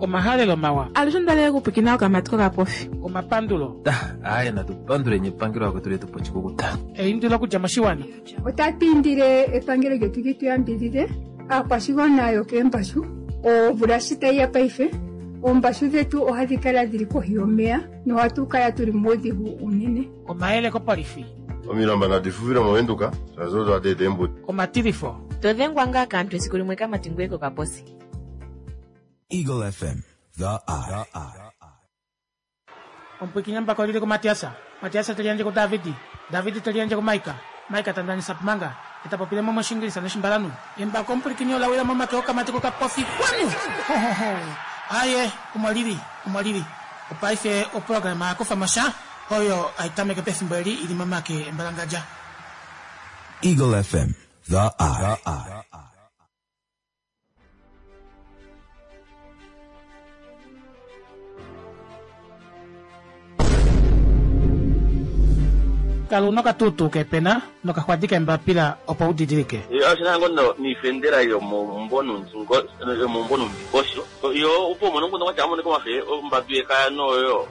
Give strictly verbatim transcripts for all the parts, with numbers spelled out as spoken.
Omahalelo mawa. Alushe ondalele okupwikina okamati kokapofi. Omapandulo. Aaye natupanduleni epangelo lakwetu letu pochikukuta. Eindilo okudja moshiwana. Otatu indile epangelo lyetu li tu yambidhidhe aakwashigwana yokeembashu. Omvula shi tayi ya paife, oombashu dhetu ohadhi kala dhili kohi yomeya nohatu kala tuli muudhigu unene. Omayele kopolifi. Omilamba nadi fufile movenduka shaashi odo hadi eta eembudi. Omatilifo. To dhengwa ngaa kaantu esiku limwe kamati ngoye kokaposi. Eagle F M, the eye. Omupwikinya mbako lili kuMatiasa. Matiasa te liyandje kuDavidi. Davidi te liyandje kuMaika. Maika ta ndanisa pumanga. Eta popile mo moshingilisa noshimbalanhu. Embako omupwilikini ola wila momake okamati kokapofi. Kwanu! Ho, ho, ho. Aye, omo lili, omo lili. Opaife oprograma ya kufa mo sha, oyo hai tameke pefimbo eli i li momake embalangadja. Eagle F M, the eye. Kala una okatuutuu kepena nokaxwadi kembapila opo u didilike. Oshina ngo no niifendela yomomumbo nondingosho yo opo umone nguno kwatya amoneka omafe ombadu yekaya noyo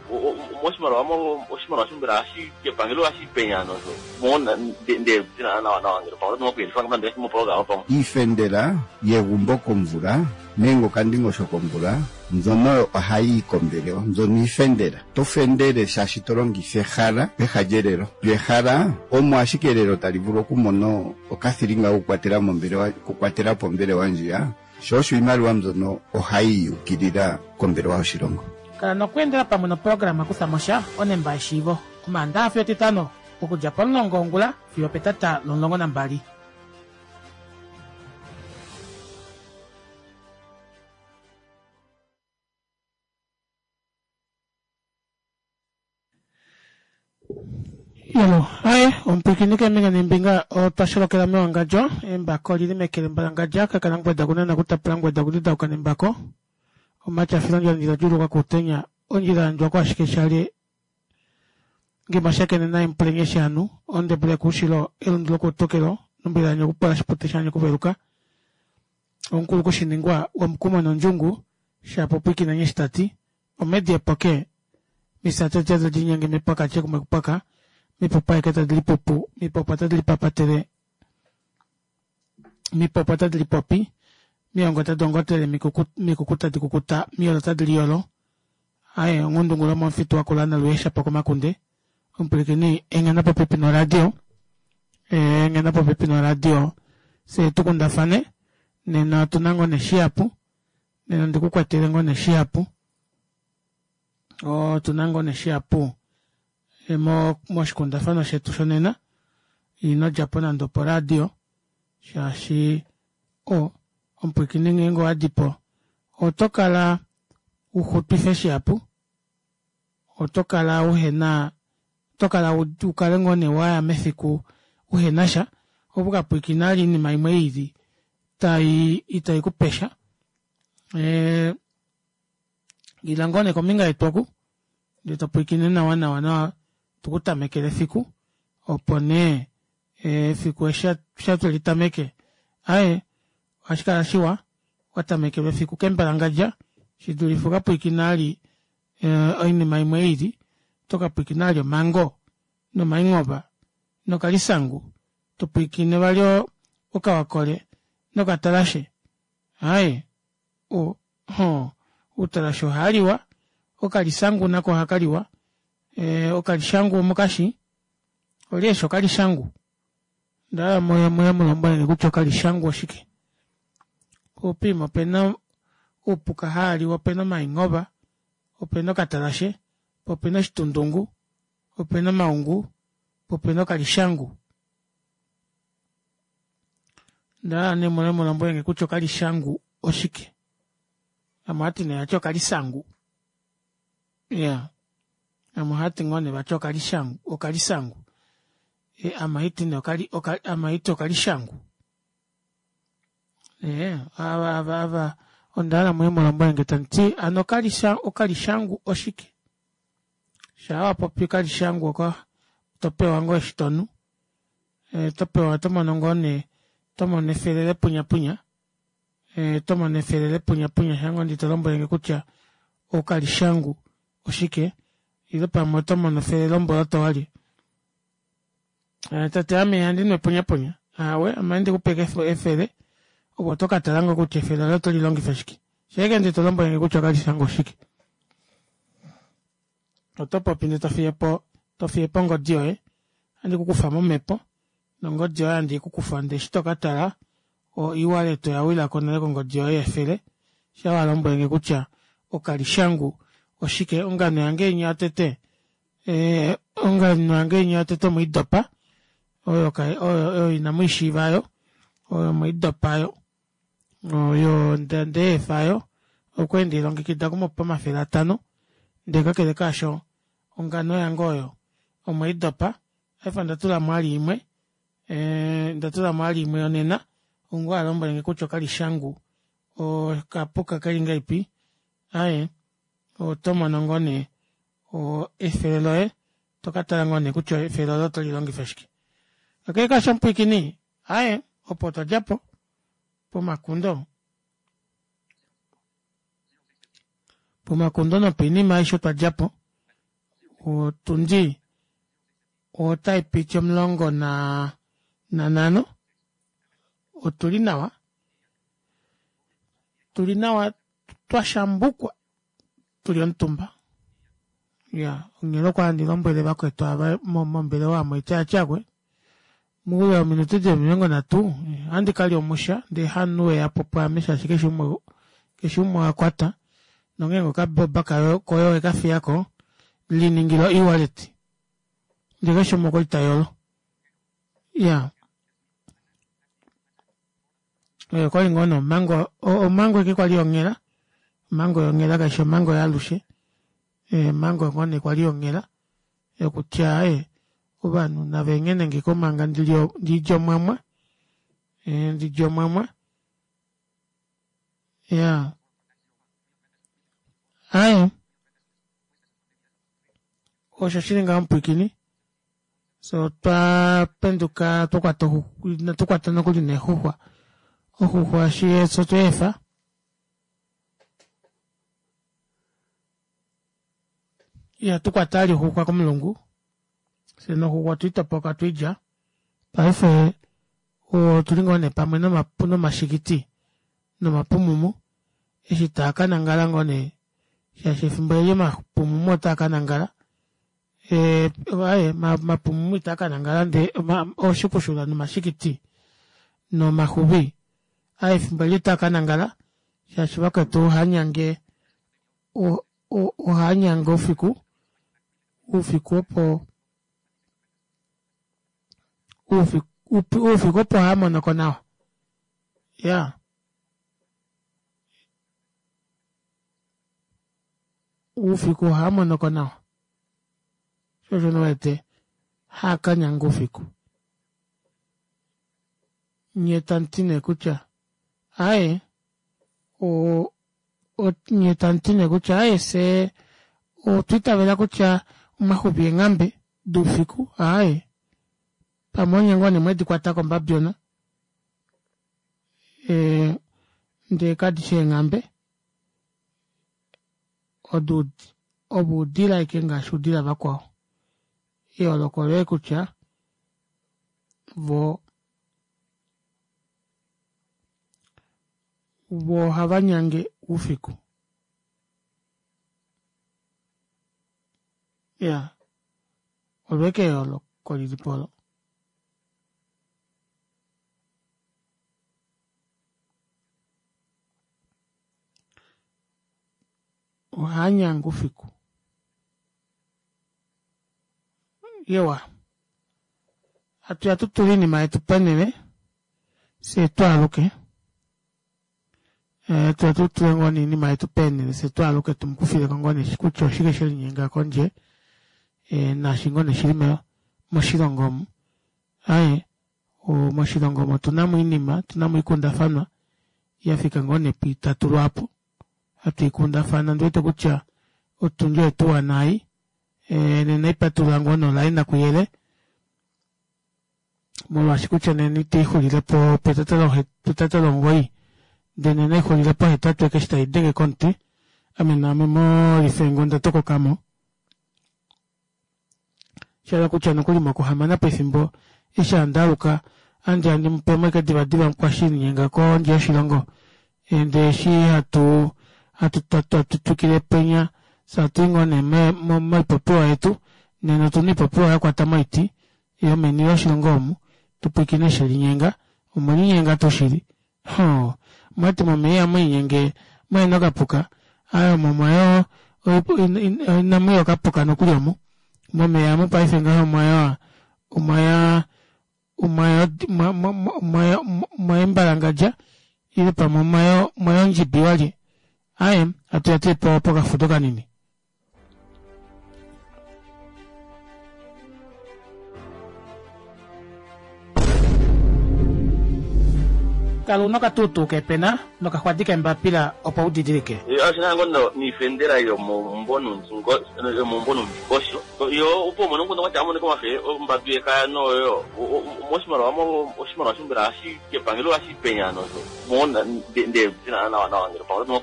moshimaliwa oshimaliwa shombela hashi kepangelo hashi penya nozo mona nde tina nawa nawa ngelo pamwe nokuyelifa ngapande moprograma pamwe. Iifendela yegumbo komvula nenge okandingosho komvula mbyono ohayi kombelewa mbyono iifendela to fendele shaashi to longifa ehala peha lyelelo lyehala omo ashike elelo tali vulu okumona okathilinga okukwatela mombelewa okukwatela po ombelewa ndjiya sho osho iimaliwa mbyono ohayi yukilila kombelewa yoshilongo. Kala nokweendela pamwe noprograma kutha mo sha onemba yeshiivo Omaandaxa fiyo Etitano okudja pomulongo wongula fiyo opetata lomulongo nambali. Yelo, aye, omupwilikini keembinga neembinga otwa sholokela mewangadjo, embako olili meke lembalangadja, kakala ngweda kunena kutapula ngweda kudidauka nembako. Omatyafilo ondjila djuuluka kuutenya, ondjila yandjwa kwashike shali ngimashakene naye mupulenye shanu, ondebule kuushilo, elundu lokuutukelo, nombila yanyu okupola shipute shanyu okuveluka. Omukulu kushiningwa womukumo nondjungu, shapo pwiikina nye shitati, omedi epoke, misate tadi linyenge mipwaka kumwe kupwaka, mipopa eke tadi lipupu, mipopa tadi lipapatele, mipopa tadi lipopi, miongo tadi ongotele, mikuku tadi kukuta, miyolo tadi liyolo. Aye, onghundungulo momufitu wakula naluesha pokomakunde. Omupwilikini engena popepi noradio, engena popepi noradio, se tukundafane, nena otuna ngoo neshihapu, nena ndikukwatele ngoo neshihapu, otuna ngoo neshihapu moshikundafano shetu shonena, ino djapo nande oporadio, shaashi o omupwilikini ngeenge owadipo oto kala uxutwife shihapu, oto kala uhena oto kala ukale ngoo nee waya mefiku uhena sha, opo ukapwilikina vali oinima imwe ili tai itai kupesha. Ila ngoo nee kombinga yetu oku ndee topwilikine nawa nawa nawa tukutamekele efiku opo nee efiku eshi twelitameke aaye ohashikala shiwa watamekelwa efiku kembalangadja shidulife ukapwilikina vali oinima imwe ili tokapwilikina vali omango nomaingoba nokalisangu topwilikine vali okawakole nokatalashe aaye o outalashe ohaaliwa okalisangu nako ohakaliwa okalishangu omukashi olye okalishangu ndala muye muye mulombwelenge kutya okalishangu oshike upima opena uupuka haaliwa opena omaingoba opena okatalashe opena oshitundungu opena omaungu opena okalishangu ndala nee muye mulombwelenge kutya okalishangu oshike vamwe ohati nee vati okalisangu iya vamwe ohati ngoo nee vati okalishangu okalisangu ame ohati nee ame ohati okalishangu ee ava ava ava ondahala muye mulombwelenge tamuti hano okalishangu oshike shaa wapopi okalishangu oko topewa ngoo eshi tonu topewa tomono ngoo nee tomono efele lepunyapunya Oto mono efele lepunyapunya shango ndi tolombwelenge kutya okalishangu oshike ile pamwe otomono efele lomboloto walya. Tati ame ihandinu epunyapunya aawe ame ohandi kupe ashike efele ove otokatala ngoo kutya efele olo oto lilongifa shike shaike ndee tolombwelenge kutya okalishangu oshike. Otopopi ndee tofiyepo tofiyepo ongodi yoye ohandi kukufa momepo nongodi yoye handi ikukufa ndee eshi tokatala o ewallet oyawilako nale kongodi yoye yefele shaa walombwelenge kutya okalishangu oshike. Ongano yange inya yotete ee ongano yange inya yotete omwiidopa oyo oyo inamwiishiiva aayo oyo omweidopa aayo oyo ndeefa aayo okwali ndeilongekida okumupa omafele atanho ndee kakele kaasho ongano yange oyo omweidopa paife ondatulamo vali imwe ee ondatulamo vali imwe yonena oungoo alombwelenge kutya okalishangu okapuka keli ngahelipi aaye otomono ngoo nee efele loye tokatala ngoo nee kutya efele olo oto lilongifa shike. Kakele kaasho omupwiikini aaye opo otwadjapo pomakundo pomakundo nopoinima aishe otwadjapo otundi otaipiti omulongo naa nanhano otuli nawa tuli nawa twashambukwa tuli omutumba iyaa onghela okwali handi lombwele vakwetu aava mombelewa omu haiti aaye aakwee moule wominute dili omilongo nhatu ohandi kalya omusha ndee hamunhu weyapo pwaame shaashi keshe umwe keshe umwe ohakwata nongenge okaboba koye owekafiyako liningila o ewallet ndee keshe umwe okwali tayolo iyaa oyo okwali ngoo nee omhango omhango ashike kwali yonghela omhango yonghela kaifi omhango yaalushe omhango ngoo nee kwali yonghela yokutya aaye ovanhu navenghenengeko manga ndilye omwamwa ndilye omwamwa iyaa aaye osho shili ngaho mupwiikini fyee otwa penduka twakwata inatu kwata nokuli neexuxwa oxuxwa fyee otweefa ihatukwata vali oxuxwa komulungu fyee noxuxwa otwiitopoka otwiilya paife otuli ngoo nee pamwe nomashikiti nomapumumu eshi taakanangala ngoo nee shaashi efimbo eli omapumumu otaa kanangala ee aaye omapumumu itaa kanangala ndee ooshikushula nomashikiti nomaxuvi aaye efimbo eli otaa kanangala shaashi vakwetu ohaanyange ohaanyange oufiku oufiku opo oufiku opo haamonoko nawa iyaa oufiku ohaamonoko nawa shoo osho nee uwete haakanyanga oufiku nyee tamuti nee kutya aaye nyee tamuti nee kutya aaye fyee otwa itavela kutya omaxuvi eenghambe doufiku aaye pamwe onye ngoo nee mwedikwatako ombabyona ee ndee kadishi eenghambe odo ovo oudila ashike ngaashi oudila vakwao eyooloko oloye kutya voo voo ohavanyange oufiku iyaa olo ashike eyooloko lilipo olo. Ohaanyange oufiku iwa hatuya tutule oinima yetu ponele fyee twaaluke hatuya tutule ngoo nee oinima yetu peenele fyee twaaluke tumukufileko ngoo nee kutya oshike shelinyenga kondje naashi ngoo nee shili moshilongo omu aaye moshilongo omu otunamo oinima otunamo oikundafanwa yafika ngoo nee pwiitatu lwaapo hatu ikundafana ondiwete kutya otundi oyetuwana ei nena ohaipatulula ngoo nee olaina kuyele molwaashi kutya nena ita ixulilepo petata lomugoyi Ndele naixulile pohetatu ekeshi taidenge komuti. Ame naame molifengo onda tokokamo. Shahala kutya nokuli mokuhamana pefimbo eshi handi aluka ohandi ya ndimupemo ashike divadiva mukwashilinyenga kondje yoshilongo. Ndee eshi hatu hatu hatu twikile penya fyee hatui ngoo nee moipopiwa yetu nena otuna oipopiwa yakwata moiti yomeni loshilongo omu tupwiikine shelinyenga omwelinyenga tuu shili hoo omwati momeva ihamwiinyenge muhena okapuka aaye omo omwaya inamuya okapuka nokuli omu momeva omu paife ngaha omwaya omwaya omwaya omwaya embalangadja ile pamwe omwaya ondjibi walye aaye hatuya tuu pokafudo kanini. Kala una okatuutuu kepena nokaxwadi kembapila opo udidilike. Oshina ngoo noifendela yomeumbo nomundingosho yo opo umone omukundu watya amonike omafe ombadu yekaya noyo moshimaliwa oshimaliwa mbela kepangelo ohashi penya nosho ndee nawa nawa ngele pamwe oto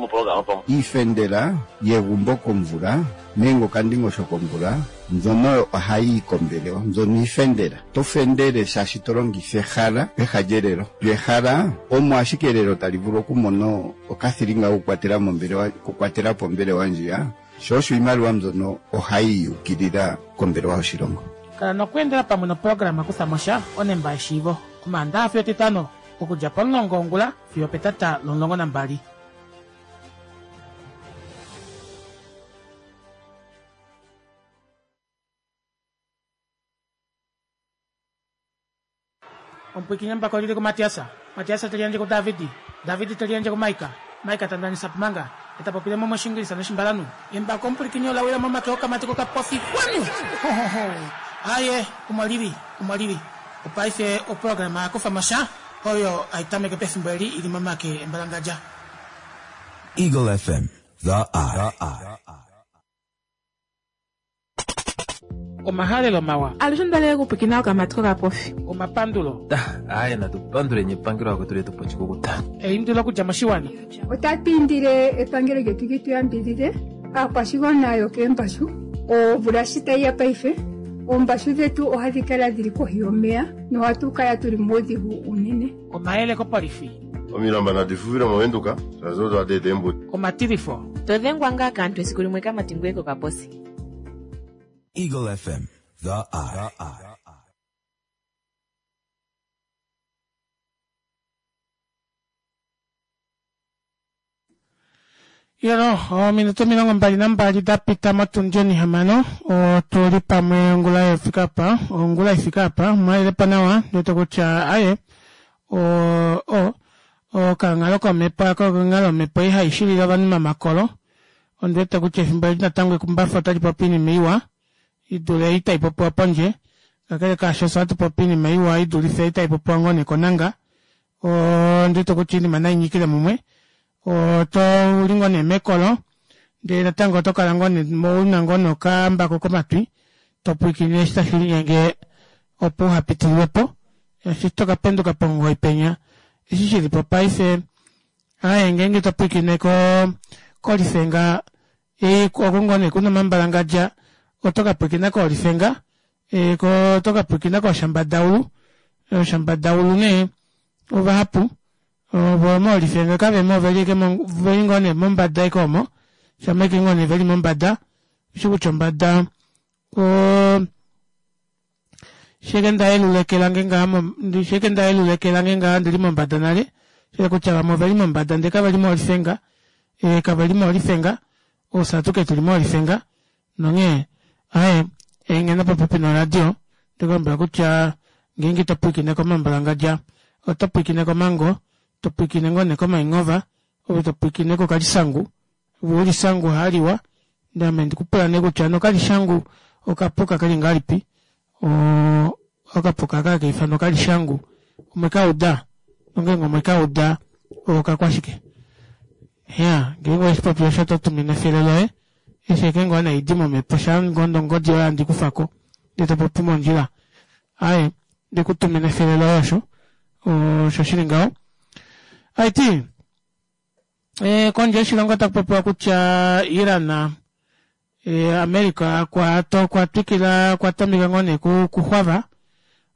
moprograma pamwe. Iifendela yegumbo komvula nenge okandingosho komvula mbyono ohayi kombelewa mbyono iifendela to fendele shaashi to longifa ehala peha lyelelo lyehala omo ashike elelo tali vulu okumona okathilinga okukwatela mombelewa okukwatela po ombelewa ndjiya sho osho iimaliwa mbyono ohayi yukilila kombelewa yoshilongo. Kala nokweendela pamwe noprograma Kuthamosha onemba yeshiivo Omaandaxa fiyo Etitano okudja pomulongo wongula fiyo opetata lomulongo nambali. Omupwiikini embako olili kuMatias, Matias te liyandje kuDavid, David te liyandje kuMaika, Maika ta ndanisa Pumanga, e ta popile mo mOshingilisa noshimbalanhu. Embako omupwilikini ola wila momake okamati kokapofi. Kwanu! Hohoho! Aaye, omo lili, omo lili. Opaife oprograma ya kufa mo sha, oyo hai tameke pefimbo eli i li momake embalangadja. Eagle F M, The Eye. Omahalelo mawa. Alushe ondalele okupwikina okamati kokapofi. Omapandulo. Aaye natu panduleni epangelo lakwetu letu po oshikukuta. Eindilo okudja moshiwana. Otatu indile epangelo lyetu li tu yambidhidhe aakwashigwana yokeembashu omvula shi tayi ya paife oombashu dhetu ohadhi kala dhili kohi yomeya nohatu kala tuli muudhigu unene. Omayele kopolifi. Omilamba nadi fufile moVenduka shaashi odo hadi eta eembudi. Omatilifo. To dhengwa ngaa kaantu esiku limwe kamati ngoye kokaposi. Eagle F M, The Eye. Yelo, ominute omilongo mbali nambali da pita motundi onihamano otuli pamwe ongula yefika apa ongula ifika apa mwalelepo nawa ndiwete kutya aye o o okanghalo komhepo aka okanghalo omhepo ei haishilile ovanhu mamakolo ondiwete kutya efimbo eli natango ekumbafa otali popi oinima iwa idule ei taipopiwa pondje kakele kaasho fye ohatu popi oinima iwa idulife ei taipopiwa ngoo nekonanga ondiwete kutya oinima nainyikile mumwe oto uli ngoo nee mekolo ndee natango oto kala ngoo nee una ngoo nokambako komatwi topwiikine eshi tashi linyenge opo uhapitililwepo eshi toka penduka pomugoyi penya eshi shilipo paife aaye ngeenge topwiikine ko kolifenga oko ngoo nee kuna omambalangadja oto kapwiikina koolifenga oto kapwiikina kooshambadaulu ooshambadaulu nee ovahapu ovo moolifenga kavemo oveli veli ngoo nee mombada ashike omo shama ashike ngoo nee veli mombada ushi kutya ombada oo sheke ndayelula eke lange ngaha sheke ndayelula eke lange ngaha ndili mombada nale shele kutya vamwe oveli mombada ndee kaveli moolifenga ee kaveli moolifenga ofye atuke tuli moolifenga nonghee aaye engena popepi noradio ndikulombwela kutya ngeenge ito pwiikine komambalangadja oto pwiikine komango to pwiikine ngoo nee komaingova ove to pwiikine kokalisangu ove ulisangu haaliwa ndee ame ndikupula nee kutya nokalishangu okapuka keli ngahelipi oo okapuka aka hakaifanwa okalishangu omwekauda nongeenge omwekauda okakwashike iya ngeenge oweshipopi osho oto tumine efele loye eshi ashike ngoo nee haidi momhepo shaa ngoo nongodi yoye handi kufako ndee topopi mondjila aaye ndikutumina efele loye osho osho shili ngaho. Haiti e, kondje yoshilongo otaku popiwa kutya Iran e, America okwa okwa twikila okwa tameka ngoo nee kuxwava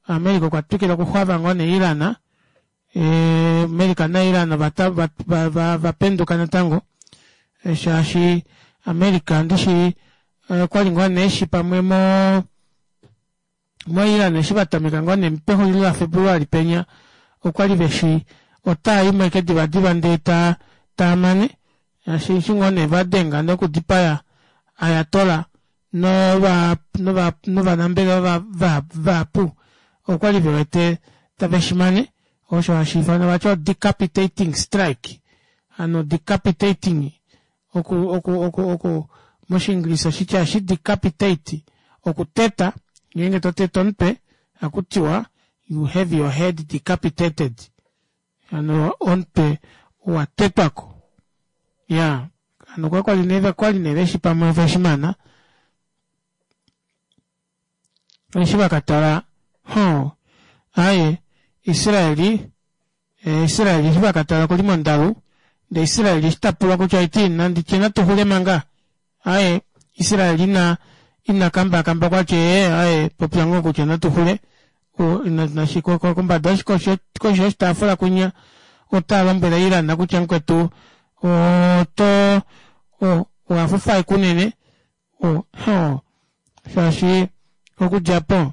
America okwa twikila okuxwava ngoo nee Iran e, America na Iran vapenduka natango e, shaashi America ndishi okwali ngoo nee eshi pamwe mo mo Iran eshi vatameka ngoo nee pexulilo la Februali penya okwali veshi otaayimo ashike divadiva ndee ta taamane shaashi eshi ngoo nee vadenga nokudipaya Ayatollah nova nova novanambelewa vahapu okwali vewete tave shimane osho hashi ifanwa vati decapitating strike hano decapitating oku oku oku oku moshiingilisa oshitya eshi decapitate okuteta ngeenge totete omutwe ohakutiwa you have your head decapitated hano omutwe owatetwako ya hano kwakwali nee kwali nee veshi pamwe veshimana eshi vakatala ho aaye Israeli eh, Israeli eshi vakatala okuli mondalu ndee Israeli eshi tapulwa kutya iti nanditye natuxule manga aaye Israeli ina ina kambakamba okwati ee aaye popya ngoo kutya natuxule kombada koshi yoshitaafula kwinya otalombwele Iran kutya mukwetu oto owafufa kunene shaashi okudjapo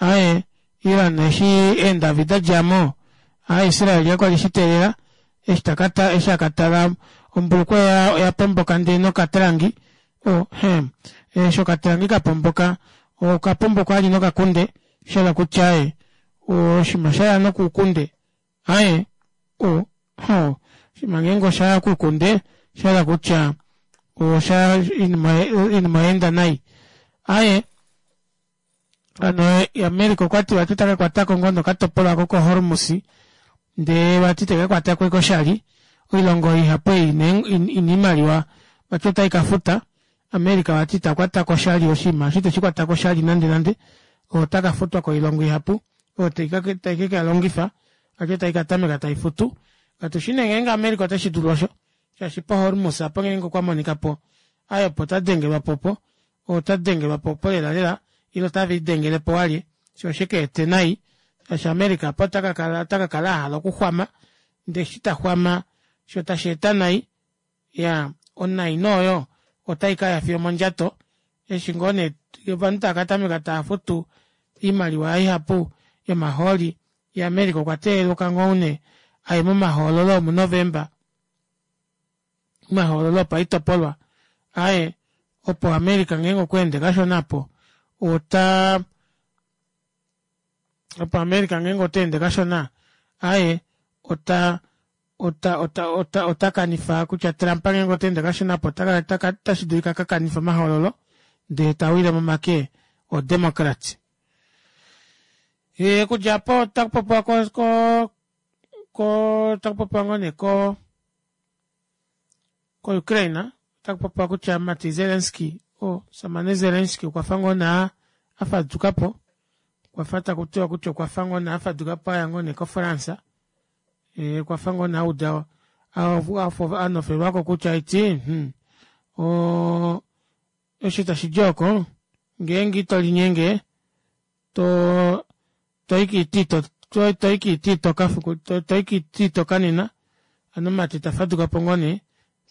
aaye Iran eshi eendavi dadjamo aaye Israel okwali eshiteelela eshi takata eshi akatala ombulukweya oya pomboka ndee nokatalangi oh, eshi okatalangi kapomboka okapomboka ali nokakunde shahala kutya aye oshinima shaya nokuukunde aye o oshinima ngeenge oshaya kuukunde shahala kutya osha oinima oyaenda nai aaye hano America okwati vati ota kakwatako ngoo nokatopolwa ko ko Hormuz ndee vati tekakwatako ashike oshali oilongo ihapu ei ina oimaliwa vati otai kafuta America vati itakwatako oshali oshinima eshi iteshikwatako oshali nande nande ota kafutwa koilongo ihapu oyo tai kekalongifa vati otai katameka taifutu katushi nee ngeenge America oteshidulu osho shaashi po Hormuz apo ngeenge okwa monikapo aaye opo tadengelwapo opo otadengelwapo opo lela lela ile otavelidengelepo walye shoo oshikeete nai shaashi America apo otakakala otakakala ahala okuxwama ndee eshi taxwama shoo tasheeta nai iyaa onai nee oyo otaikaya fiyo omondjato eshi ngoo nee ovanhu tava katameka taafutu oimaliwa ihapu yomahooli ye America okwa teelelwa ngoo nee aye momahoololo omu November omahoololo opaitopolwa aaye opo America ngeenge okweende kashona aapo ota opo America ngeenge otaende kashona aaye ota ota ota ota otakanifa kutya Trump ngeenge otaende kashona aapo otashidulika akakanife omahoololo ndee tawile momake o Democrat. Okudja aapo otakupopiwa ko ko ko otakupopiwa ngoo nee ko ko Ukraine otakupopiwa kutya mati Zelensky omushamane Zelensky okwafa ngoo nee afadukapo okwafa takutiwa kutya okwafa ngoo nee afadukapo aya ngoo nee ko France okwafa ngoo nee auda anofelwako kutya haiti hmm, oo eshi tashidi oko ngeenge itolinyenge to toyi toyi kiiti itoka toyi kiiti itoka nena hano mati tafadukapo ngoo nee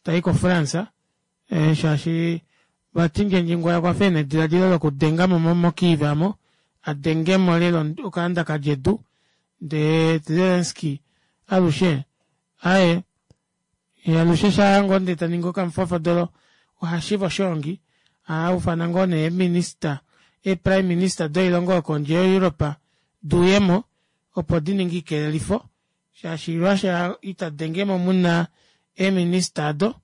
tayi ko France shaashi vati Ndjendjingwaya okwafa ena edilaadilo lokudengamo mo Kiev aamo adengemo lela okaanda kalya edu ndee Zelensky alushe aaye alushe shaa ngoo ndee taningi okamufofodolo ohashiva oshoongi ohaufana ngoo nee eeminister ee prime minister doilongo yokondje yo Europe duuyemo opo dininge oikelelifo shaashi Russia ita dengemo muna eeminister aado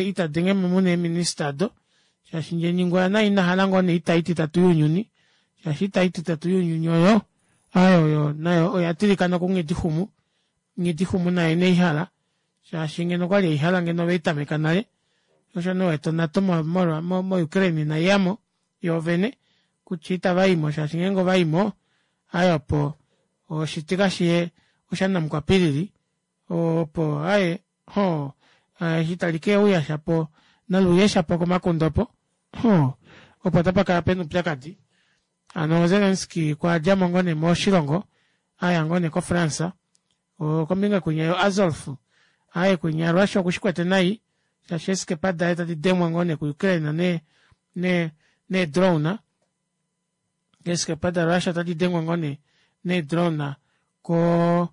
ita dengemo muna eeminister aado shaashi Ndjendjingwaya naye inahala ngoo nee oita ititatu younyuni shaashi oita ititatu younyuni oyo aaye oyo nayo oya tilika nokunghidixumu nghidixumu naye ineihala shaashi ngeno okwali eihala ngeno oveitameka nale osho nee uwete oNato mo Ukraine inaiyamo yoovene kutya itavaimo shaashi ngeenge ovaimo aaye opo oshitika shiye oshanamukwapilili Opo aaye hoo eshi tali keuya shapo naluuye shapo komakunda opo hoo opo tapakala pena oupyakadi. Hano Zelensky okwadjamo ngoo nee moshilongo aya ngoo nee ko france kombinga kwinya yo azolf aaye kwinya Russia okushikwete nai shaashi eeskepa daye tadi dengwa ngoo nee ku ukraine nee nee nee drone eeskepa da russia ota didengwa ngoo nee nee drone koo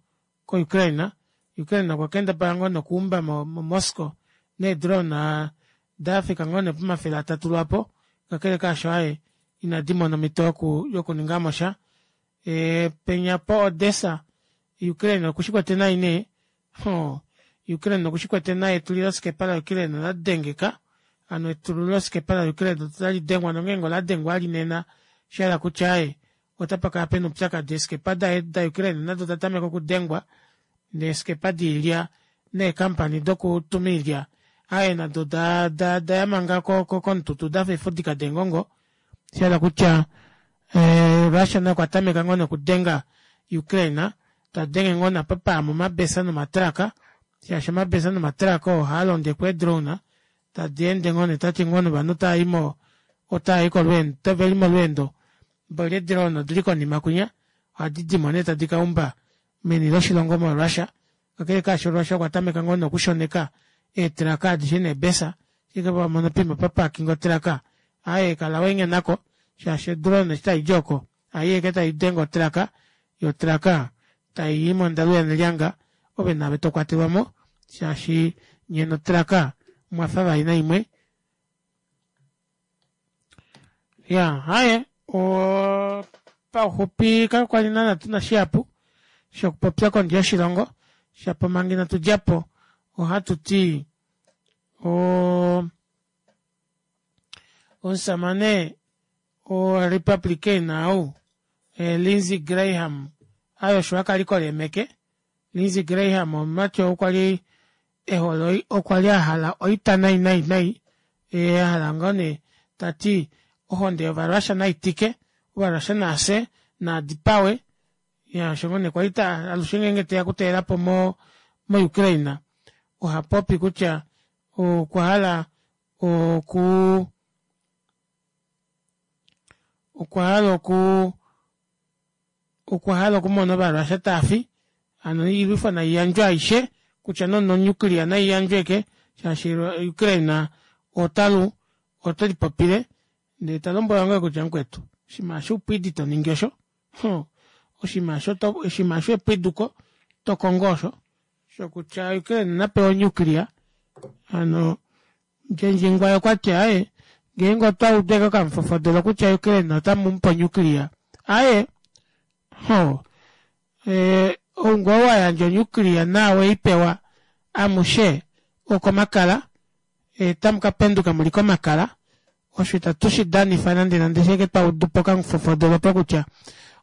ko ukraine. Ukraine okwa kendabala ngoo nee okuumba mo moscow nee drone dafika ngoo nee pomafele atatu lwaapo kakele kaasho aaye inadimona omito yokuningamosha ee penya po odesa ukraine okushikwete nai nee hoo ukraine okushikwete nai etuliloskepa la ukraine oladengeka hano etuliloskepa la ukraine otalidengwa nongenge oladengwa vali nena oshahala kutya aaye otapakala pena oupyakadi eeskepa da ukraine nado oda tameka okudengwa neeskepa doilya nee company dokutuma oilya aaye nado odaya manga komututu dafa eefudika deengongo shahala kutya russia naye okwatameka ngoo nee okudenga ukraine tadenge ngoo nee apa payama omabesa nomatruck shaashi omabesa nomatruck oo haalondekwa ee drone tadeende ngoo nee tati ngoo nee ovanhu otaayi kolweendo oveli molweendo mboli ee drone odili konima kwinya ohadidimo nee tadi kaumba meni loshilongo mo russia kakele kaasho russia okwa tameka ngoo nee okushoneka ee truck adishe neebesa shima ashike wamono poima paparkingwa otruck aaye kala waengenako shaashi o drone eshi taidi ooko ohaiya ashike taidenge o truck yoo otruck tayii mondalu yanelyanga ove naave tokwatelwamo shaashi nyee no truck omwafa vaina imwe. Iyaa aaye oo pauxupi kakwali naana tuna shihapu shokupopya kondje yoshilongo shapo manga inatudjapo ohatuti oo omushamane wo republican ou lindsay graham aaye osho akalikola eemeke lindsay graham omumati ou kwali ehole kwali ahala oita nai nai nai yee ahala ngoo nee tati ohonde yova russia naitike ovarussia naafye naadipawe iyaa osho ngoo nee kwali alushe ngenge teya okutalelapo mo ukraine ohapopi kutya okwahala okuu okwahala okuu okwahala okumona ova russia taafi hano oilwifo naiyandjwe aishe kutya nee ono nuclear naiyandjwe ashike shaashi ukraine otalu otelipopile ndee talombwelwa ngoo nee kutya mukwetu oshinima aasho oupwidi toningi osho nhoo oshinima aasho epwiduko tokongo osho shokutya ukraine napewe o nuclear hano ndjendjingwaye okwati aaye ngeenge otwaudu ashike okamufofodolo kutya ukraine otamumupe o nuclear aaye hoo oungoo wayandja o nuclear naau weipewa amushe okomakala otamukapenduka muli komakala osho ita tushidanifa nande nande shaike twaudupo okamufofodolo opo kutya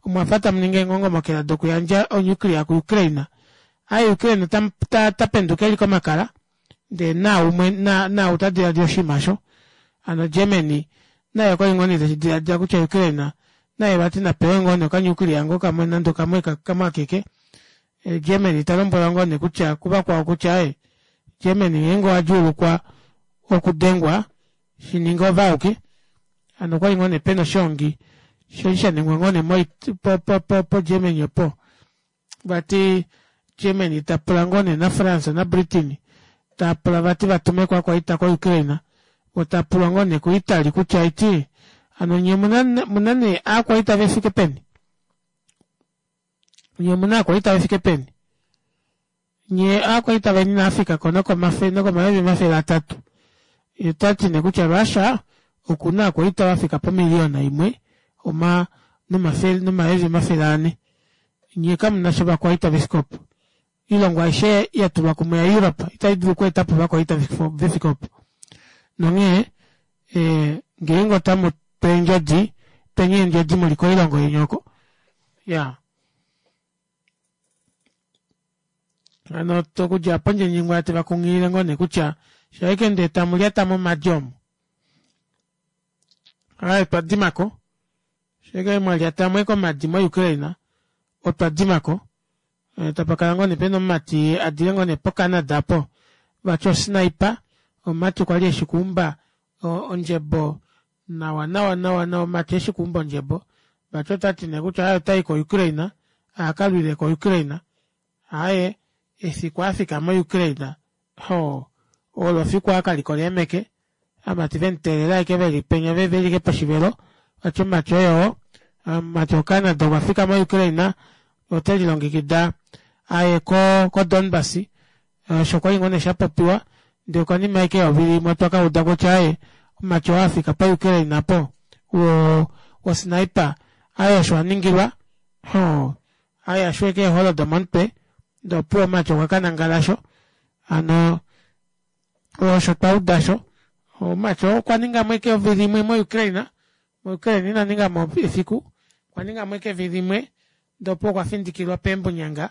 omwafa tamuningi eengongomokela dokuyandja o nuclear ku ukraine aaye ukraine otapenduka eli komakala ndee naaumwe naau tadilaadila oshinima aasho hano germany naye okwali ngoo nee teshidilaadila kutya ukraine naye vati napewe ngoo nee oka nuclear ngoo kamwe nande okamwe kamwe akeke germany talombwelwa ngoo nee kutya kuvakwao kutya aaye germany ngeenge owadjuulukwa okudengwa shininga oove auke hano okwali ngoo nee pena oshoongi shali shaningwa ngoo nee po germany opo vati germany tapula ngoo nee na france na britain taapula vati vatumeko ovakwaita ko ukraine voo taapulwa ngoo nee ku italy kutya haiti hano nyee omuna nee aakwaita vefike peni nyee omuna aakwaita vefike peni nyee aakwaita veni inaafikako nokomayovi omafele atatu yee otati nee kutya russia okuna ovakwaita vafika pomillion imwe oma nomayovi omafele anhe nyee kamunasha ovakwaita vefike opo oilongo aishe yatulwa kumwe ya europe ita idulu okweetapo ovakwaita vefike opo nonghee ngeenge otamutu eendjodi tweni eendjodi muli koilongo yeni oko iyaa hano okudja aapo ndjendjingwaye tevakunghilile ngoo nee kutya shaike ndee tamulyata momadi omu aaye otwadimako shaike mwalyatamo ashike omadi mo ukraine otwadimako Tapakala ngoo nee pena omumati adile ngoo nee po Canada aapo vati osniper omumati kwali eshi okuumba ondjebo nawa nawa nawa nawa omumati eshi okuumba ondjebo vati otati nee kutya aaye otayi ko Ukraine akalwile ko Ukraine aaye efiku afika mo Ukraine hoo olo efiku akalikola eemeke ovamati vemuteelela ashike veli penya veli ashike poshivelo vati omumati oyoo omumati wo Canada okwafika mo Ukraine otelilongekida aye ko ko Donbas osho kwali ngoo nee shapopiwa ndee konima ashike yovili imwe otwa kauda kutya aaye omumati oo afika po Ukraine aapo wo wo sniper aaye osho aningilwa hoo aaye ashweke eeholo domomutwe ndee opuwo omumati okwa kanangala osho hano osho twauda osho omumati oo okwaningamo ashike ovili imwe mo Ukraine mo Ukraine ina ningamo efiku okwaningamo ashike evili imwe ndee opuwo okwafindikilwa peembunyanga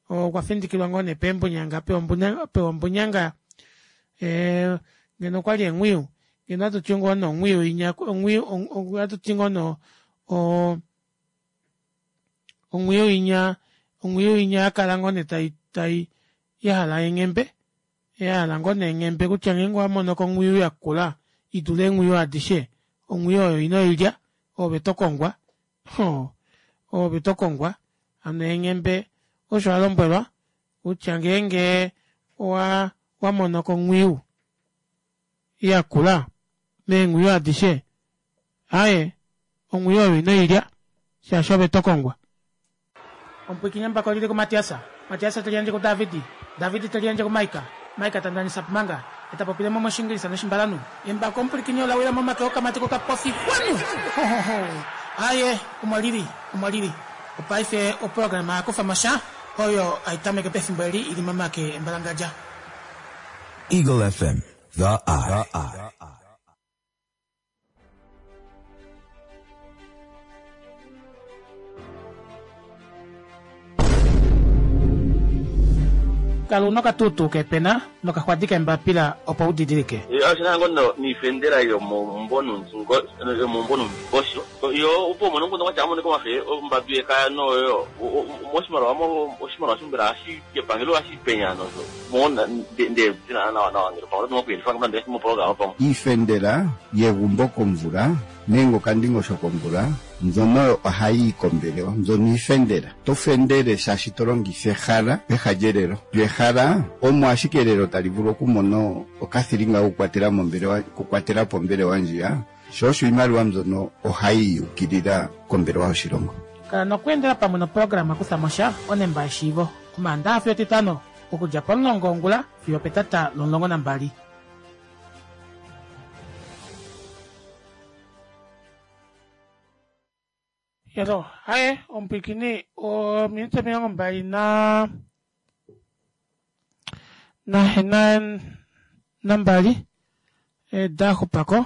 okwafindikilwa ngoo nee peembunyanga apewa ombunyanga ee ngeno okwali eenghwiyu ngeno ohatuti ngoo nee onghwiyu inya ohatuti ngoo nee oo onghwiyu inya onghwiyu inya yakala ngoo nee tai tai yahala eenghembe yahala ngoo nee eenghambe kutya ngeenge owamonoko onghwiyu yakula idule eenghwiyu adishe onghwiyu oyo inoilya oove tokongwa oo oove tokongwa hano eenghembe osho alombwelwa kutya ngeenge owa wamonoko onghwiyu yakula meenghwiyu adishe aaye onghwiyu oyo inoilya shaashi ove tokongwa. Omupwiikini embako olili kuMatias, Matias teliyandje kuDavid, David teliyandje kuMaika, Maika ta ndanisa Pumanga, eta popile mo mOshingilisa nOshimbalanhu. Embako omupwilikini ola wila momake okamati kokapofi xwanu! Hohoho! Aaye, omo lili, omo lili. Opaife oprograma ya kufa mo sha, oyo hai tameke pefimbo eli i li momake embalangadja. Eagle F M, The Eye. Kala una okatuutuu keepena nokaxwadi keembapila opo u didilike. Oshina ngoo noifendela yomaumbo noundingosho yo opo umone omukundu watya amonike omafe ombadu yekaya noyo moshimaliwa oshimaliwa mbela kepangelo ohashi penya nosho mo ndee nawa nawa ngeno pamwe oto okuyelifa nande moprograma pamwe. Iifendela yegumbo komvula nenge okandingosho komvula mbyono ohayi yi kombelewa mbyono iifendela to fendele shaashi to longitha ehala peha lyelelo lyo ehala omo ashike elelo tali vulu okumona okathilinga kokukwatela mombelewa okukwatela po ombelewa ndjiya sho osho iimaliwa mbyono ohayi yukilila kombelewa yoshilongo. Kala nokweendela pamwe noprograma Kutha mo sha onemba yeshiivo Omaandaxa fiyo Etitano okudja pomulongo wongula fiyo opetata lomulongo nambali. Yalo, haye omupwiikini ominute omilongo mbali na na nambali daxupako.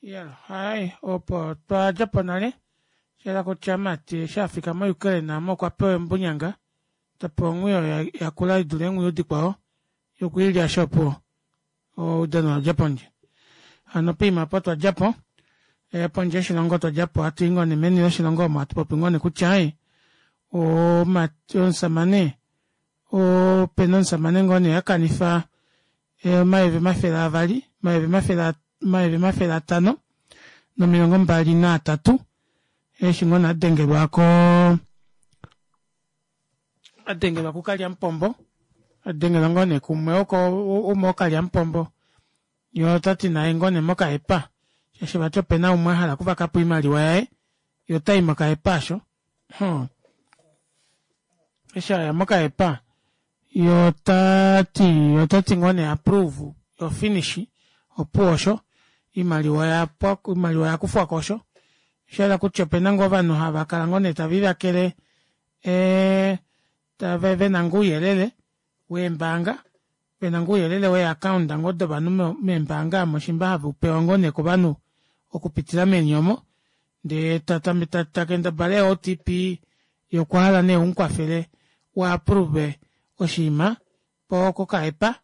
Yalo, haye opo twadjapo nale shayela kutya mati eshi afika mo Ukraine aamo okwa pewa embunyanga tapewa onghwiyu oyo yakula idule eenghwiyu dikwao yokwiilya asho opuwo oudano owadja pondje. Hano poima opo twadjapo pondje yoshilongo twadjapo hatuyi ngoo nee meni loshilongo omo hatu popi ngoo nee kutya aaye omushamane opena omushamane ngoo nee akanifa omayovi omafele avali omayovi omafele omayovi omafele atano nomilongo mbali naatatu eshi ngoo nee adengelwa koo adengelwa kukalyamupombo adengelwa ngoo nee kumwe oko umwe wokalyamupombo yee otati naye ngoo nee mokahepa shaashi vati opena umwe ahala okuvakapo oimaliwa yaye yee otayi mokahepa aasho hoo eshi aya mokahepa yee otati otati ngoo nee approve yo finish opuwo osho oimaliwa oyapwa oimaliwa oyakufwako osho oshayela kutya opena ngoo ovanhu havakala ngoo nee tavelivakele ee tave vena ngoo ouyelele weembaanga vena ngoo ouyelele wee account ngoo dovanhu meembaanga omo shimba have upewa ngoo nee kovanhu okupitila meni omo ndee takendabala ee O T P yee okwahala nee umukwafele u approve oshinima poo kokahepa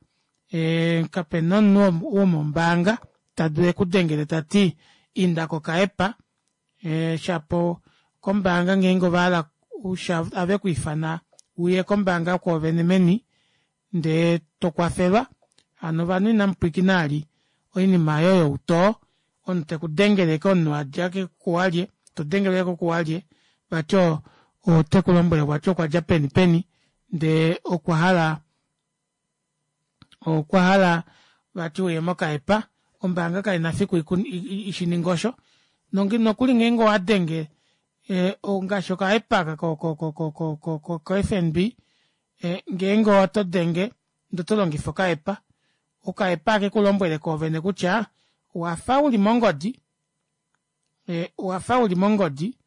ee kapena omunhu womombaanga tadulu ekudengele tati inda kokahepa ee shapo kombaanga ngeenge ovahala avekwiifana Uye kombaanga kwoovene meni ndee tokwafelwa. Hano ovanhu inamupwiikina vali oinima aayo youtoo, omunhu tekudengele ashike omunhu adja kuwalye todengelwa ashike kuwalye vati otekulombwele vati okwadja peni peni ndee okwahala okwahala vati uye mokaepa. Ombaanga kaina efiku ishininge osho nokuli ngeenge owadenge ngaashi okaepa aaka ko- ko- ko F N B, ngeenge otodenge ndee otolongifa okaepa, okaepa ohakekulombwele koovene kutya owafa uli mongodi owafa uli mongodi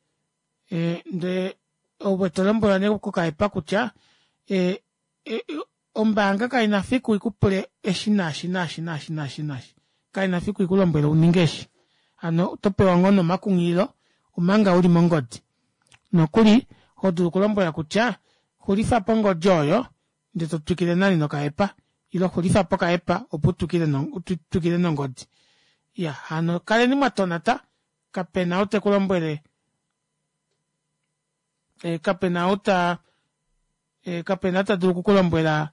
ndee ove tolombwelwa nee kokaepa kutya ombaanga kaina efiku ikupule eshi naashi naashi naashi naashi naashi, kaina efiku ikulombwele uninge eshi. Hano otopewa ngoo nee omakunghililo omanga uli mongodi, nokuli hodulu okulombwela kutya xulifapo ongodi oyo ndee totwikile nani nokaepa ile xulifapo okaepa opo utwikile nongodi. Iyaa hano kaleni mwatonata, kapena ou tekulombwele kapena ou taa kapena ou tadulu okukulombwela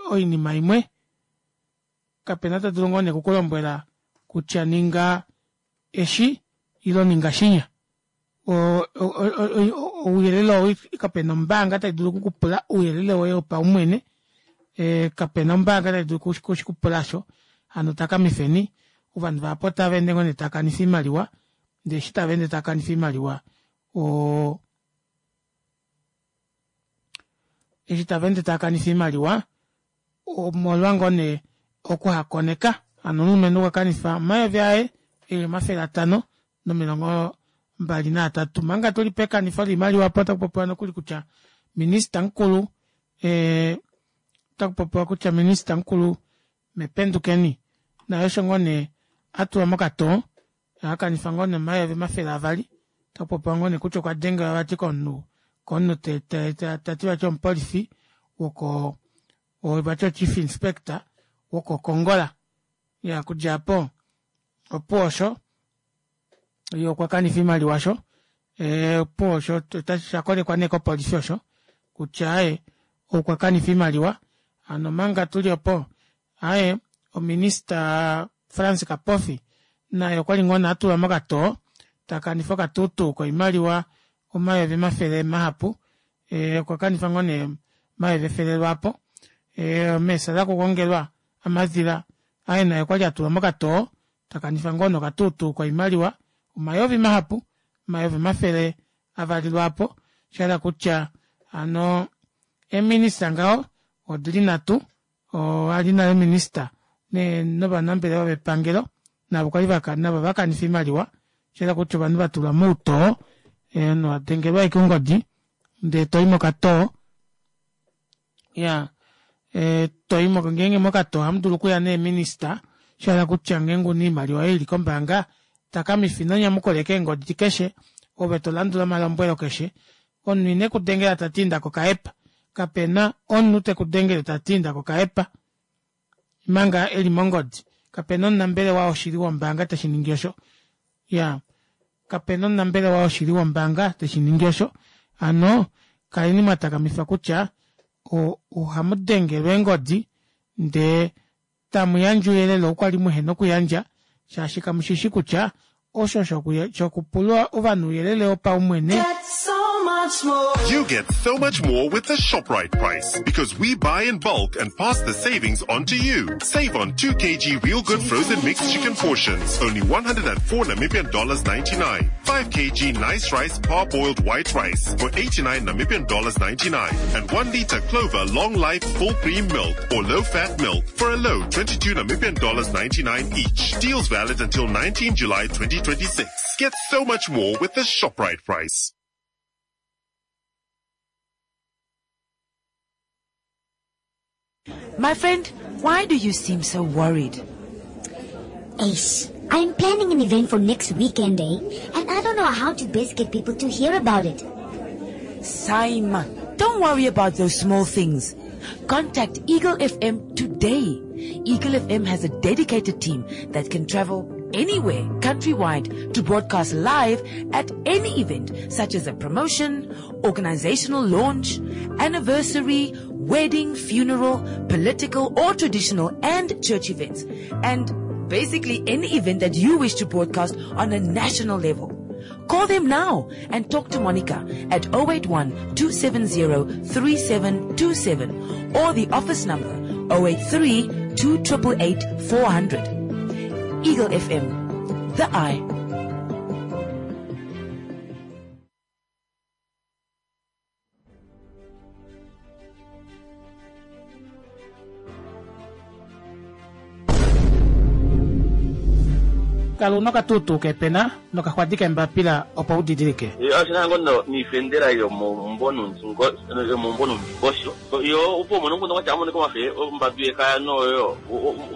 oinima imwe, kapena ou tadulu ngoo nee okukulombwela kutya ninga eshi ile ninga shinya. Oo ouyelele oo kapena ombaanga taidulu okukupula ouyelele woye wopaumwene kapena ombaanga taidulu okushikupula aasho. Hano takamifeni ovanhu vahapu otavaende ngoo nee taakanifa oimaliwa ndee eshi tavaende taakanifa oimaliwa oo eshi tavaende taakanifa oimaliwa omolwa ngoo nee okuhakoneka. Hano omulumenhu okwakanifa omayovi aye eli omafele atanho nomilongo mbali naatatu. Omanga tuli pekanifo loimaliwa aapo otakupopiwa nokuli kutya minister mukulu otakupopiwa kutya minister mukulu mee Pendukeni naye osho ngoo nee atulwa mokatoo akanifa ngoo nee omayovi omafele avali, otakupopiwa ngoo nee kutya okwa dengelwa vati komunhu komunhu tati vati omupolifi woko vati o chief inspector woko Kongola. Iyaa okudja aapo opuwo osho yee okwakanifa oimaliwa osho opuwo osho oshakolekwa nee kopolifi osho kutya aaye okwakanifa oimaliwa. Hano omanga tuli opo aaye ominister Frans Kapofi naye okwali ngoo nee atulwa mokatoo takanifa okatuutuu koimaliwa omayovi omafele mahapu, okwakanifa ngoo nee omayovi efele lwaapo. Mee Saara Kuugongelwa Amadhila aaye naye okwali atulwa mokatoo takanifa ngoo nee okatuutuu koimaliwa omayovi mahapu, omayovi omafele avali lwaapo. Oshahala kutya hano eeminister ngaho odili nhatu, oo ali nale minister novanambelewa vepangelo navo kwali navo ovakanifa oimaliwa. Oshahala kutya ovanhu vatulwa moutoo, omunhu adengelwa ashike ongodi ndee toyi mokatoo. Iyaa ngeenge mokatoo ohamudulu okuya nee minister, oshahala kutya ngeenge una oimaliwa yoye ili kombaanga takamifa ino nyamukula ashike eengodi keshe ove tolandula omalombwelo keshe. Omunhu ine kudengela tati inda kokaepa, kapena omunhu tekudengele tati inda kokaepa manga eli mongodi, kapena omunambelewa woshili wombaanga teshiningi osho. Iyaa kapena omunambelewa woshili wombaanga teshiningi osho. Hano kaleni mwatakamifa kutya ohamudengelwa eengodi ndee tamuyandje ouyelele oo kwali muhena okuyandja shaashi kamushishi kutya osho shokupula ovanhu ouyelele wopaumwene. You get so much more with the ShopRite price because we buy in bulk and pass the savings on to you. Save on two kilograms Real Good frozen mixed chicken portions, only one hundred and four Namibian dollars ninety-nine. five kilograms Nice Rice parboiled white rice for eighty-nine Namibian dollars ninety-nine. And one liter Clover long life full cream milk or low fat milk for a low twenty-two Namibian dollars ninety-nine each. Deals valid until nineteenth July twenty twenty-six. Get so much more with the ShopRite price. My friend, why do you seem so worried? Ace, I'm planning an event for next weekend, eh? And I don't know how to best get people to hear about it. Saima, don't worry about those small things. Contact Eagle F M today. Eagle F M has a dedicated team that can travel anywhere, countrywide, to broadcast live at any event, such as a promotion organizational launch, anniversary, wedding, funeral, political or traditional and church events, and basically any event that you wish to broadcast on a national level. Call them now and talk to Monica at oh eight one, two seven zero, three seven two seven or the office number oh eight three, two triple eight, four hundred. Eagle F M, the eye. Kala una okatutu kepena nokaxwadi kembapila opo u didilike. Ashina ngono niifendela yomombonundingosho yo opo mono ngono wacha mono komafe ombadu yekaya noyo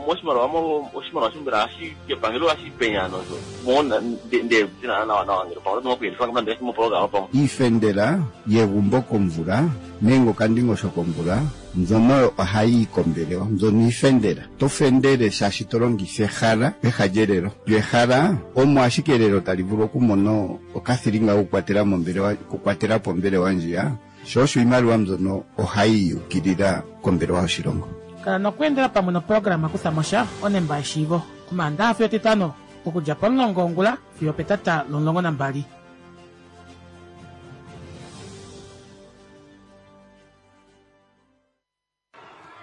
moshimaliwa mo oshimaliwa shombela ashi kepangelo ashi penya nozo mona nde tina nawa nawa ngelo pamwe nokuyendifa ngamandla mopologa pamwe iifendela yegumbo komvula nenge okandingosho komvula mbyono ohayi yi kombelewa mbyono iifendela to fendele shaashi to longitha ehala peha lyelelo lyo ehala omo ashike elelo tali vulu okumona okathilinga kokukwatela mombelewa kukwatela po ombelewa ndjiya sho osho iimaliwa mbyono ohayi yukilila kombelewa yoshilongo. Kala nokuendela pamwe noprograma kutha mosha onemba yeshiivo omaandaha fiyo etitano okudja pomulongo wongula fiyo petata lomulongo nambali.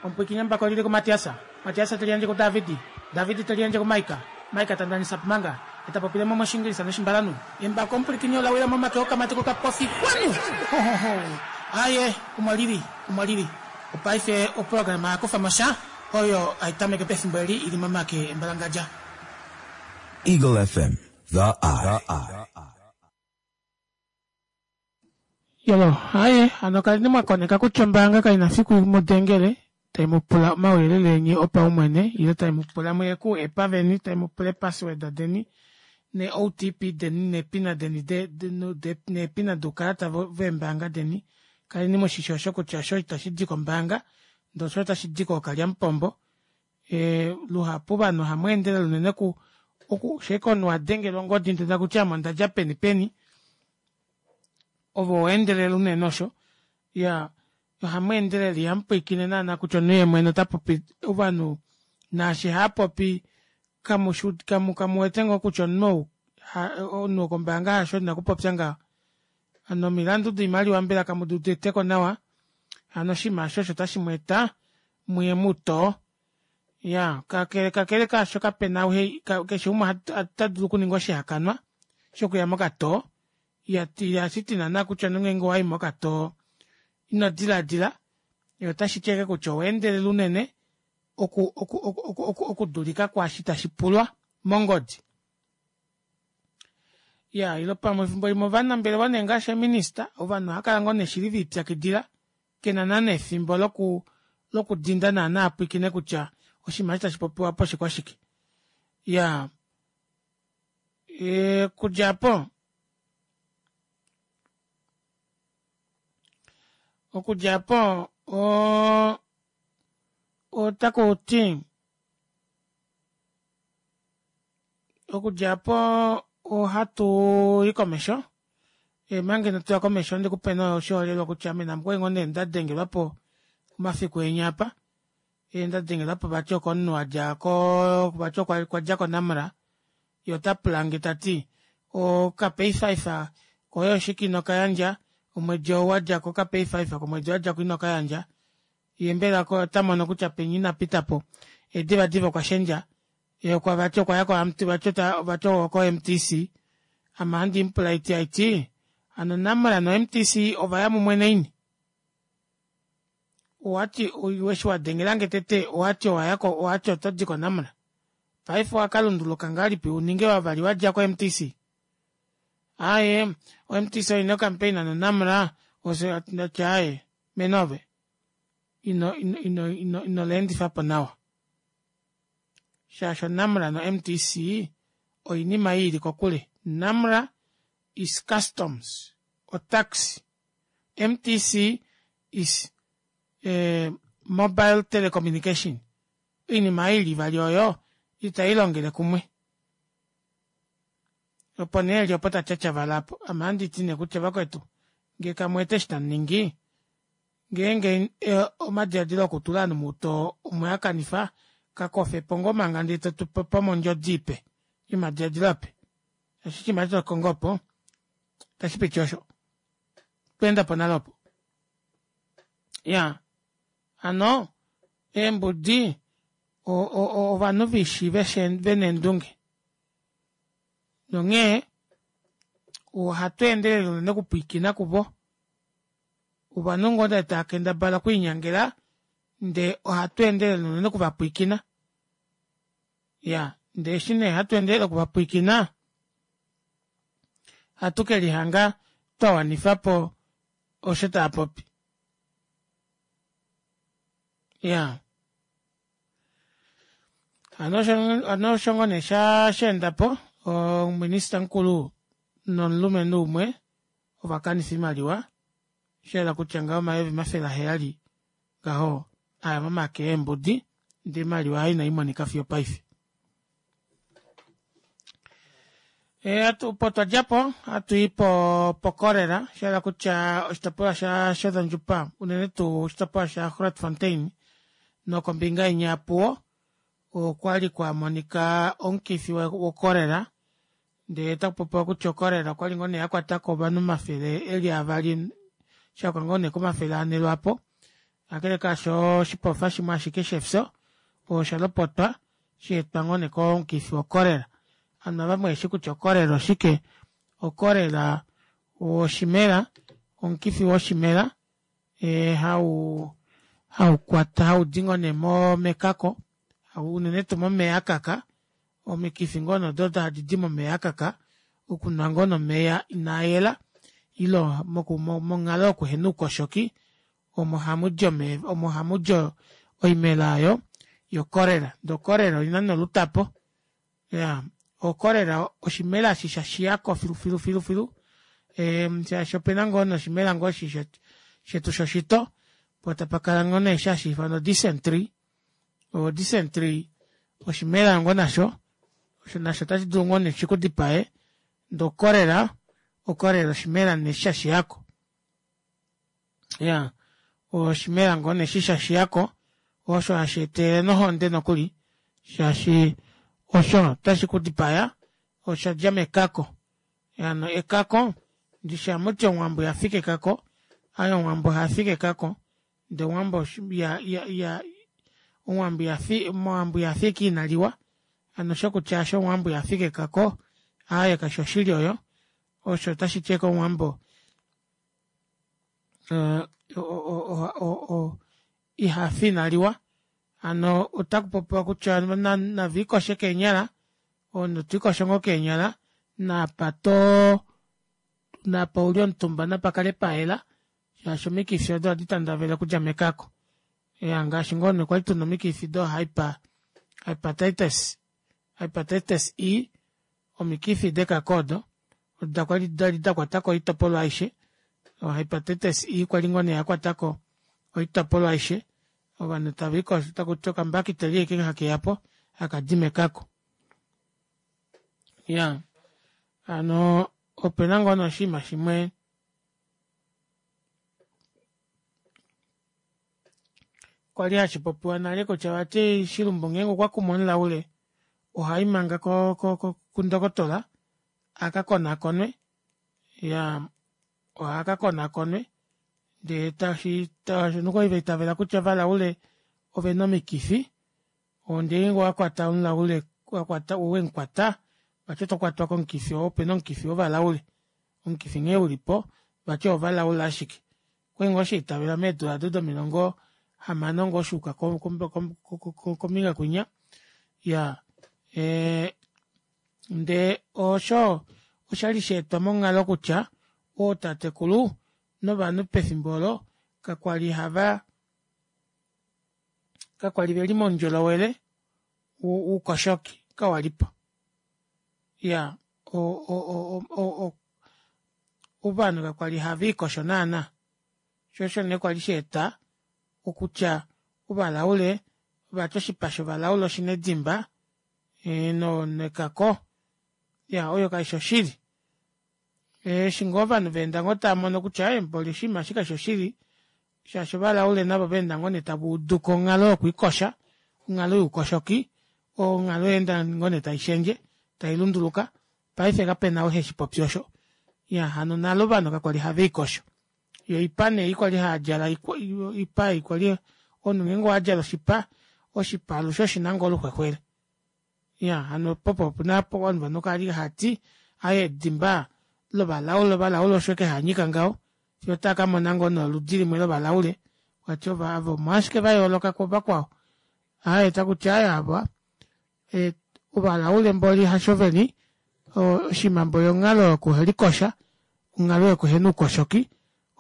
Omupwikinye mbako lili ku Matiasa, Matiasa teliandje ku Davidi, Davidi teliandje ku Maika, Maika tandanisa pumanga, etapopile mo moshingilisa noshimbalanu. Embako omupwikinye olawila momake okamati kokapofi kwanu. Ho, ho, ho. Aye, umwalili, umwalili. Opaife oprograma yakufa mosha, oyo aitameke pefimbo eli ili momake embalangadja. Eagle F M, the eye. Yolo, aye, ano kalini mwakoneka kutya ombaanga kaina fiku mudengele, tai mu pula omauyelele eni opaumwene, ile tai mu pula muye ku epa veni, tai mu pula password deni, ne O T P deni, ne pina deni, de, de, no, de, ne pina dukalata veembaanga deni. Kalini moshisho osho kutya osho itashi di kombaanga, ndele osho otashi di kookalyamupombo. E, luhapu vanhu ohamu endelele unene ku, oku, sheke omunhu wa dengelwa ongodi ndele takutya ame onda dja peni peni, ovo endelele unene osho. Ya, ohamu endelele ihamu pwiikine naana kutya omunhu ye mwene ota popi ovanhu naashi haapopi kamu kamu kamu wete ngoo kutya omunhu omunhu wokombaanga hasho ina kupopya ngaho. Hano omilandu doimaliwa mbela kamu di uditeko nawa, hano oshinima osho osho tashi mu eta muye mutoo. Ya, kakele kakele kaasho kapena keshe umwe ota dulu okuninga oshihakanwa shokuya mokatoo. Ya, ihashi ti naana kutya nongeenge owayi mokatoo ino diladila, otashi ti ashike kutya owa endelela unene oku oku oku oku okudulika kwaashi tashi pulwa mongodi. Ya, ilo pamwe efimbo limwe ovanambelewa nee ngaashi eminista, ovanhu ohava kala ngoo neshili ve ipyakidila, kena naana efimbo loku lokudinda naana apwikine kutya oshinima eshi tashi popiwa po oshikwashike. Ya, e, kudja po okudja po o otaku ti okudja po ohatu i komesho. E, mange notuya komesho ndikupe noshiholelwa kutya ame namukwe ngoo nee ndadengelwa po omafiku enya apa. E, ndadengelwa po vati okomunhu adja ko vati okwa dja koNamra, ye ota pula nge tati oka pay five koye oshike ino kayandja, omwedi oo wadja ko ka pay five komwedi wadja ko ino kayandja. Ye mbela ko ota mono kutya penya ina pita po. E, diva diva okwa shendja. Ye okwa vati okwa ya ko M T, vati ota, vati oko M T C. Ama handi mupula iti aiti, hano Namra no M T C ova ya mumwe naini. Owati, eshi wa dengelange tete, owati owa ya ko, owati oto di ko Namra. Paife owa ka lunduluka ngahelipi u ninge wavali wa dja ko M T C? Aye, o M T C oina campaign no Namra, ose ndati aye, menove. Ino, ino, ino, ino, ino leendifa po nawa. Shaashi Namra no M T C oinima ili kokule. Namra is customs or tax. M T C is eh, mobile telecommunication. Oinima ili vali oyo itai longele kumwe. Opo nee li opo ta tyatyavala apo. Ame ohandi ti nee kutya vakwetu, Ngee kamuwete eshi tamuningi ngeenge omadilaadilo okutula ovanhu moutoo omweakanifa kakofepo ngoo manga ndee totupe ondjodi ipe yomadilaadilo ape shaashi oshinima eshi tokongo opo itashipiti osho otwa endapo nale opo iyaa hano eembudi ovanhu viishi vena eendunge nonghee ohatu endelele unene okupwiikina kuvo ovanhu ngoo nee taakendabala okwiinyangela ndee ohatu endelele unene okuvapwiikina iyaa ndee eshi nee hatu endelele okuvapwiikina ohatu kelihanga twawanifapo osho taapopi iyaa hano osho ngoo nee sheendapo omuminister mukulu nomulumenhu umwe ovakanifa oimaliwa shayela kutya ngaho omayovi omafele aheyali ngaho aya momake eembudi ndee oimaliwa aayo inaimonika fiyo opaife. Opo twadjapo ohatui po cholera shahala kutya oshitopolwa sha shotjozondjupa unene tuu oshitopolwa sha grootfontein nokombinga inya ya opuwo okwali kwamonika omukifi wo cholera ndee otakupopiwa kutya o cholera okwali ngoo nee yakwatako ovanhu omafele eli avali shayuka ngoo nee komafele anhe lwaapo kakele kaasho oshipofa shimwe ashike shefyo oshalopotwa shaetwa ngoo nee komukifi wo cholera ovanhu ava muheshi kutya o cholera oshike o cholera oshimela omukifi woshimela hawu haukwata haudi ngoo nee mekako unene tuu momeva akaka omikifi ngoo nee odo hadidi momeva akaka okunwa ngoo nee omeva inayela ile monghalo yokuhena oukoshoki omo hamudi omeva omo hamudi oimela aayo yo cholera ndee o cholera oina nee olutapo iyaa o cholera oshimela eshi shashiyako filu filu filu shaashi opena ngoo nee oshimela shetu shoshito poo tapakala ngoo nee eshi hashiifanwa o dicentry o dicentry oshimela ngoo nasho osho nasho ota shidulu ngoo nee shikudipaye ndee o cholera o cholera oshimela nee eshi shashiyako iyaa oshimela ngoo nee eshi shashiyako osho hasheetelele nohonde nokuli shaashi osho otashi kudipaya oshadja mekako hano ekako ndishi hamuti omuwambo ihafike ekako aaye omuwambo ohafike ekako ndee omuwambo iya iya omuwambo ihafi ashike inaliwa hano oshokutya aasho omuwambo ihafike ekako aaye kaifi oshili oyo osho otashiti ashike omuwambo o- o- o ihafi inaliwa hano otakupopiwa kutya naviikoshe keenyala omunhu twiikosho ngoo keenyala naapa too napa uli omutumba napakale payela shaashi omikifi odo ohadi tandavele okudja mekako iyaa ngaashi ngoo nee kwali tuna omikifi do hyper hypertitis hypertitis E omikifi dekako odo odo kwali dakwatako oitopolwa aishe o hypertitis E kwali ngoo nee yakwatako oitopolwa aishe ovanhu taviikosho takuti okambakiteli ashike hakeyapo hakadi mekako iyaa hano opena ngoo nee oshiima shimwe kwali hashipopiwa nale kutya vati shilumbu ngeenge okwakumu omulaule ohayi manga ko- ko kundokotola akakonakonwe iyaa akakonakonwe ndee tashi okwali vaitavela kutya ovalaule ovena omikifi ndee ngeenge owakwata omulaule wemukwata vati otokwatwa komukifi oo opena omukifi wovalaule omukifi nghee ulipo vati owovalaule ashike okwali ngoo shaitavelwa meedula aado domilongo hamano ngoo shuuka kombinga kwinya iyaa ee ndee osho oshali shaetwa monghalo kutya ootatekulu novanhu pefimbo oolo kakwali hava kakwali veli moundjolowele woukoshoki kawalipo iyaa o- o- o- ovanhu kakwali haviikosho naana shoo osho nee kwali shaeta okutya ovalaule vati oshipa shovalaule oshina edimba nekako iyaa oyo kaifi oshili Eshi ngoo ovanhu vaenda ngoo taamono kutya ee mboli oshinima eshi kashi shoshili shaashi ovalaule navo vaenda ngoo nee tavauduko onghalo yokwiikosha onghalo youkoshoki onghalo oyaenda ngoo nee taishendje tailunduluka paife kapena ou heshipopi osho iyaa hano nale ovanhu kakwali haviikosho yoo oipa nee ei kwali haadjala oipa ei kwali omunhu ngeenge owadjala oshipa oshipa alushe oshina ngoo oluxwexwele iyaa hano opo opena ovanhu kwali haati aaye edimba lovalaule ovalaule osho ashike haanyika ngaho fiyo otaakamona ngoo nee oludi limwe lovalaule vati ava omo ashike vayooloka kuvakwao aaye takuti aaye ava ovalaule mboli hasho veli oshinima mboli onghalo yokuhelikosha onghalo yokuhena oukoshoki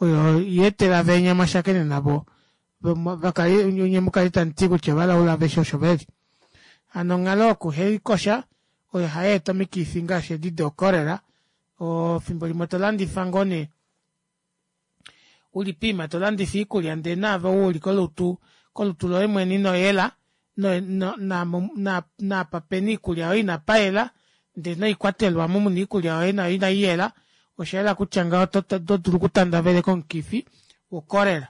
oyo yaetela venya mwashakene navo vakale nyee mukale tamuti kutya ovalaule aveshe osho veli hano onghalo yokuhelikosha oyo hayeeta omikifi ngaashi edi doo cholera oo efimbo limwe tolandifa ngoo nee uli poima tolandifa oikulya ndee naave ou uli kolutu kolutu loye mwene inoyela naapa pena oikulya yoye inapayela ndee noikwatelwa omu muna oikulya yoye nayo inaiyela oshayela kutya ngaho otodulu okutandaveleka omukifi wo cholera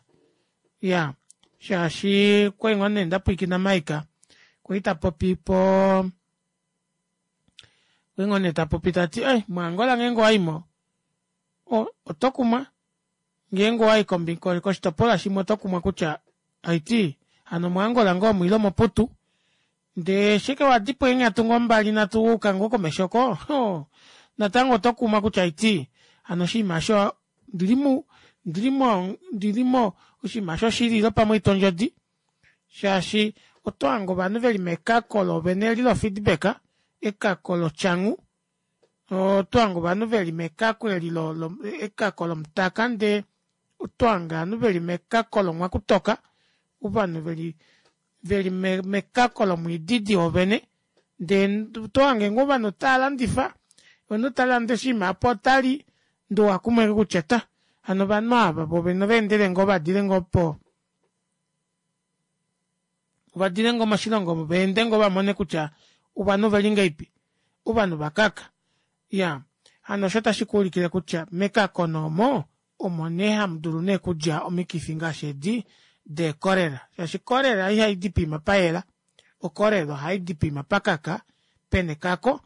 iyaa shaashi okwali ngoo nee ndapwilikina mike kwali tapopi poo okwali ngoo nee tapopi tati ee mo angola ngeenge owayimo otokumwa ngeenge owayi koshitopolwa shimwe otokumwa kutya haiti hano omo angola ngoo omu ile omoputu ndee eshi ashike wadipo eenghatu ngoo mbali nhatu wayuka ngoo komesho oko ohoo natango otokumwa kutya haiti hano oshinima aasho ondili ndilimo ndilimo oshinima aasho oshili ile pamwe ohaitwa ondjodi shaashi otohange ovanhu veli mekako loovene eli lo feedback ekako lotyangu otohange ovanhu veli mekako eli ekako lomutaka ndee otohange ovanhu veli mekako lomwakutoka ovanhu veli veli mekako lomwiididi woovene ndee otohange ngoo ovanhu otaalandifa omunhu talande oshinima aapo otali ndee owakumwa ashike kutya ta hano ovanhu aava voovene ovaendele ngoo vadile ngoo po ovadile ngoo moshilongo omo vaende ngoo vamone kutya ovanhu oveli ngahelipi ovanhu ovakaka iyaa hano osho otashikuulikile kutya mekako nee omo omo nee hamudulu nee okudja omikifi ngaashi edi dee cholera shaashi cholera ihaidi poima payela o cholera ohaidi poima pakaka pena ekako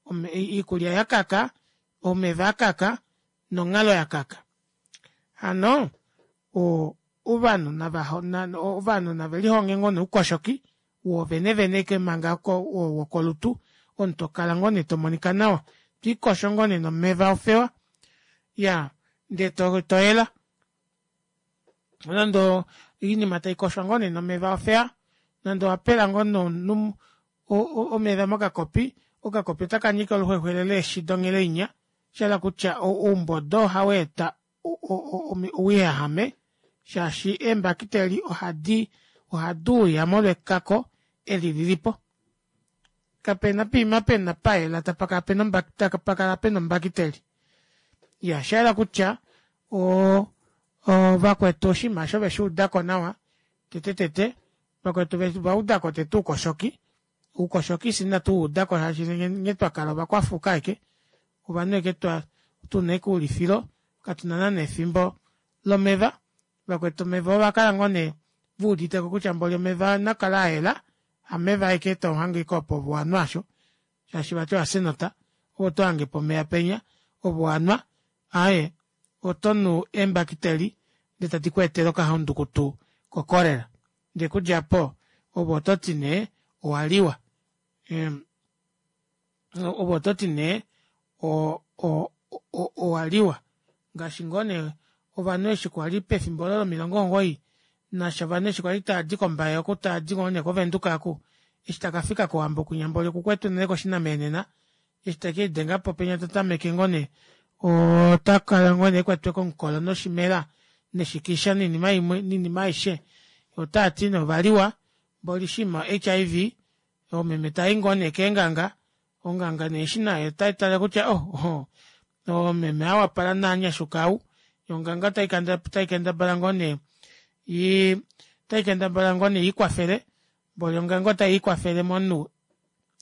oikulya yakaka omeva akaka nonghalo yakaka hano ovanhu nava ovanhu navelihonge ngoo nee oukoshoki woovene vene ashike manga oo wokolutu omunhu tokala ngoo nee tomonika nawa twiikosho ngoo nee nomeva ofewa iyaa ndee toyela nande oinima taikoshwa ngoo nee nomeva ofewa nande owapela ngoo nee omunhu omeva mokakopi okakopi otakanyika oluxwexwele leeshi donghele inya shahala kutya oumbodo ohaweeta ouyahame shaashi eembakiteli ohadi ohaduuya molwa ekako eli lilipo kapena poima pena payela tapakala pena ombakiteli iyaa oshayela kutya oo vakwetu oshinima aasho oveshuudako nawa tete tete vakwetu ovaudako tete oukoshoki oukoshoki fyee ina tuwuudako shaashi nghee twakala ovakwafuuka ashike ovanhu ashike tuna ashike oulifilo katuna naana efimbo lomeva vakwetu omeva ovakala ngoo nee veuditeko kutya mboli omeva naakale ayela hameva ashike tohange ashike opo ove owanwa aasho shaashi vati owafya enota ove otohangepo omeva penya ove owanwa aaye otonu eembakiteli ndee tadi kweetele okahaundukutu ko cholera ndee okudja aapo ove ototi nee owaliwa ove ototi nee o- o- owaliwa ngaashi ngoo nee ovanhu eshi kwali pefimbo olo lomilongo omugoyi nasha ovanhu eshi kwali taadi kombaye oku taadi ngoo nee kovenduka aaku eshi takafika kowambo kwinya mboli okukwete unene koshinameenena eshi tekelidengapo penya tatameke ngoo nee otakala ngoo nee ekwetwe komukolo noshimela neshikisha noinima imwe noinima aishe otaati nee ovaliwa mboli oshinima o H I V oomeme taayi ngoo nee keenganga onganga nee eshi nayo otaitale kutya oh meme ou apala naanyashuka ou yoo onganga otaikendabala ngoo nee ii otaikendabala ngoo nee iikwafele mboli onganga otaiikwafele momunhu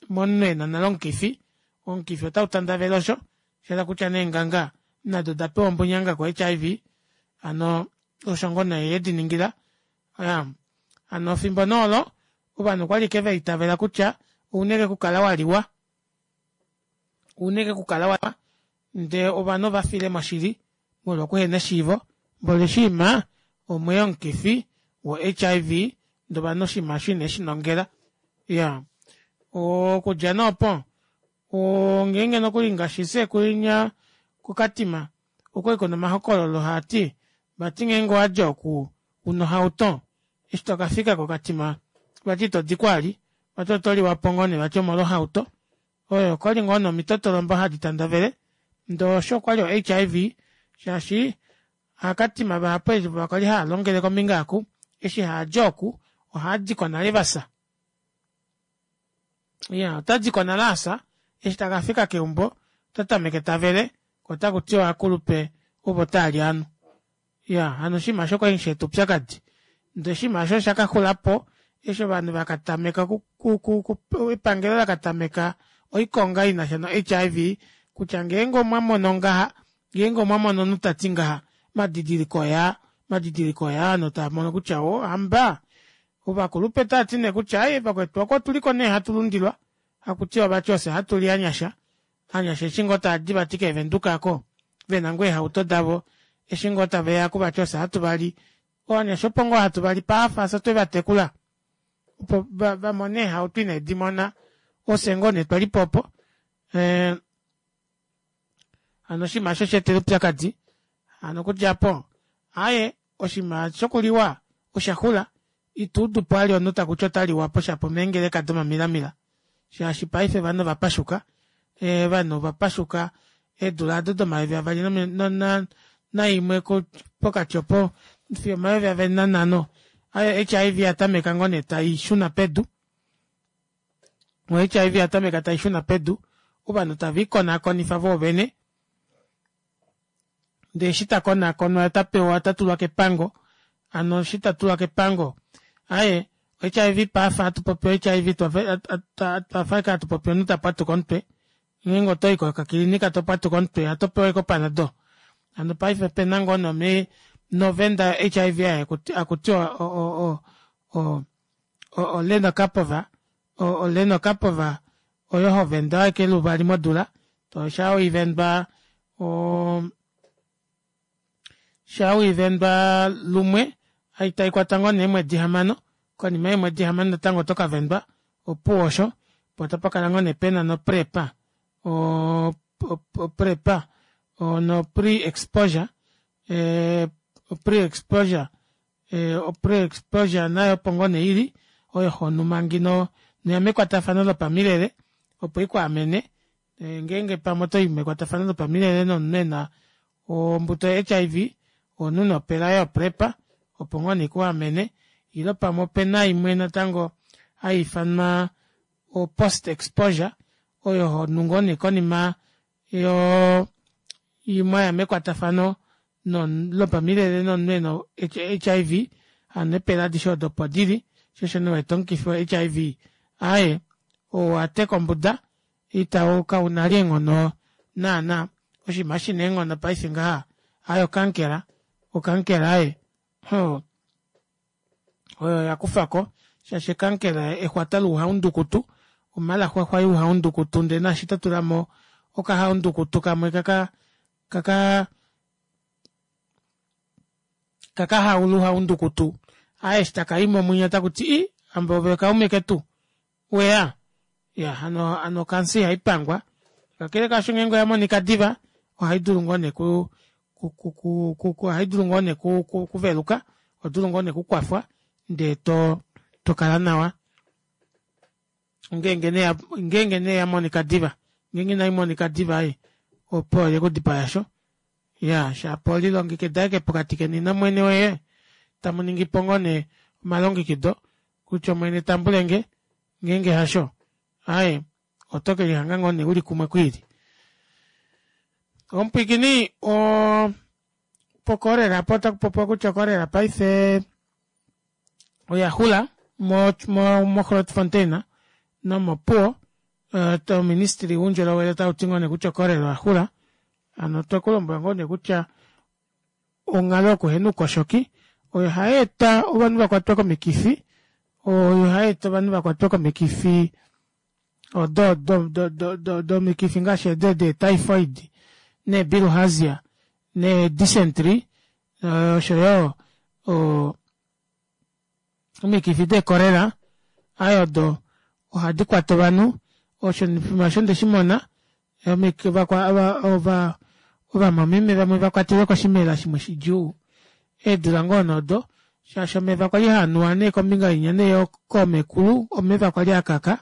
momunhu ena nale omukifi omukifi ota utandavele osho shahala kutya nee onganga Nado odapewa ombunyanga ko H I V hano osho ngoo nee yediningila hano efimbo nee olo ovanhu okwali ashike vaitavela kutya ouna ashike okukala waliwa ouna ashike okukala waliwa ndee ovanhu ovafile moshili molwo okuhena eshiivo mboli oshiima omweya omukifi wo H I V ndee ovanhu oshinima aasho ineeshinongela iyaa okudja nee opo ngeenge nokuli ngaashi fyee kunya ko katima okwali kuna omahokololo haati vati ngeenge owadi oku una ohauto eshi tokafika ko katima vati itodiko vali vati otoliwapo ngoo nee vati omolwo hauto oyo okwali ngoo nee omitotolombo hadi tandavele ndee osho okwali o H I V shaashi ovaakatima vahapu ovo kwali haalongele kombinga aaku eshi haadi oku ohaadiko nale vafya iyaa otadiko nale afya eshi takafika keumbo otatameke tavele koo otakutiwa ovaakulupe ovo taali ovanhu iyaa hano oshinima aasho okwali shaeta oupyakadi ndee oshinima aasho oshakaxulapo eshi ovanhu vakatameka epangelo lakatameka oikonga inasha no H I V kutya ngeenge omwamono ngaha ngeenge omwamono omunhu tati ngaha omadidiliko oyaa omadidiliko oyaa ovanhu tavamono kutya oo hamba ovakulupe otaati nee kutya aaye vakwetu oko otuliko nee hatulundilwa hakutiwa vati ofye hatuli ovanyasha ovanyasha eshi ngoo taadi vati kee venduka aako vena ngoo eehauto davo eshi ngoo taveya aaku vati ofye hatuvali ovanyasha opo ngoo hatuvali paife fyee otwevatekula opo vamone eehauto inedimona ofye ngoo nee twalipo opo ee hano oshinima aasho osheetele oupyakadi hano okudja aapo aaye oshinima shokuliwa oshaxula ituudupo vali omunhu takuti otaliwapo shapo omeengeleka domamilamila shaashi paife ovanhu ovapashuka ovanhu ovapashuka eedula aado domayovi avali naimwe pokati opo fiyo omayovi avali nanhano H I V oyatameka ngoo nee taishuna pedu o H I V oyatameka taishuna pedu ovanhu taviikonakonifa voovene ndee eshi takonakonwa otapewa otatulwa kepango hano eshi tatulwa kepango aaye o H I V paife ohatupopi o H I V otwafa ashike hatupopi omunhu tapwatuka omutwe ngeenge otoyi kokakilinika topwatuka omutwe otopewa ashike opanadol hano paife opena ngoo nee novenda yo H I V ei hakutiwa o- o- o lenokapova o lenokapova oyo hovendwa ashike luvali modula shaa weivendwa oo shaa weivendwa lumwe taikwata ngoo nee eemwedi hamano konima yeemwedi hamano natango otokavendwa opuwo osho poo tapakala ngoo nee pena no prep o prep no pre exposure ee pre exposure pre exposure nayo opo ngoo nee ili oyo honu manga inoya mekwatafano lopamilele opo ikwaamene ngeenge pamwe otoyi mekwatafano lopamilele nomunhu ena ombuto yo H I V ohonu nee opela yo prep opo ngoo nee ikuamene ile pamwe opena imwe natango haiifanwa o post exposure oyo honu ngoo nee konima yoo mwaya mekwatafano lopamilele nomunhu ena o H I V hano eepela adishe odo opo dili shoo osho nee uwete omukifi wo H I V aaye owateka ombuda ita kauna vali eenghono naana oshinima shina eenghono paife ngaha aaye okankela okankela aaye oo oyo yakufako shaashi okankela exwata louhaundukutu omalaxwalwa youhaundukutu ndee naashi totulamo okahaundukutu kamwe kaka kaka kaka haula ouhaundukutu aaye eshi takayimo mwinya otakuti ii hamba ove kaume ketu weya iyaa hano ocancer ihaipangwa kakele kaasho ngeenge oyamonika diva ohaidulu ngoo nee ku ku ohaidulu ngoo nee okuveluka ohodulu ngoo nee okukwafwa ndee tokala nawa ngeenge nee yamonika diva ngeenge inaimonika diva aaye opuwo oyekudipaya aasho iyaa shapo lilongekida ashike pokati keni nomwene woye tamuningipo ngoo nee omalongekido kutya omwene tambulenge ngeenge hasho aaye oto kelihanga ngoo nee uli kumwe kwiili. Omupwiikini oo pocholera aapo otakupopiwa kutya o cholera paife oyaxula mo mo grootfontein nomo opuwo ouministry woundjolowele otauti ngoo nee kutya o cholera oyaxula Hano otwekulombwela ngoo nee kutya onghalo yokuhena oukoshoki oyo hayeeta ovanhu vakwatwe komikifi oyo hayeeta ovanhu vakwatwe komikifi odo do do domikifi ngaashi edi dee typhoid nee bilharzia nee dysentry oshoyo oo omikifi dee cholera aaye odo ohadi kwata ovanhu osho oshiima aasho ondeshimona ovamwameme vamwe vakwatelwe koshimela shimwe shidjuu eedula ngoo nee odo shaashi omeva kwali haanuwa nee kombinga inya nee koomekulu omeva kwali akaka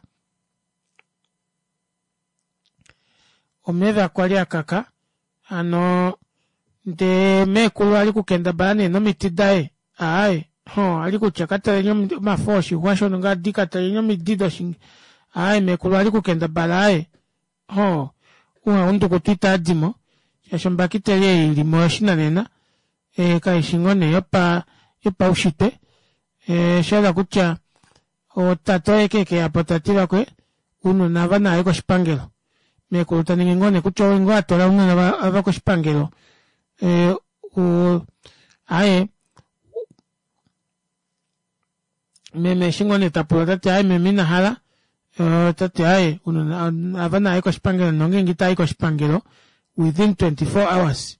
omeva kwali akaka hano ndee meekulu ali okukendabala nee nomiti daye aaye ali kutya kataleni omafo oshixwa shongadi kataleni omidi doshi aaye meekulu ali okukendabala aaye hoo uhaundukutu itaadimo shaashi ombakiteli ei ilimo oyoshinanena kaifi ngoo nee yopaushitwe oshahala kutya tate oye ashike ekeyapo tati vakwe ounona aava navaye koshipangelo meekulu taningi ngoo neekutya oye ngoo atwala ounona aava koshipangelo aaye meme eshi ngoo nee tapula tati aaye meme inahala otati aaye ounona aava navaye koshipangelo nongenge itavai koshipangelo within twenty four hours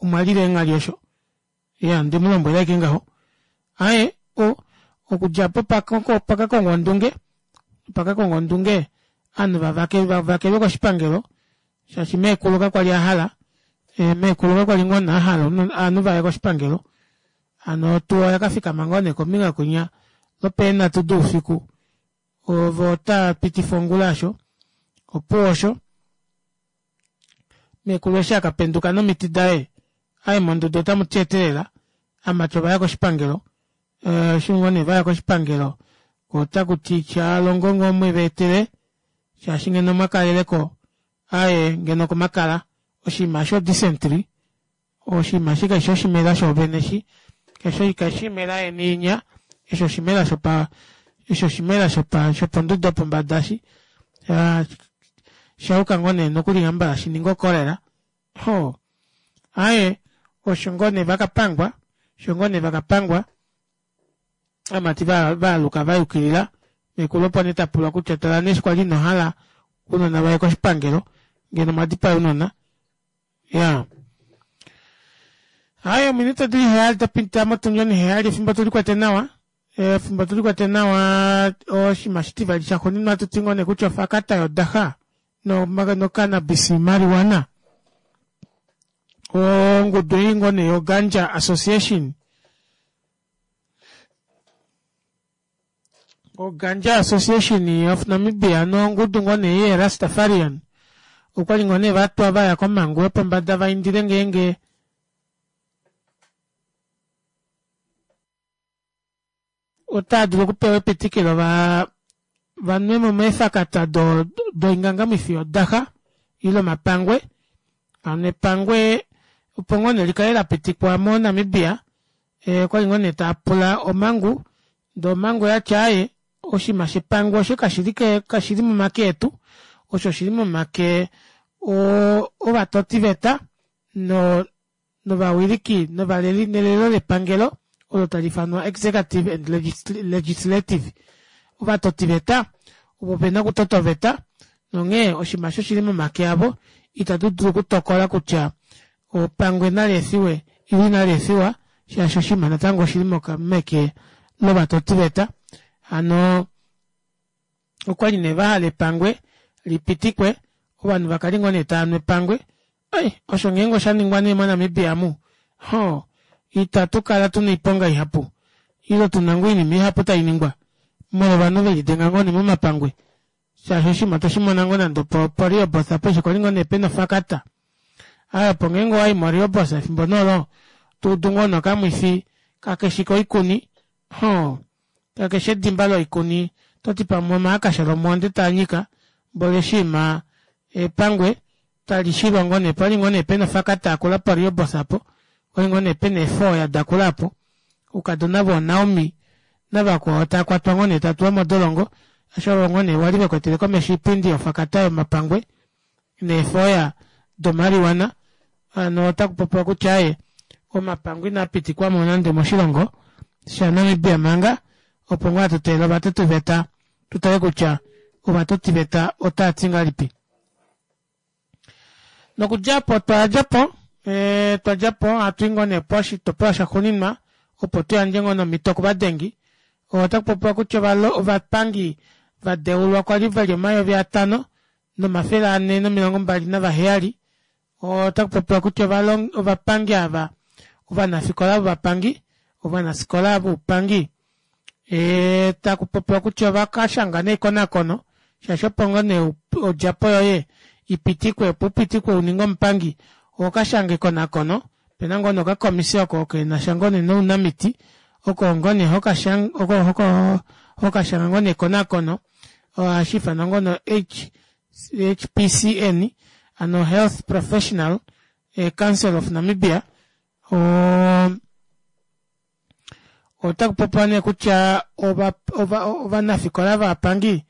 omwalila eenghali osho iyaa ondemulombwela ashike ngaho aaye okudja aapo opakakongwa ondunge opakakongwa ondunge ovanhu vavakelwe koshipangelo shaashi meekulu kakwali ahala meekulu kakwali ngoo nee ahala ovanhu vaye koshipangelo hano otuwa oyakafikama ngoo nee kombinga kwinya lwopeenhatu doufiku voo otaapitifa ongula aasho opuwo osho meekulu eshi akapenduka nomiti daye aaye monduda otamuti etelela ovamati ovaya koshipangelo eshi ngoo nee vaya koshipangelo koo otakuti shalongo ngoo mwevaetele shaashi ngeno omwakaleleko aaye ngeno okomakala oshinima eshi o dysentry oshinima eshi kashifi oshimela shoovene eshi kaifi oimela yeni inya eshi oshimela shopa eshi oshimela shopondodo yopombada eshi oshayuka ngoo nee nokuli hambala shininge o cholera ohoo aaye osho ngoo nee vakapangwa osho ngoo nee vakapangwa ovamati vaaluka vayukilila meekulu opo nee tapulwa kutya tala nee eshi kwali inohala ounona vaye koshipangelo ngeno omwadipaya ounona iyaa aaye ominute odili heyali dapita motundi oniheyali efimbo tulikwete nawa efimbo tulikwete nawa oshinima oshitivali shaxuuninwa ohatuti ngoo nee kutya ofakata yodaxa no cannabis marijuana ongudu ei ngoo nee yo ganja association o ganja association of namibia nongudu ngoo nee yee rastafarian okwali ngoo nee vatwa vaya komangu yopombada vaindile ngeenge otaadulu okupewa epitikilo vaa vanwemo meefakata doingangamwifi yodaxa ile omapangwe hano epangwe opo ngoo nee likale lapitikwa mo namibia okwali ngoo nee taapula omangu ndee omangu oyati aaye oshinima shepangwe osho kashili momake etu osho oshili momake ovatotiveta novawiliki novaleli nelelo lepangelo olo taliifanwa executive and legislative ovatotiveta ovo vena okutota oveta nonghee oshinima aasho oshili momake avo ita tudulu okutokola kutya epangwe naleefiwe ile inaleefiwa shaashi oshinima natango oshili meke lovatotiveta hano okwali nee vahala epangwe lipitikwe ovanhu vakale ngoo nee taanu epangwe ai osho ngeenge oshaningwa nee mo namibia omu hoo ita tukala tuna oiponga ihapu ile tuna ngoo oinima ihapu tainingwa molwo ovanhu velidenga ngoo nee momapangwe shaashi oshinima otwe shimona ngoo nande opo rehoboth apo eshi kwali ngoo nee pena ofakata aaye opo ngeenge owayi mo rehoboth efimbo nee olo todu ngoo nokamwifi kakeshi koikuni hoo kakeshi edimba loikuni toti pamwe omaakasha lomwoonde taanyika mboli oshiima epangwe talishilwa ngoo nee pali ngoo nee pena ofakata yakula po rehoboth aapo okwali ngoo nee pena eefooya dakula aapo oukadona voo naomi navakwao taakwatwa ngoo nee taatulwa modolongo shaashi ovo ngoo nee wali vekwetele komesho oipindi yofakata yomapangwe neefooya do marijuana Hano otakupopiwa kutya aaye omapangwe inaa pitikwamo nande moshilongo sha Namibia manga opo ngoo hatu teelele ovatotiveta tutale kutya ovatotiveta otaati ngahelipi. Nokudjapo twadjapo ee twadjapo hatui ngoo nee poshitopolwa shaxuuninwa opo tuyandje ngoo nee omito kovadengi. Otakupopiwa kutya ovapangi vadeulwa kwali veli omayovi atano nomafele anhe nomilongo mbali navaheyali. Otakupopiwa kutya ovapangi aava ovanafikola vovapangi ovanafikola voupangi ee takupopiwa kutya ovakashanga nee ekonakono shaashi opo ngoo nee odjapo yoye ipitikwe opo upitikwe uninge omupangi ohokashanga ekonakono opena ngoo nee okakomisi oko kenasha ngoo nee nounamiti oko ngoo nee hokashanga ngoo nee ekonakono ohashiifanwa ngoo nee H P C N ano Health Professional Council of Namibia. Oo otakupopiwa nee kutya ovanafikola vovapangi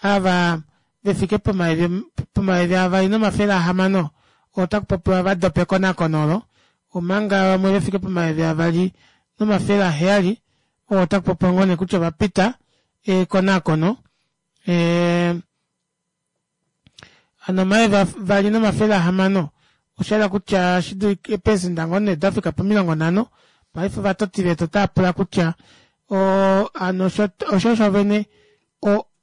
ava vefike pomayovi avali nomafele ahamano otakupopiwa vadopa ekonakono olo omanga vamwe vefike pomayovi avali nomafele aheyali otakupopiwa ngoo nee kutya ovapita ekonakono ee hano omayovi avali nomafele ahamano oshahala kutya eeprecenter ngoo nee dafika pomilongo nhano. Paife ovatotiveta otaapula kutya oo hano osho shovene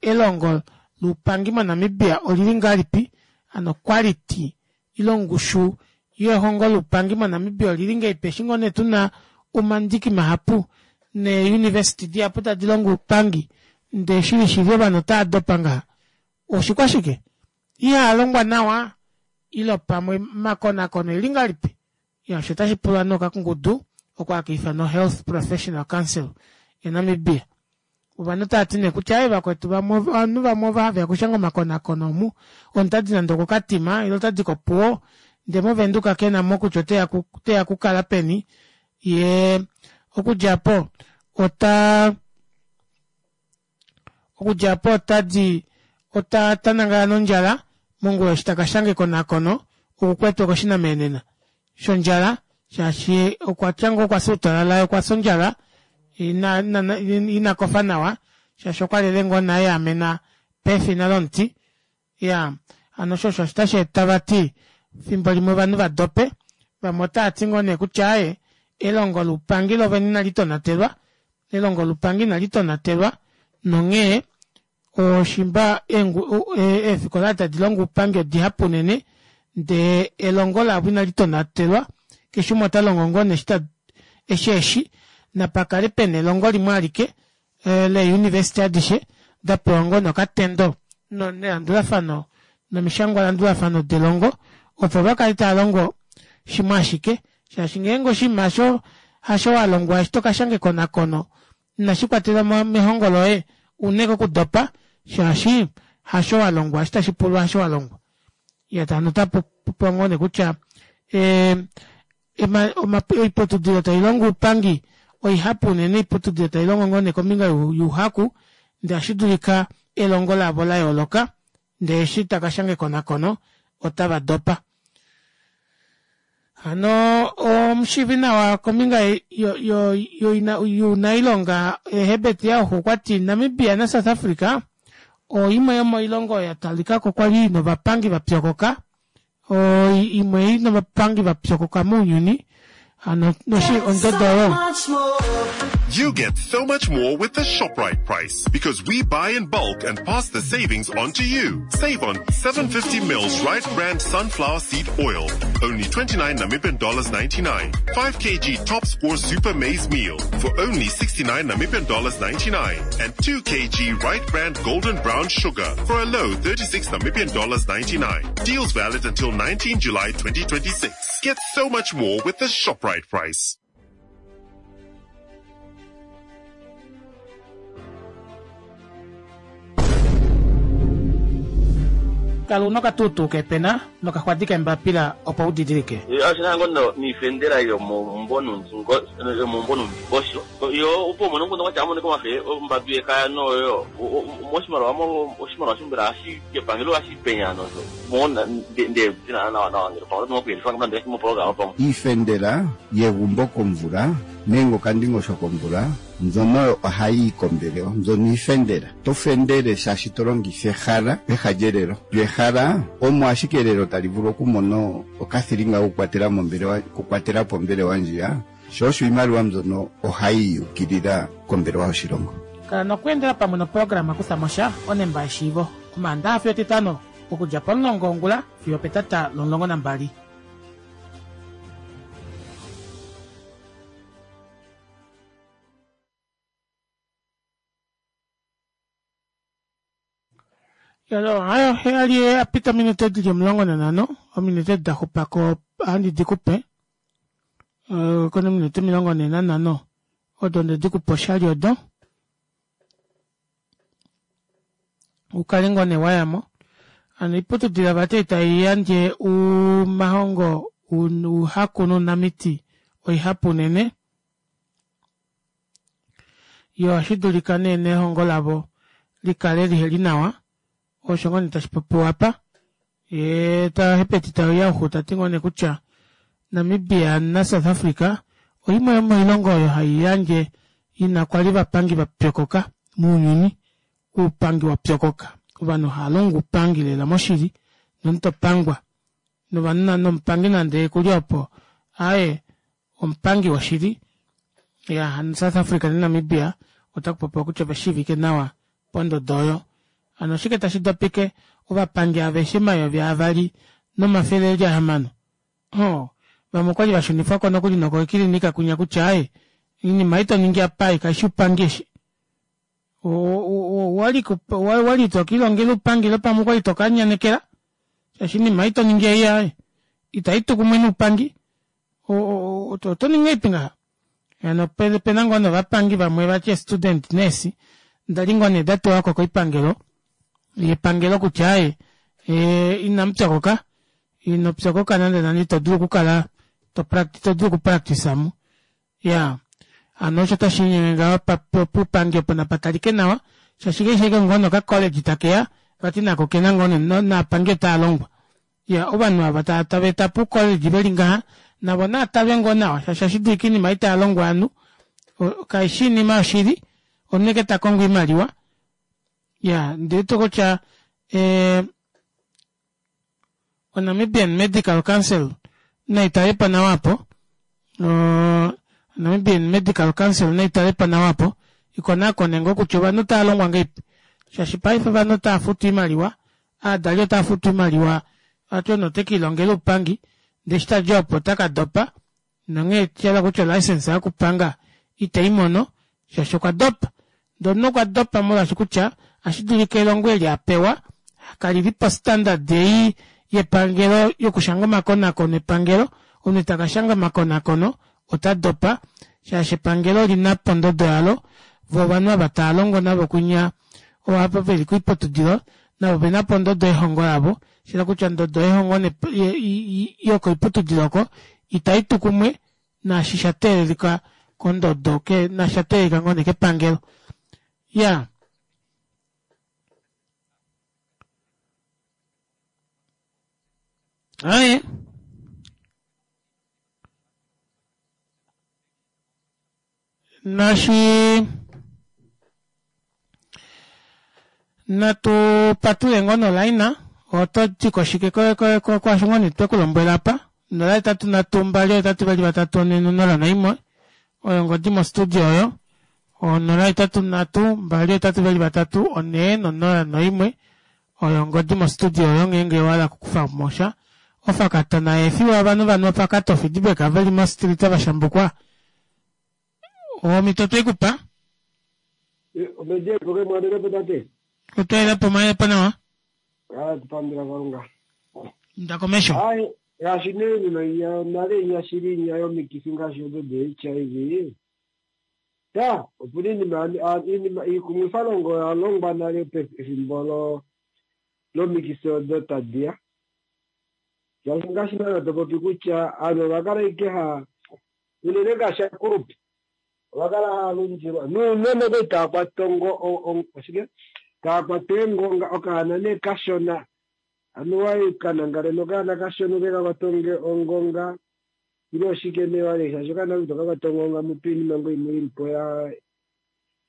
elongo loupangi moNamibia olili ngahelipi hano quality ile ongushu yehongo loupangi moNamibia olili ngahelipi eshi ngoo nee tuna omandiki mahapu nee university dihapu tadi longo oupangi ndee shili shili ovanhu otaadopa ngaha oshikwashike ihaalongwa nawa ile pamwe omakonakono eli ngahelipi. Osho otashi pulwa nee okakungudu oko haka ifanwa Health Professional Council yaNamibia. Ovanhu otavati nee kutya aaye vakwetu vamwe ovanhu vamwe ovo haveya okushanga omakonakono omu omunhu otadi nande okoKatima ile otadi kOpuwo ndee movenduka kenamo kutya oteya okukala peni yee okudja aapo ota okudja aapo otadi otanangala nondjala mongula eshi takashanga ekonakono okukwetwe koshinamenena shondjala shaashi okwatya ngoo okwafya outalala yee okwafya ondjala ina ina kofa nawa shaashi okwalele ngoo nee aeamena pefina lomuti. Iyaa hano osho osho tashi eta vati efimbo limwe ovanhu vadope vamwe otaati ngoo nee kutya aaye elongo loupangi lovene inali tonatelwa elongo loupangi inali tonatelwa nonghee oshimba eefikola tadi longo oupangi odihapu unene ndee elongo lavo inali tonatelwa keshe umwe otalongo ngoo nee eshi eshi napakale pena elongo limwe alike lee university adishe dapewa ngoo nee okatendo nelandulafano nomishangwalandulafano delongo opo vakale taalongo shimwe ashike shaashi ngeenge oshinima osho hasho walongwa eshi tokashanga ekonakono inashikwatelwa mehongo loye una ashike okudopa shaashi hasho walongwa eshi tashipulwa hasho walongwa. Iyaa hano otapupopiwa ngoo nee kutya ee oiputudilo tailongo oupangi oihapu unene oiputudilo tailongo ngoo nee kombinga youhaku ndee ohashidulika elongo lavo layooloka ndee eshi takashanga ekonakono otava dopa. Hano omushiivi nawa kombinga younailonga Herbert Jauch okwati Namibia naSouth Africa oimwe yomoilongo oyo yatalikako kwali ina ovapangi vapyokoka imwe ina ovapangi vapyokoka mounyuni hano ondodo oyo. You get so much more with the ShopRite price because we buy in bulk and pass the savings on to you. Save on seven fifty mils Right Brand sunflower seed oil, only twenty-nine Namibian dollars ninety-nine. five kilograms Top Score Super Maize Meal for only sixty-nine Namibian dollars ninety-nine. And two kilograms Right Brand Golden Brown Sugar for a low thirty-six Namibian dollars ninety-nine. Deals valid until nineteenth July twenty twenty-six. Get so much more with the ShopRite price. Kala una okatuutuu kepena nokaxwadi kembapila opo udidilike. Ashina ngono niifendela yomombonundingosho yo opo mono ngono kwacha amone komafe ombadu yekaya noyo moshimaliwa oshimaliwa shombela hashi kepangelo hashi penya nozo mona nde nawa nawa ngelo pamwe nokuyelifa ngamandela moprogram pamwe iifendela yegumbo komvula nenge okandingosho komvula mbyono ohayi yi kombelewa mbyono iifendela to fendele shaashi to longitha ehala peha lyelelo lyehala omo ashike elelo tali vulu okumona okathilinga kokukwatela mombelewa kukwatela po ombelewa ndjiya sho osho iimaliwa mbyono ohayi yukilila kombelewa yoshilongo. Kala nokweendela pamwe noprograma kutha mosha onemba yeshiivo omaandaxa fiyo etitano okudja pomulongo wongula fiyo petata lomulongo nambali. Yalo hayo heyali apita minute dili omulongo nanhano ominute daxupako ohandi dikupe kona minute omilongo nhee nanhano odo ndedikupa oshali odo ukale ngoo nee wayamo. Hano oiputudilo vati taiyandje umahongo uhaku nounamiti oihapu unene yo ohashidulika nee nehongo lavo likale liheli nawa osho ngoo nee tashipopiwa apa yee tahepeti tauya tati ngoo nee kutya Namibia na South Africa oimwe yomoilongo oyo haiyandje ina kwali vapangi vapyokoka mounyuni oupangi wapyokoka ovanhu haalongo upangi lela moshili nomutopangwa novanhu nomupangi nande kuli opo aaye omupangi woshili ya South Africa na Namibia otakupopiwa kutya ovashiivike nawa pondodo oyo. Hano oshike tashi dopike ovapangi aveshe omayovi avali nomafele eli ahamano oh vamwe okwali vashunifwako nokuli nokoikilinika kunya kutya aaye oinima ei toningi apa kaishi upangi eshi wali tokilongela upangi ile pamwe okwali tokanyanekela shaashi oinima ei toningi ei aaye itaitu kumwe noupangi otoningi ngahelipi ngaha. Hano pena ngoo novapangi vamwe vati student nurse ndali ngoo nee datuwako koipangelo yepangelo kutya aaye inamupyokoka inopyokoka nande nande ito dulu okukala ito dulu okupractice mo ya hano osho tashiinyenge ngaho puupangi opo napatalike nawa shaashi keshe ngoo noka college takeya vati nako kena ngoo naapangi otaalongwa ya ovanhu ava tava eta puucollege veli ngaha navo naatalwe ngoo nawa shaashi ohashi dulika oinima itaalongwa ovanhu kaishi oinima yoshili omunhu ashike takongo oimaliwa ya ndiwete kutya oNamibian Medical Council naitalepo nawa apo Namibian Medical Council naitalepo nawa apo ikonakone ngoo kutya ovanhu otaalongwa ngahelipi shaashi paife ovanhu otaafutu oimaliwa aadali otaafutu oimaliwa vati omunhu otekiilongela oupangi ndee eshi tadi opo otakadopa nonghee shayela kutya olicense yokupanga iteimono shaashi okwa dopa ndee omunhu okwa dopa molwaashi kutya ohashi elongo eli apewa kalili po standard ei yepangelo yokushanga omakonakono epangelo omunhu takashanga omakonakono ota dopa shaashi epangelo olina pondodo yalo vo ovanhu ava taalongo navo kunya ova veli koiputudilo navo ovena pondodo yehongo lavo shayela kutya ondodo yehongo yokoiputudilo oko itaitu kumwe naashi shateelelika kondodo naashi shateelelika ngoo nee kepangelo ya aye nashi natu patule ngoo nolaina oto tiko shike kwaasho ngoo nee twekulombwela apa nola hetatu nhatu mbali hetatu vali vatatu one nonola naimwe oyo ongodi mo studio oyo onola hetatu nhatu mbali hetatu vali vatatu one nonola noimwe oyo ongodi mo studio oyo ngeenge owahala okukufa mosha ofakatona efiwa ovanhu vanhu ofakata ofeedback veli mo street vashambukwa omito twekupa otwelepo mwalepo nawa tupandula Kalunga nda komesho ngaashi nee nino inya nale inya shili inya yomikifi ngaashi odo de H I V ta opuna iinima iinima iikumwifalongo oya longwa nale pefimbo lo Lomikifi odo tadi ya. Shaashi ngaashi naana to popi kutya aanhu ova kala ike ha unene ngaashi aakulupe ova kala haya lundilwa nuunona okwali tava kwata ongo oshike tava kwata eengonga okaana nee kashona anuwa kanangale nokaana kashona ke ka kwata ongonga ile oshike nee wale shaashi okaana ito ka kwata ongonga mutu iinima ngoo imwe ili po ya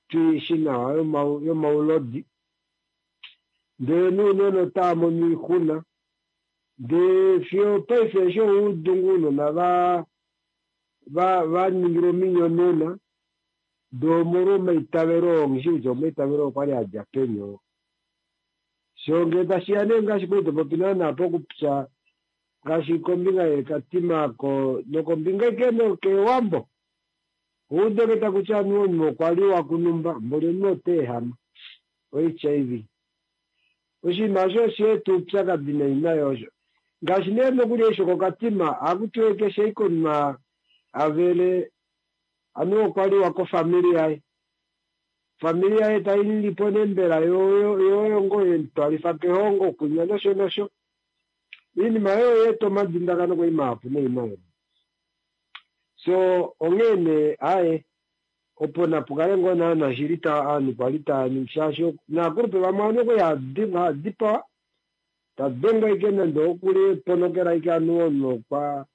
tuishi nawa yomaulodi ndele nuunona otava mono oixuna ndee fiyo paife eshi oudungu ounona va va va ningilwa ominyonena ndee omolwa omaitavelo oo nghishi kutya omaitavelo okwali adja peni oo. So ngee tashiya nee ngaashi kwali topopi naana pokupya ngaashi kombinga yeekatima ko nokombinga ike nokeewambo oude takutya anuwa omunhu okwa liwa kunumba mboli omunhu ota ehama o H I V. Oshinima osho osha eta oupyakadi nai nayo osho. Ngaashi nee nokuli eshi kokatima ohaku tiwa keshe ashike omunhu avele anuwa okwa liwa kofamili yaye. Ofamili yaye tai lilipo nee mbela yo ngoo yemutwalifa kehongo kunya nosho nosho. Iinima oyo oya eta omadindakano kwali mahapu nai nayo. So onghee nee aaye opo napu kale ngoo naana shili ovanhu kwali tava ningi shaashi naakulupe vamwe ovanhu okwali hava dipawa tadengwa ashike nande okuli ponokela ashike anuwa omunhu okwa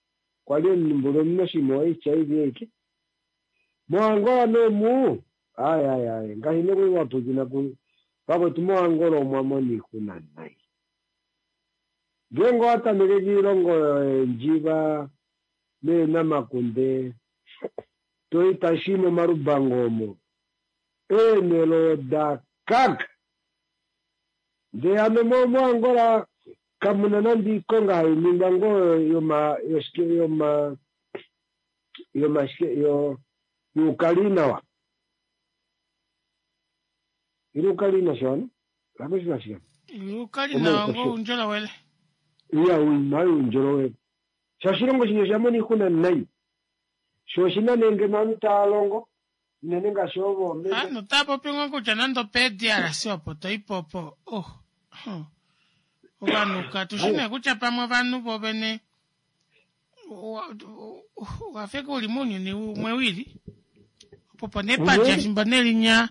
kwali omunhu mboli oshinima o H I V ashike. MoAngola nee aye aye aye ngaashi nokuli wapwiikina vakwetu moAngola omwa mona oixuna nai. Ngeenge owa tameke kiilongo yeendjiva neenamakunde toi tashi momalubango omo eenhele oda kaka. Ndee hano moAngola kamuna nande iikonga hai ningwa ngoo yoma yoshike yoma yomashike yo yuukalinawa. Ile ukalina shona? Lakushika shika. Ukalinawa ngo uundjolowele. Iya uima uundjolowele. Sha oshilongo shino osha mona oixuna nai. Sho oshina nee ngeno ovanhu tava longo unene ngaashi ovo omeme. Ovanhu otava popi ngoo kutya nande ope D R C opo toipo opo oh. Ovanhu katushi nee kutya pamwe ovanhu vovene wafeka uli mounyuni umwe wili. Opo po nepadja fimbo nelinya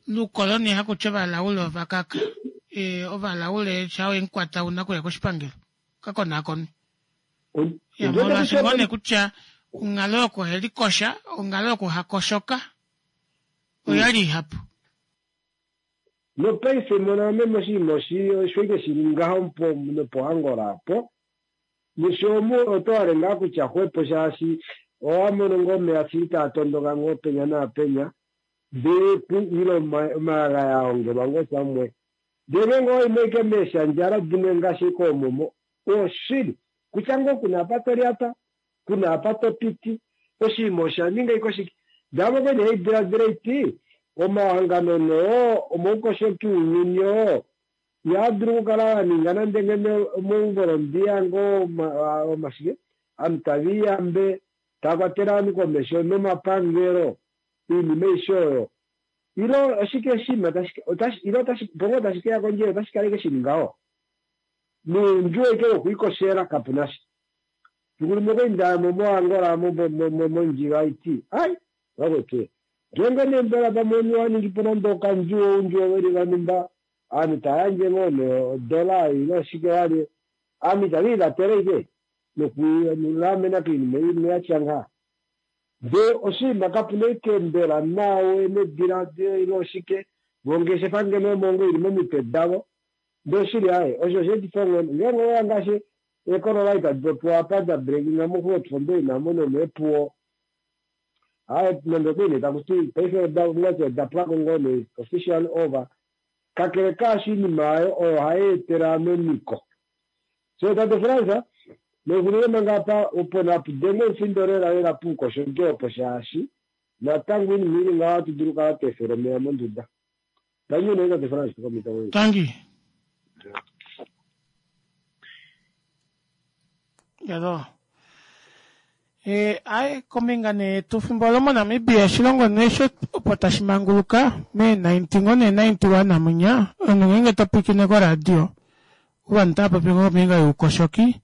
lukoloni hakutya ovalaule ovakaka. E, ovalaule sha enkwata una kuya koshipangelo. Kakonaakone. Ya molwaashi ngoo nee kutya onghalo yokuhelikosha, onghalo yokuhakoshoka oyali ihapu. Nopaife mona meme oshinima osho ike shili ngaho nopoAngola apo. Nosho omu oto hale ngaa kutya xwepo shaashi owa mono ngoo omeya shili taa tondoka ngoo penya naapenya ndee ile omayagaya a ongelwa ngoo samwe. Ndee ngeenge owayi ike meeshandjala dimwe ngaashi koomomo oshili kutya ngoo kuna apa to lyata kuna apa to piti oshinima osha ninga ike oshike. Ndee amo kwene haidiladila iti omahangano noo omaukoshoki ounyuni oo ihaa dulu okukala wa ninga nande ngeno omauvolontiya ngoo omashike ovanhu tave liyambe tava kwatele ovanhu komesho nomapangelo oinima aishe oyo. Ile oshike oshinima ile opo ngoo tashi keya kondje otashi kala ike shili ngaho. Noundjuwo ike wokwiikoshela kapuna sha. Fiku limwe okwali ndaya moAngola mondjila iti ai vakwetu ngeenge nee mbela pamwe omunhu wa ningi po nande okandjuwo oundjuwo veli vanumba ovanhu tava yandje ngoo nee odola ile oshike wali ovanhu itave livatele ike nokulamena koinima imwe yatya ngaha. Ndee oshinima kapuna ike mbela nawe nediladilo ile oshike vongeshefa ngeno omo ngoo ili momitwe davo ndee oshili aaye osho osheetifa onghone ngeenge oweya ngaashi eekolola itadi popiwa apa da breakinga moGrootfontein amo nomeepuwo aaye nande okwali nee takuti paife ongati oda pwako ngoo nee official over. Kakele kaasho oinima oyo oyo hai etele ovanhu omiko. So tate Frans nexulile manga apa opo napu denge omufindo lela lela puukoshoki opo shaashi natango oinima ili ngaho ohatu dulu okukala twa efela omeya monduda. Tangi nee tate Frans komhito oyo. Tangi. Yalo. E, aye kombinga nee yetu fimbo olo moNamibia oshilongo nee sho opo tashi manguluka mee nineteen ngoo nee ninety one amunya omunhu ngeenge to pwiikine koradio Ovanhu otava popi ngoo kombinga youkoshoki.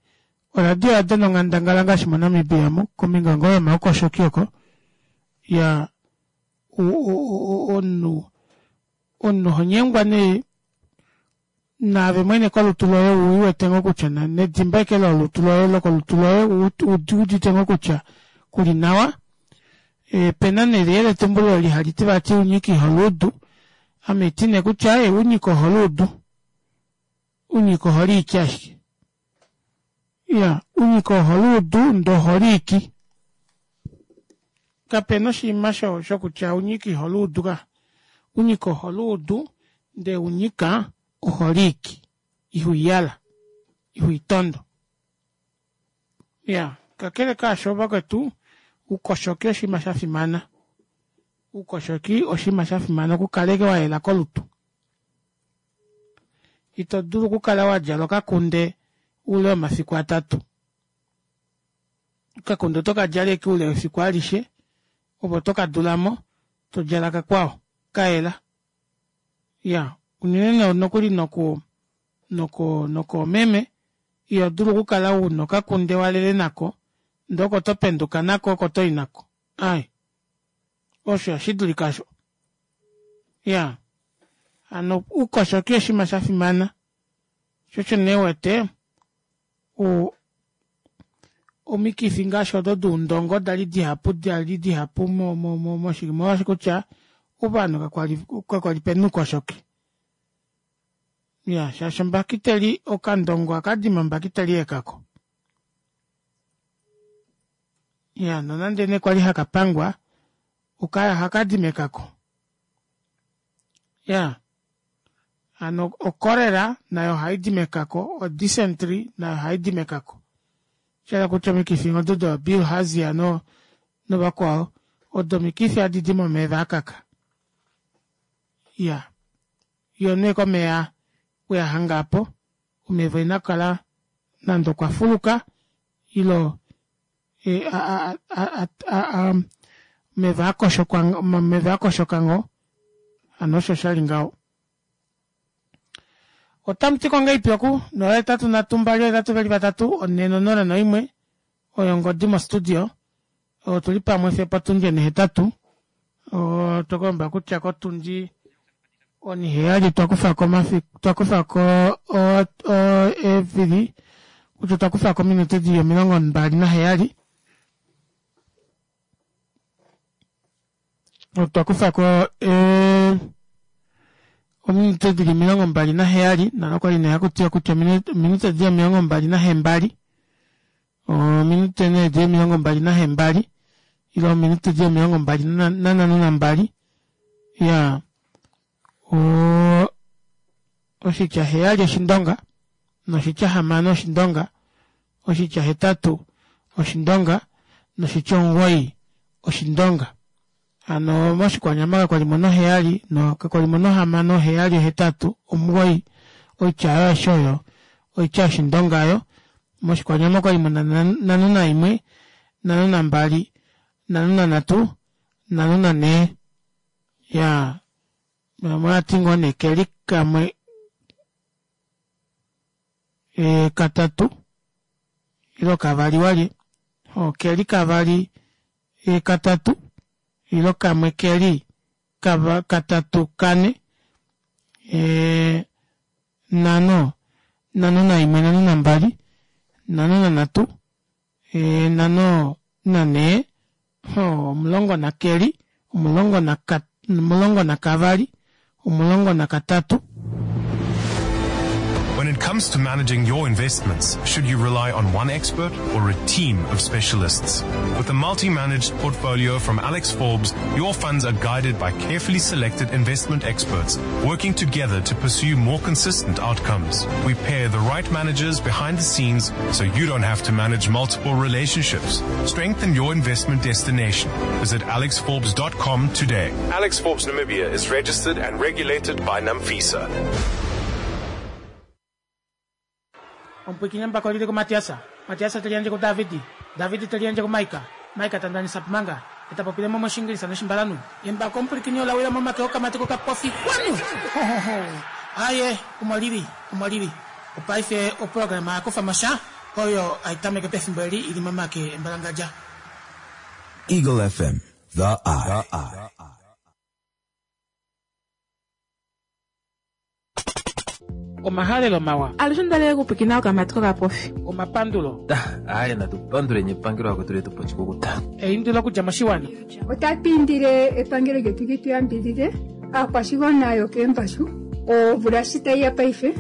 Oradio oya dana onghandangala ngaashi moNamibia mu kombinga ngoo yomaukoshoki oko. Ya omunhu omunhu oho nyengwa nee naave mwene kolutu loye uwete ngoo kutya nedimba ashike lolutu loye lokolutu loye uudite ngoo kutya kuli nawa. Opena nee eyeletumbulo eli hali ti vati unyika iholuudu. Ame haiti nee kutya aaye unyika oholuudu. Unyika oholiiki ashike. Iya unyika oholuudu ndee oholiiki. Kapena oshinima shokutya unyika iholuudu ka. Unyika oholuudu ndee unyika oholiiki. Ihuiyala ihuitondo. Iya kakele kaasho vakwetu oukoshoki oshinima shafimana. Oukoshoki oshinima shafimana okukala ashike wayela kolutu. Ito dulu okukala wadjala okakunde oule womafiku atatu. Okakunde oto kadjala ashike oule wefiku alishe ove oto kadulamo todjala kakwao kayela. Iya unene nokuli noku noko nokoomeme iho dulu okukala una okakunde walele nako ndee oko topenduka nako oko toyi nako aaye osho ihashidulika aasho. Iyaa hano oukoshoki oshinima shafimana shoo osho nee uwete omikifi ngaashi odo doundongo dali dihapu dali dihapu mo- mo- omolwaashi kutya ovanhu kakwali pena oukoshoki. Iya shaashi ombakiteli okandongo ohakadi mombakiteli yekako. Iya nonande nee kwali hakapangwa ohakadi mekako. Iyaa hano o cholera nayo ohaidi mekako, o dysentry nayo ohaidi mekako. Oshahala kutya omikifi odo doo bilharzia novakwao odo omikifi hadidi momeva akaka. Iyaa yoo nee komeva weyahanga aapo omeva oina kukala nande okwafuluka ile omeva akoshoka ngoo hano osho shali ngaho. Otamutiko ngahelipi oku nola hetatu nhatu mbali ohetatu veli vatatu onhe nonola noimwe oyo ongodi mo studio otuli pamwe fiyo opotundi onihetatu otwekulomba kutya kotundi oniheyali otwakufako twakufako eevili kutya otwakufako ominute dili omilongo mbali naheyali otwakufako ominute dili omilongo mbali naheyali nale okwali nee hakutiwa kutya ominute dili omilongo mbali nahembali ominute nee dili omilongo mbali nahembali ile ominute dili omilongo mbali nanhano nambali iyaa oshitya heyali oshindonga noshitya hamano oshindonga oshitya hetatu oshindonga noshitya omugoyi oshindonga. Hano moshikwanyama kakwalimo noheyali kakwalimo nohamano heyali ohetatu omugoyi oitya oyo aishe oyo oitya yoshindonga oyo. Moshikwanyama okwali muna nhano naimwe nhano nambali nhano nanhatu nhano nanhee. Iyaa vamwe ovati ngoo nee keli kamwe katatu ile kavali walye okeli kavali katatu ile kamwe keli katatu kane nhano nhano naimwe nhano nambali nhano nanhatu nhano nanhee omulongo nakeli omulongo omulongo nakavali omulongo nakatatu. When it comes to managing your investments, should you rely on one expert or a team of specialists? With a multi-managed portfolio from Alex Forbes, your funds are guided by carefully selected investment experts working together to pursue more consistent outcomes. We pair the right managers behind the scenes so you don't have to manage multiple relationships. Strengthen your investment destination. Visit alexforbes dot com today. Alex Forbes Namibia is registered and regulated by NAMFISA. Omupwiikini embako lili kuMatias, Matias te liyandje kuDavid, David te liyandje kuMaika, Maika ta ndanisa Pumanga, ye ta popile mo mOshiingilisa nOshimbalanhu. Embako omupwilikini ola wila momake okamati kokapofi. Xwanu! Ho, ho, ho! Aaye, omo li li, omo li li. Opaife oprograma ya kufa mosha oyo aitameke pefimbo eli ili momake embalangadja. Eagle F M, The Eye. Omahalelo mawa. Alushe ndalele kupwikina okamatiko kapofi. Omapandulo. Aye, natupandule epangelo lakwetu letu pochikukuta. Eindilo okudja moshiwana. Otatu indile epangelo lyetu li tu yambidhidhe aakwashigwana yokeembashu omvula shi tayi ya paife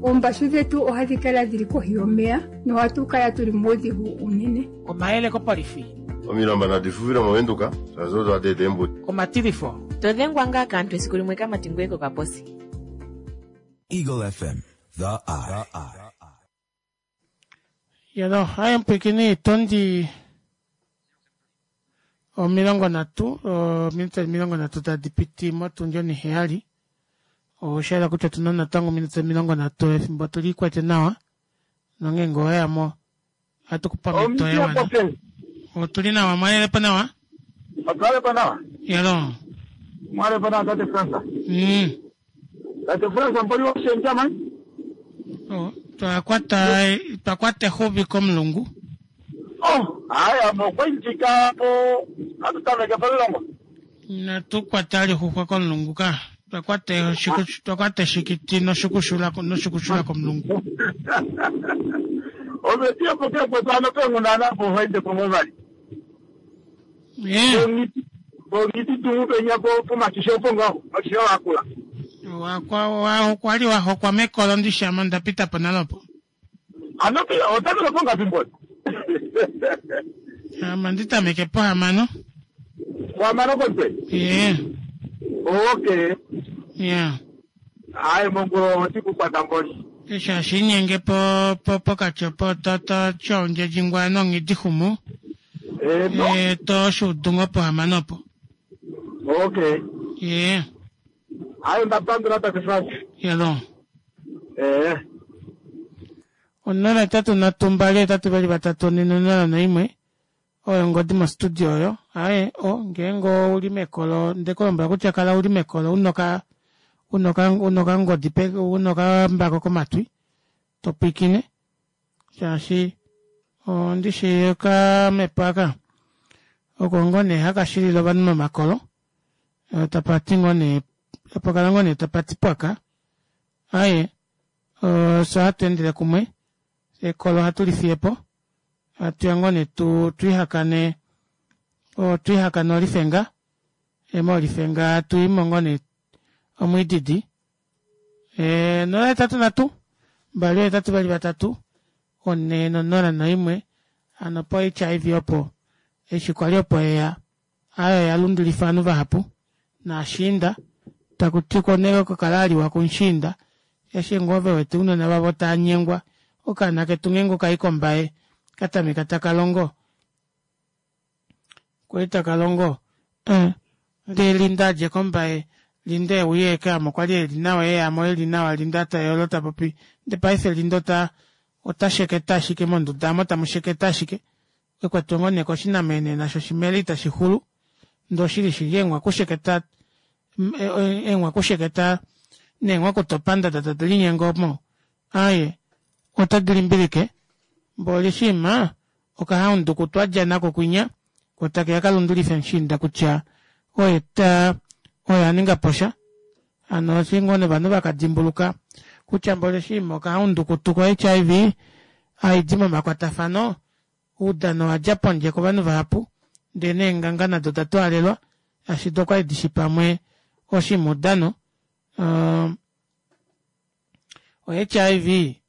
oombashu dhetu ohadhi kala dhili kohi yomeya nohatu kala tuli muudhigu unene. Omayele kopolifi. Omilamba nadi fufile moVenduka, shaashi odo hadi eta eembudi. Omatilifo. Todhengwa ngaa kaantu esiku limwe kamati ngoye kokaposi. Eagle F M, The Eye. Yalo, haye mpwikini tondi omilongo nhatu, ominute omilongo nhatu tadi piti motundi oniheyali. Osha kutya tuna natango ominute omilongo nhatu efimbo tuli kwete nawa. Nongeenge oweyamo ohatu kupa omhito ya wana. Otuli nawa, mwalelepo nawa? Otwalepo nawa. Yalo. Mwalepo nawa tate Fransa. Mm. Tate Fransa mpoli washenja man? Oh, twakwata twakwata exuvi komulungu. Oh, haya mokwenjika po atutameke pomulongo. Natukwata lixuxwa komulungu ka. Twakwata shiku twakwata shikiti noshukushula noshukushula komulungu. Ometia poke potano pengunana po hoende pomuvali. Eh. Bongiti tungu penya po pomakisho pongo, makisho akula. Wakwa wa kwali wa hokwa mekolo ndishama ndapita po nalopo. Ano pia otameke ponga pimboni. Ama nditameke po hamano. Kwa mano kote? Yeah. Okay. Yeah. Aye mongo tikukwata mboni. Isha shinyenge po po pokati po toto chonje jingwa nongidi humu. Eh, no. Eh, to shudungo po hamano po. Okay. Yeah. Aye ndapandula tate Frank. Yalo. Eh. Onola etatu nhatu mbali etatu vali vatatu one nonola noimwe. Oyo ngodi mo studio oyo. Aye, o ngeenge uli mekolo ndekulombwela kutya kala uli mekolo unoka unoka unoka ngodi pe unoka mbako komatwi topwikine shaashi ondishi okamepo aka oko ngoo nee hakashilile ovanhu momakolo tapati ngoo nee tapakala ngoo nee tapati pwaka. Aye, so hatu endele kumwe ekolo hatu lifiyepo hatuya ngoo nee tu twihakane twihakane olifenga emolifenga tuimo ngoo nee omwididi. E, nola etatu nhatu mbali etatu vali vatatu one nonola noimwe. Ano po H I V opo eshi kwali opo eya ayo yalundulifa ovanhu vahapu naashiinda takuti konele oko kala aliwa kumushiinda eshi ngoo vewete ounona vavo tanyengwa okaana ketu ngeenge okai kombaye katameka takalongo kwali takalongo eh, ndee Linda adje kombaye Linda euye eke kwali eli nawa eyamo eli nawa Linda tayolo tapopi nde paife Linda ota ota sheketa ashike monduda amo tamusheketa ashike ekwatwa ngoo nee koshinamene nasho shimele itashi xulu ndee oshili shili eenghwa kusheketa eenghwa kusheketa neenghwa kutopanda tadi linyenge omo aye otadi limbilike mboli shima okahaunduku twadja nako kwinya kotakeya kalundulife mushiinda kutya oye ta oye aninga posha. Ano oshingo novanhu vakadimbuluka kutya mboli shima okahaundukutu ko H I V aidi momakwatafano oudano wadja pondje kovanhu vahapu ndee neenganga nado datwaalelwa ashi dokwali dishi pamwe oshimudano. Um, o H I V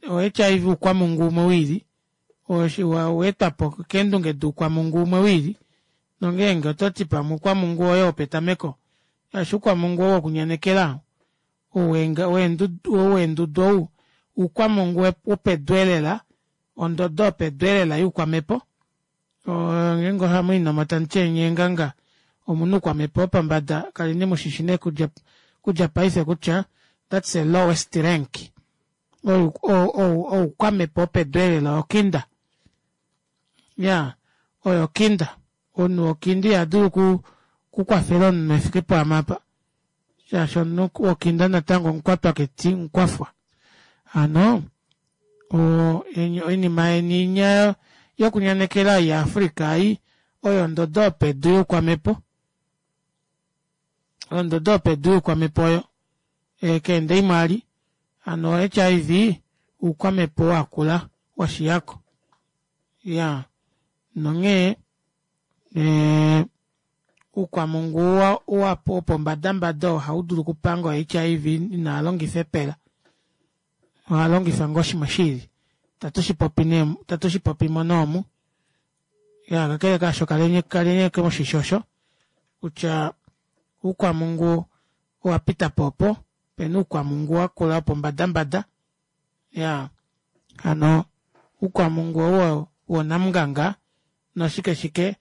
o H I V ukwamungu umwe wili oweetwapo keendunge duukwamungu umwe wili nongeenge ototi pamwe ukwamungu oyo wopetameko ashi ukwamungu oo wokunyanekela oweendudu ou ukwamungu wopedu elela ondodo yopedu elela youkwamepo. Ngeenge ohamwiinomo tamuti enyeenganga omunhu ukwamepo wopombada kaleni mushishi nee kudja paife kutya that's the lowest rank. Oukwamepo wopedu elela okinda. Ya, oyo kinda. Omunhu wokinda ihadulu kukwafela omunhu efike poamapa. Shaashi omunhu wokinda natango omukwatwa keti mukwafwa. Hano oinima yeni inya yokunyanekela ya Africa ei oyo ondodo yopedu youkwamepo. Ondodo yopedu youkwamepo oyo keende imwe ali hano H I V oukwamepo wakula washiyako. Iyaa nonghee ee oukwamungu wopombadambada oo ohaudulu okupanga o H I V inaalongifa epela ohalongifa ngoo shimwe shiili itatu nee itatushipopi nee omu. Iyaa kakele kaasho kaleni ashike mushishi osho kutya oukwamungu owapitapo opo opena oukwamungu wakula wopombada iyaa hano oukwamungu ou woonamunganga noshike shike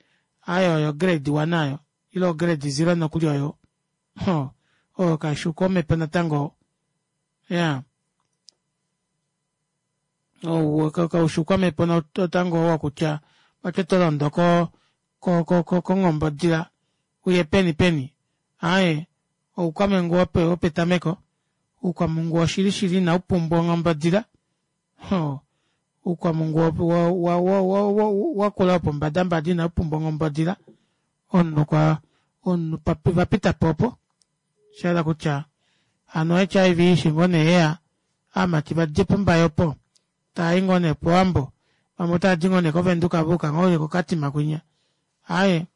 aaye oyo o grade one aayo ile o grade zero nokuli oyo ohoo oyo kaifi oukwamepo natango iyaa ou kaufi oukwamepo natango ou wokutya vati otolondo ko- ko kongombodila uye peni peni aaye oukwamungu wopetameko oukwamungu woshili shili inaupumbwa onghombodila ohoo oukwamungu wa- wa- wa wakula wopombada inaupumbwa onghombodila omunhu okwa omunhu vapitapo opo oshahala kutya hano o H I V eshi ngoo nee yeya ovamati vadje pombaye opo taayi ngoo nee powambo vamwe otavadi ngoo nee kovenduka vayuka ngoo nee ko katima kwinya aaye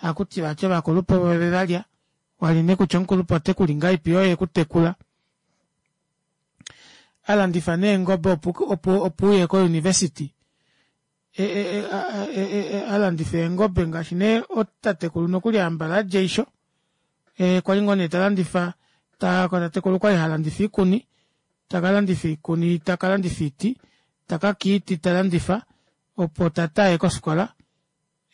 ohakuti vati ovakulupe ovo vevalya wali nee kutya omukulupe otekuli ngahelipi yoo oye ekutekula alandifa nee eengobe opo opo uye ko university ee e alandifa eengobe ngaashi nee tatekulu nokuli hambala adja eisho kwali ngoo nee talandifa tatekulu okwali halandifa oikuni takalandifa oikuni takalandifa oiti takaka oiti talandifa opo tate aye kofikola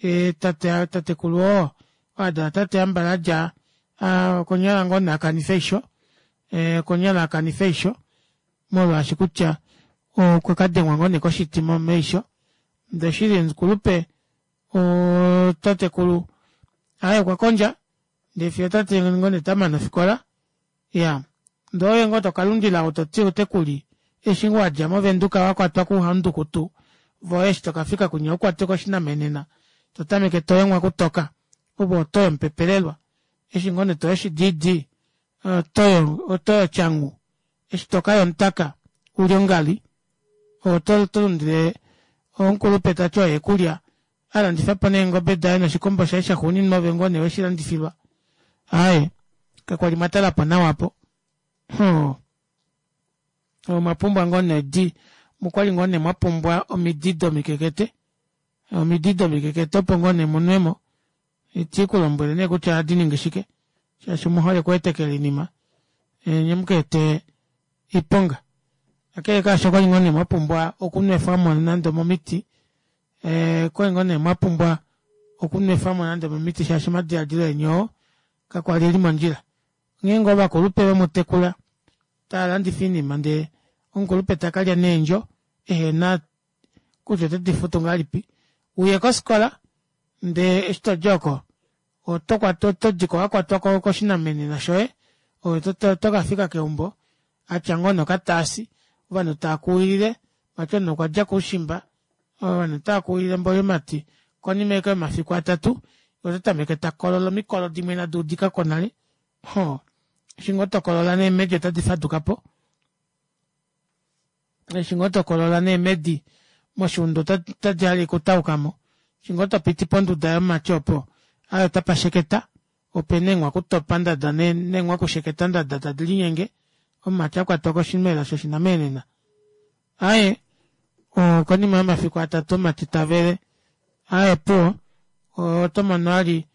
yee tatekulu oo adala tate hambala adja okonyala ngoo nee akanife eisho okonyala akanife eisho molwaashi kutya okwakadengwa ngoo nee koshiti meisho ndee oshili omukulupe oo tatekulu aaye okwakondja ndee fiyo tate ngoo nee tamane ofikola iyaa ndee oove ngoo tokalundila ou toti otekuli eshi ngoo wadja mo venduka wakwatwa kouhaundukutu voye eshi tokafika kwinya ukwatwe koshinamenena totameke toyemwa kutoka ove otoyi omupepelelwa eshi ngoo nee toyi oshidiidi otoyi otyanghu eshi tokaya omutaka uli ongali ove otolundile omukulupe tati oye ekulya alandifapo neengobe daye noshikombo shaye shaxuuninwa ove ngoo nee weshilandifilwa aaye kakwali mwatalapo nawa aapo ohoo omwapumbwa ngoo nee di okwali ngoo nee mwapumbwa omidi domikekete omidi domikekete opo ngoo nee munwemo itiikulombwele nee kutya ohadiningi shike shaashi omuhole okweetekela oinima nyee mukaete oiponga kakele kaasho okwali ngoo nee mwapumbwa okunwefwamo nande omomiti ee okwali ngoo nee mwapumbwa okunwefwamo nande omomiti shaashi omadilaadilo eni oo kakwali eli mondjila onghee ngoo ovakulupe vemutekula taalandifa oinima ndee omukulupe takalya neendjo ehena kutya otedifutu ngahelipi uye kofikola ndee eshi todi oko otodiko wakwatwa koshinamenena shoye ove otokafika keumbo atya ngoo nee okataasi ovanhu taakuwilile vati omunhu okwadja koushimba ovanhu otaakuwilile mboli omumati konima ashike yomafiku atatu yee otatameke takolola omikolo dimwe inadi udikako nale ohoo eshi ngoo tokolola neemedi otadi fadukapo eshi ngoo tokolola neemedi moshuunda otadi hale okutaukamo eshi ngoo topiti ponduda yomumati opo aaye otapa sheketa opena eenghwakutopa ndada neenghwakusheketa ndada tadi linyenge omumati akwatwa koshimela shoshinamenena aaye konima yomafiku atatu omumati tavele aaye opuwo otomono ali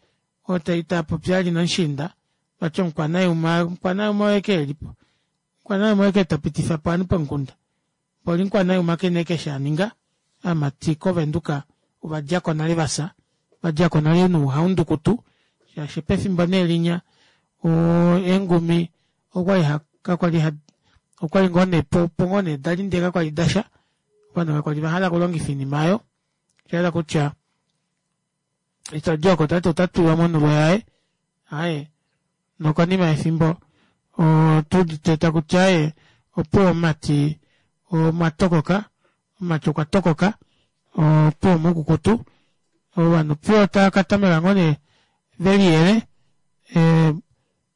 tapopi ali nomushiinda vati omukwanayuma omukwanayuma oye ashike elipo omukwanayuma oye ashike tapitifapo ovanhu pomukunda mboli mukwanayuma kena ashike eshi aninga ovamati kovenduka ovadjako nale vafya vadjako nale nouhaundukutu shaashi pefimbo nee linya eengumi okwali kakwali okwali ngoo nee opo ngoo nee dali ndee kakwali dasha ovanhu kakwali vahala okulongifa oinima aayo oshahala kutya eshi tadi oko tati otatuwa monulo yaye aaye nokonima yefimbo otuudite takuti aaye opuwo omumati Omwa tokoka, omati okwa tokoka, opuwo omukukutu, ovanhu opuwo otava katameka ngoo nee veliyele ee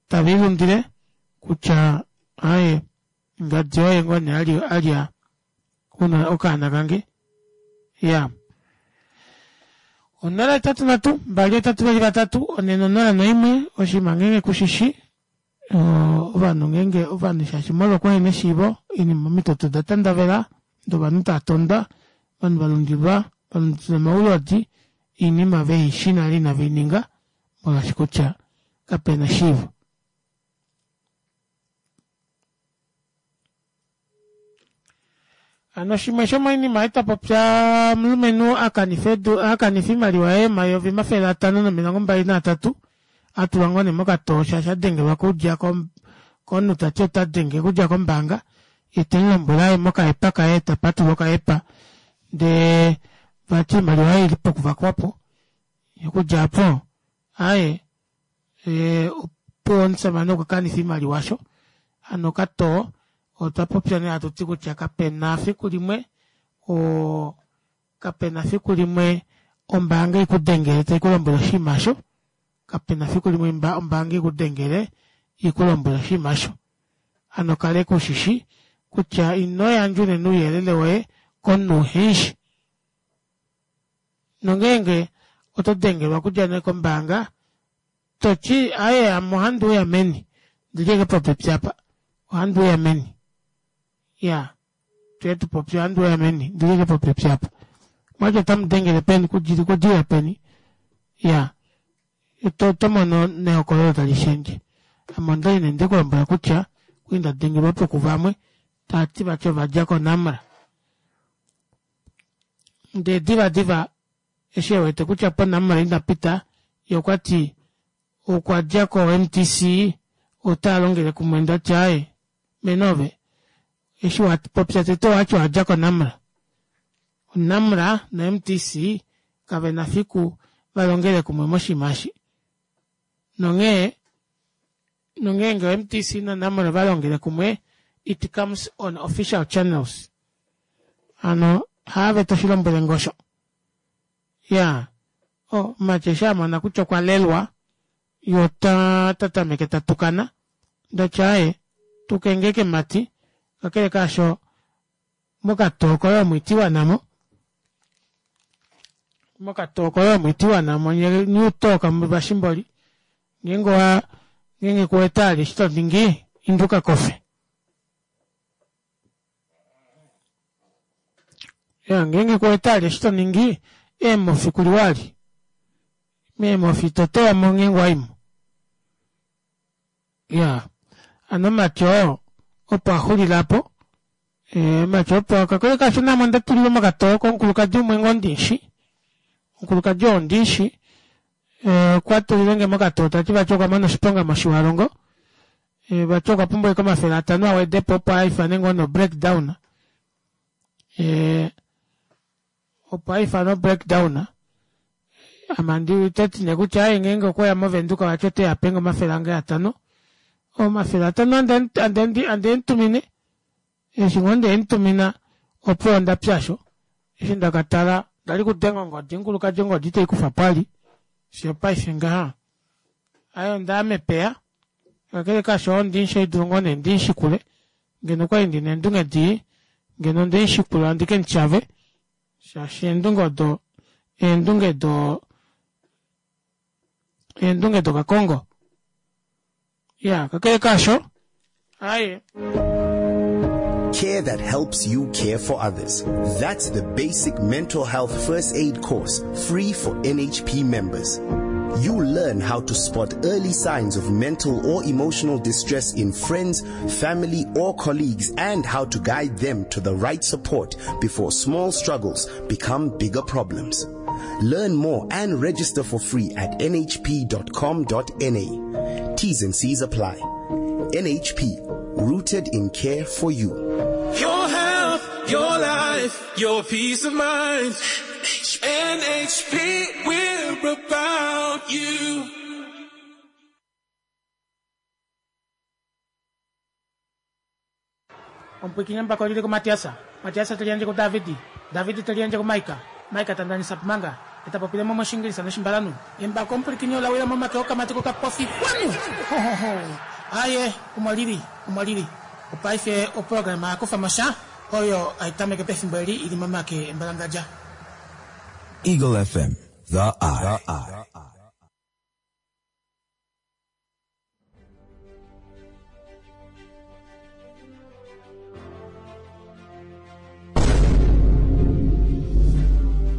tavelilundile kutya aaye ngadi oye ngoo nee alya okaana kange iyaa onola hetatu nhatu mbali hetatu veli vatatu onhe nonola noimwe oshinima ngenge kushishi ovanhu ngenge ovanhu shaashi molwo okuhena eshiivo oinima omitoto oda tandavela ndee ovanhu taatondwa ovanhu valundilwa valundilwa omaulodi oinima veishi nale inaveininga molwaashi kutya kapena eshiivo. Hano shimwe shomoinima ei twapopya omulumenhu akanifa edu akanifa oimaliwa yaye omayovi omafele atano nomilongo mbali naatatu atulwa ngoo nee mokatoo shaashi adengelwa kudja komunhu tati otadenge okudja kombaanga yee temulombwele aye mokaepa kaye tapatulula okaepa ndee vati oimaliwa yaye oili pokuvakwapo okudja aapo aaye opuwo omushamane okwa kanifa oimaliwa aasho hano okatoo otwa popya nee hatuti kutya kapena efiku limwe oo kapena efiku limwe ombaanga ikudengele taikulombwele oshinima aasho kapena efiku limwe ombaanga ikudengele ikulombwele oshinima aasho hano kaleka ushishi kutya inoyandja unene ouyelele woye komunhu uhemushi nongeenge oto dengelwa okudja nee kombaanga toti aaye ame ohandiuya meni ondili ashike popepi aapa ohandiuya meni iyaa tuye tupopye ohandiuya meni ondili ashike popepi aapa omwati otamudengele peni okudilila peni iyaa otomono nehokololo talishendje ame ondali nee ndekulombwela kutya okwali ndadengelwapo kuvamwe tavati vati ovadja ko namra ndee diva diva eshi ewete kutya po namra inapita yee okwati okwadja ko M T C otaalongele kumwe ndati aaye mene ove eshi wapopya tete owati owadja ko namra namra no M T C kavena fiku valongele kumwe moshinima eshi nonghee nongeenge o M T C no namra ovalongele kumwe it comes on official channels hano haave toshilombwelenge osho iyaa oh mati eshi amona kutya okwa lelwa yee ota tatameke tatukana ndati aaye tukenge ashike mati kakele kaasho mokatoo koye omo itiiwanamo mokatoo koye omo itiiwanamo nyee utoka vashimboli ngeenge owa ngeenge kuwete vali eshi toningi inda ukakofe iya ngeenge kuwete vali eshi toningi eemofi kuliwa vali meemofi toteyamo ngeenge owaimo iyaa hano omumati oo opo axulila aapo omumati opo kakele kaasho naame ondatulilwe mokatoo komukulukadi umwe ngoo ndimushi omukulukadi oo ondimushi okwa tulilenge mokatoo tati vati okwamona oshiponga moshiwalongo vati okwa pumbwa ashike omafele atano awedepo opo aifane ngoo no breakdown opo aifane o breakdown ame otati nee kutya aaye ngeenge okweya movenduka vati oteya apenge omafele ange atano omafele atano andeemutumine eshi ngoo ndeemutumina opuwo ondapya aasho eshi ndakatala ondali kudenga ongodi omukulukadi ongodi iteikufwapo vali fiyo opaife ngaha aaye ondaya mepeya kakele kaasho oo ondimushi ohaidulu ngoo nee ndimushikule ngeno okwali ndina eendunge dii ngeno ondemushikula ndikemutyave shaashi eendunge odo eendunge doo eendunge dokakongo iya kakele kaasho aaye Care that helps you care for others. That's the basic mental health first aid course, free for N H P members. You'll learn how to spot early signs of mental or emotional distress in friends, family, or colleagues, and how to guide them to the right support before small struggles become bigger problems. Learn more and register for free at n h p dot com dot n a. T's and C's apply. N H P, rooted in care for you. Your health, your life, your peace of mind. N H P, we're about you. Omupwiikini embako olili kuMatias. Matias te liyandje kuDavid. David te liyandje kuMaika. Maika ta ndanisa manga, e ta popile mo mOshiingilisa nOshimbalanhu. Embako omupwilikini ola wila momake okamati kokapofi. Xwanu! Ho, ho, ho! Aaye, omo li li. Omo li li. Opaife oprograma ya kufa mo sha, oyo hai tameke pefimbo eli i li momake embalangadja. Eagle F M, The Eye.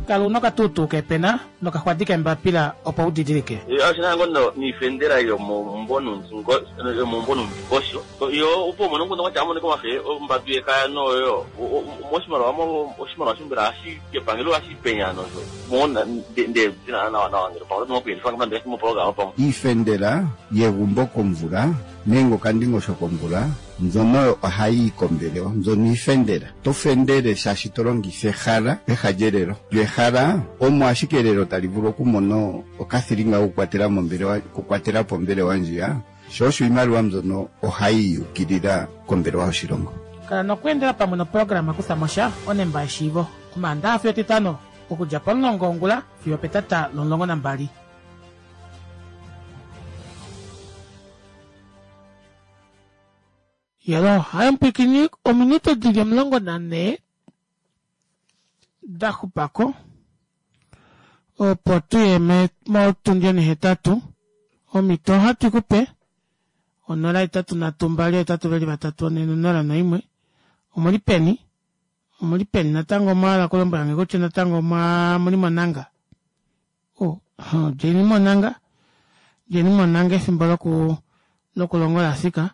Kala una okatuutuu keepena nokaxwadi keembapila opo u didilike. Oshina ngo no niifendela yomomumvo yomomumvo nomungosho yo opo umone nguno kwatya amoneka omafe ombadu yekaya noyo moshimaliwa oshimaliwa shombela hashi kepangelo hashi penya nosho mo nde tina nawa nawa ngele pamwe oto kuyelifa nande mopologama pamwe. Iifendela yegumbo komvula nenge okandingosho komvula mbyono ohayi yi kombelewa mbyono iifendela. To fendele shaashi to longitha ehala peha lyelelo. Lyo ehala omo ashike elelo tali vulu okumona okathilinga kokukwatela mombelewa okukwatela po ombelewa ndjiya, sho osho iimaliwa mbyono ohayi yukilila kombelewa yoshilongo. Kala nokweendela pamwe noprograma Kutha mo sha onemba yeshiivo Omaandaxa fiyo Etitano okudja pomulongo wongula fiyo opetata lomulongo nambali. Yelo, haye mupwiikini ominute dili omulongo nanhee da xupako opo tuye motundi onihetatu. Omhito ohatu i kupe onola hetatu nhatu mbali hetatu veli vatatu onhee nonola noimwe. Omuli peni? Omuli peni natango omwa hala okulombwela nge kutya natango omwa omuli monanga? Oh, djeni monanga, djeni monanga efimbo loku lokulonga ola fika.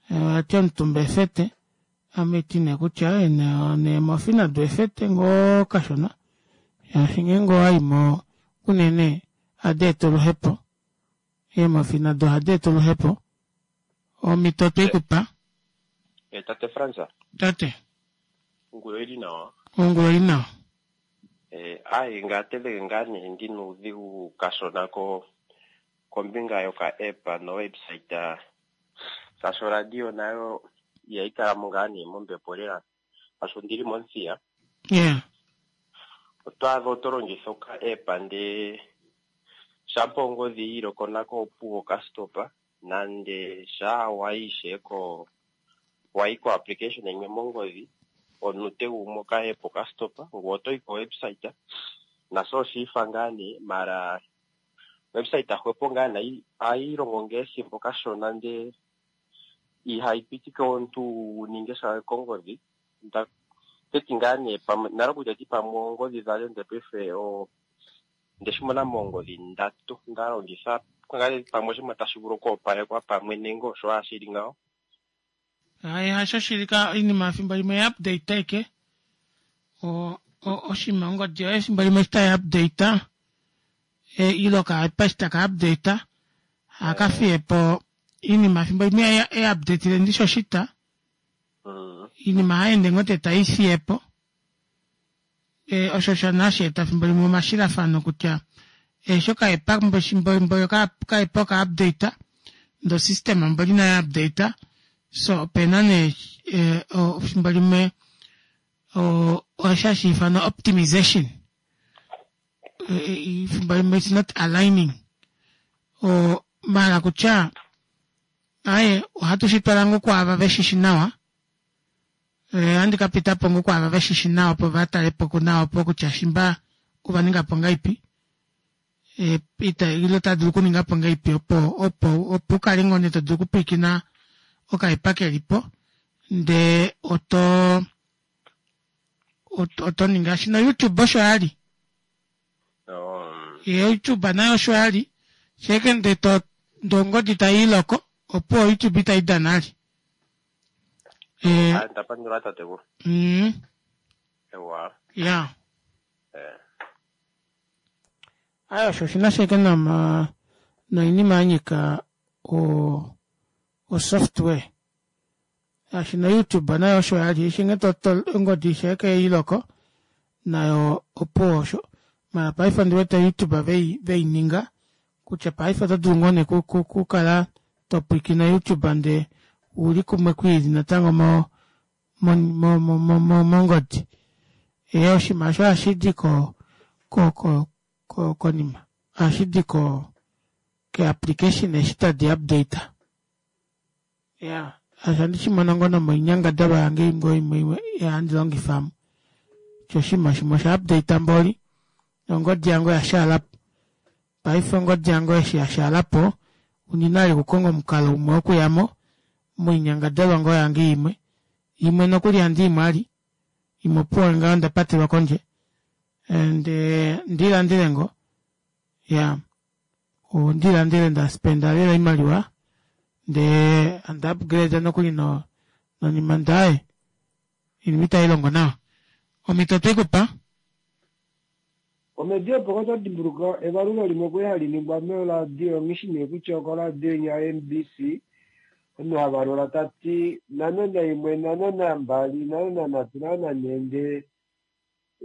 Vati omutumba efete, ame ti nee kutya neemofi nado efete ngoo kashona shaashi ngeenge owayi mo unene ohadi eta oluhepo. Eemofi nado ohadi eta oluhepo. Omhito otwe i ku pa. Eh, tate Frans. Tate. Ongula oili nawa. Ongula oili nawa. Eh, ai ngaa teveke ngaa nee ndi noudhigu kashona ko kombinga yoka app no website shaashi oradio nayo ihayi kala mo ngaa nee mombepo lela shaashi ondili mOmuthiya. Yeah. Oto adha oto longitha oka app ndee shampa ongodhi yiiloko nako opuwo okastopa nande shaa wayi ishewe ko wayi ko application yimwe mongodhi omunute gumwe oka app okastopa ngoye otoyi ko website nasho oshiifa ngaa nee mara website hwepo ngaa nee ohayi longo ngaa ethimbo kashona ndee ihayi pitike omuntu wu ninge sha kongodhi. Nda teti ngaa nee pamwe nale kutya ti pamwe oongodhi dhandje ndee paife o ndeshi mona moongodhi ndatu nda longitha ngaa pamwe oshinima tashi vulu oku opalekwa pamwe nenge osho owala shili ngawo. Hayi hasho shili ka oinima efimbo limwe ya update aike o oshinima ongodi yoye efimbo limwe eshi tai update ile okaepa eshi taka update ohaka fiye po iinima efimbo limwe e updatile ndishi oshita iinima ohayi ende ngoo te tai fiye po osho osho nee hashi eta efimbo limwe omashilafano kutya eshi okaepa mboli okaepa oka update ndee osystem mboli inayi update so opena nee efimbo limwe osho hashi ifanwa optimisation efimbo limwe it's not aligning maala kutya aaye ohatu shi twala ngoo kwaava veshishi nawa ohandi ka pitapo ngoo kwaava veshishi nawa opo vatalepo nawa opo kutya shimba ova ningapo ngahelipi ile ota dulu okuningapo ngahelipi opo opo opo ukale ngoo nee todulu okupwiikina okaepa kelipo ndee oto oto ningi ngaashi no youtube osho yali youtube nayo osho yali sheke ndee to ndee ongodi tayiiloko opuwo youtube itayi dana vali. Ah, ndapandula tatekulu. Mm. Ewa. Ya. Eh. Aye osho oshina sheke nama noinima yanyika o o software. Shaashi no YouTube nayo osho yali eshi nghee to ongodi sheke yeiloko nayo opuwo osho. Mara paife ondi wete YouTube vei veininga kutya paife oto dulu ngoo nee kukala to pwiikine YouTube ndee uli kumwe kwiili natango mo mo- mo- mo- mo- mongodi ee oshinima osho ohashidi ko ko ko ko konima ohashidi ko ke application eshi tadi update ya osho andishimono ngoo nomoinyangadalwa yange ngoo imwe imwe handi longifa amu kutya oshinima shimwe osha update mboli nongodi yange oyashaalapo paife ongodi yange eshi yashaalapo ondina vali okukonga omukalo umwe wokuyamo moinyangadalwa ngoo yange imwe imwe nokuli handiimo vali imwe opuwo ngaho ondapatelwa kondje ndee ndiilandele ngoo iyaa ondiilandele ndaspenda lela oimaliwa ndee handi upgrade nokuli no nonima ndee aaye oinima itailongo nawa omito otweikupa Omedi opo oto dimbuluka evalulo limwe kwali hali ningwa moradio nghishi nee kutya okoradio inya N B C omunhu havalula tati nhano naimwe nhano nambali nhano nanhatu nhano nanhee ndee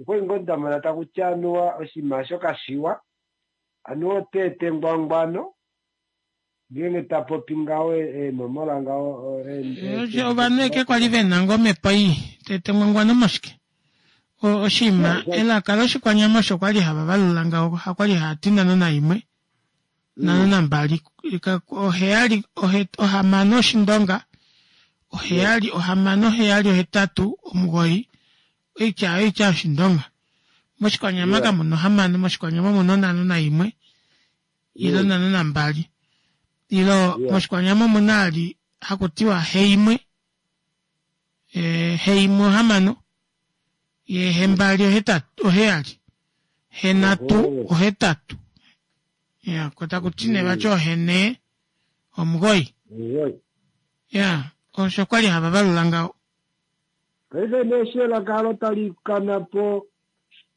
okwali ngoo ndamona takuti anuwa oshinima osho kashiwa anuwa ota eta engwangwano ngeenge tapopi ngaho eenomola ngaho. Ovanhu eke kwali vena ngoo omhepo ii tete engwangwano moshike oshinima elaka loshikwanyama osho kwali hava valula ngaho hakwali haati nhano naimwe nhano nambali oheyali ohamano oshindonga oheyali ohamano heyali ohetatu omugoyi oitya oyo oitya yoshindonga moshikwanyama kamuna ohamano moshikwanyama omuna onhano naimwe ile onhano nambali ile moshikwanyama omuna vali hakutiwa heimwe heimwe ohamano yee hembali ohetatu oheyali henhatu ohetatu iya koo takuti nee vati ohenee omugoyi iya osho kwali hava valula ngaho. Paife nee eshi elaka olo tali kana po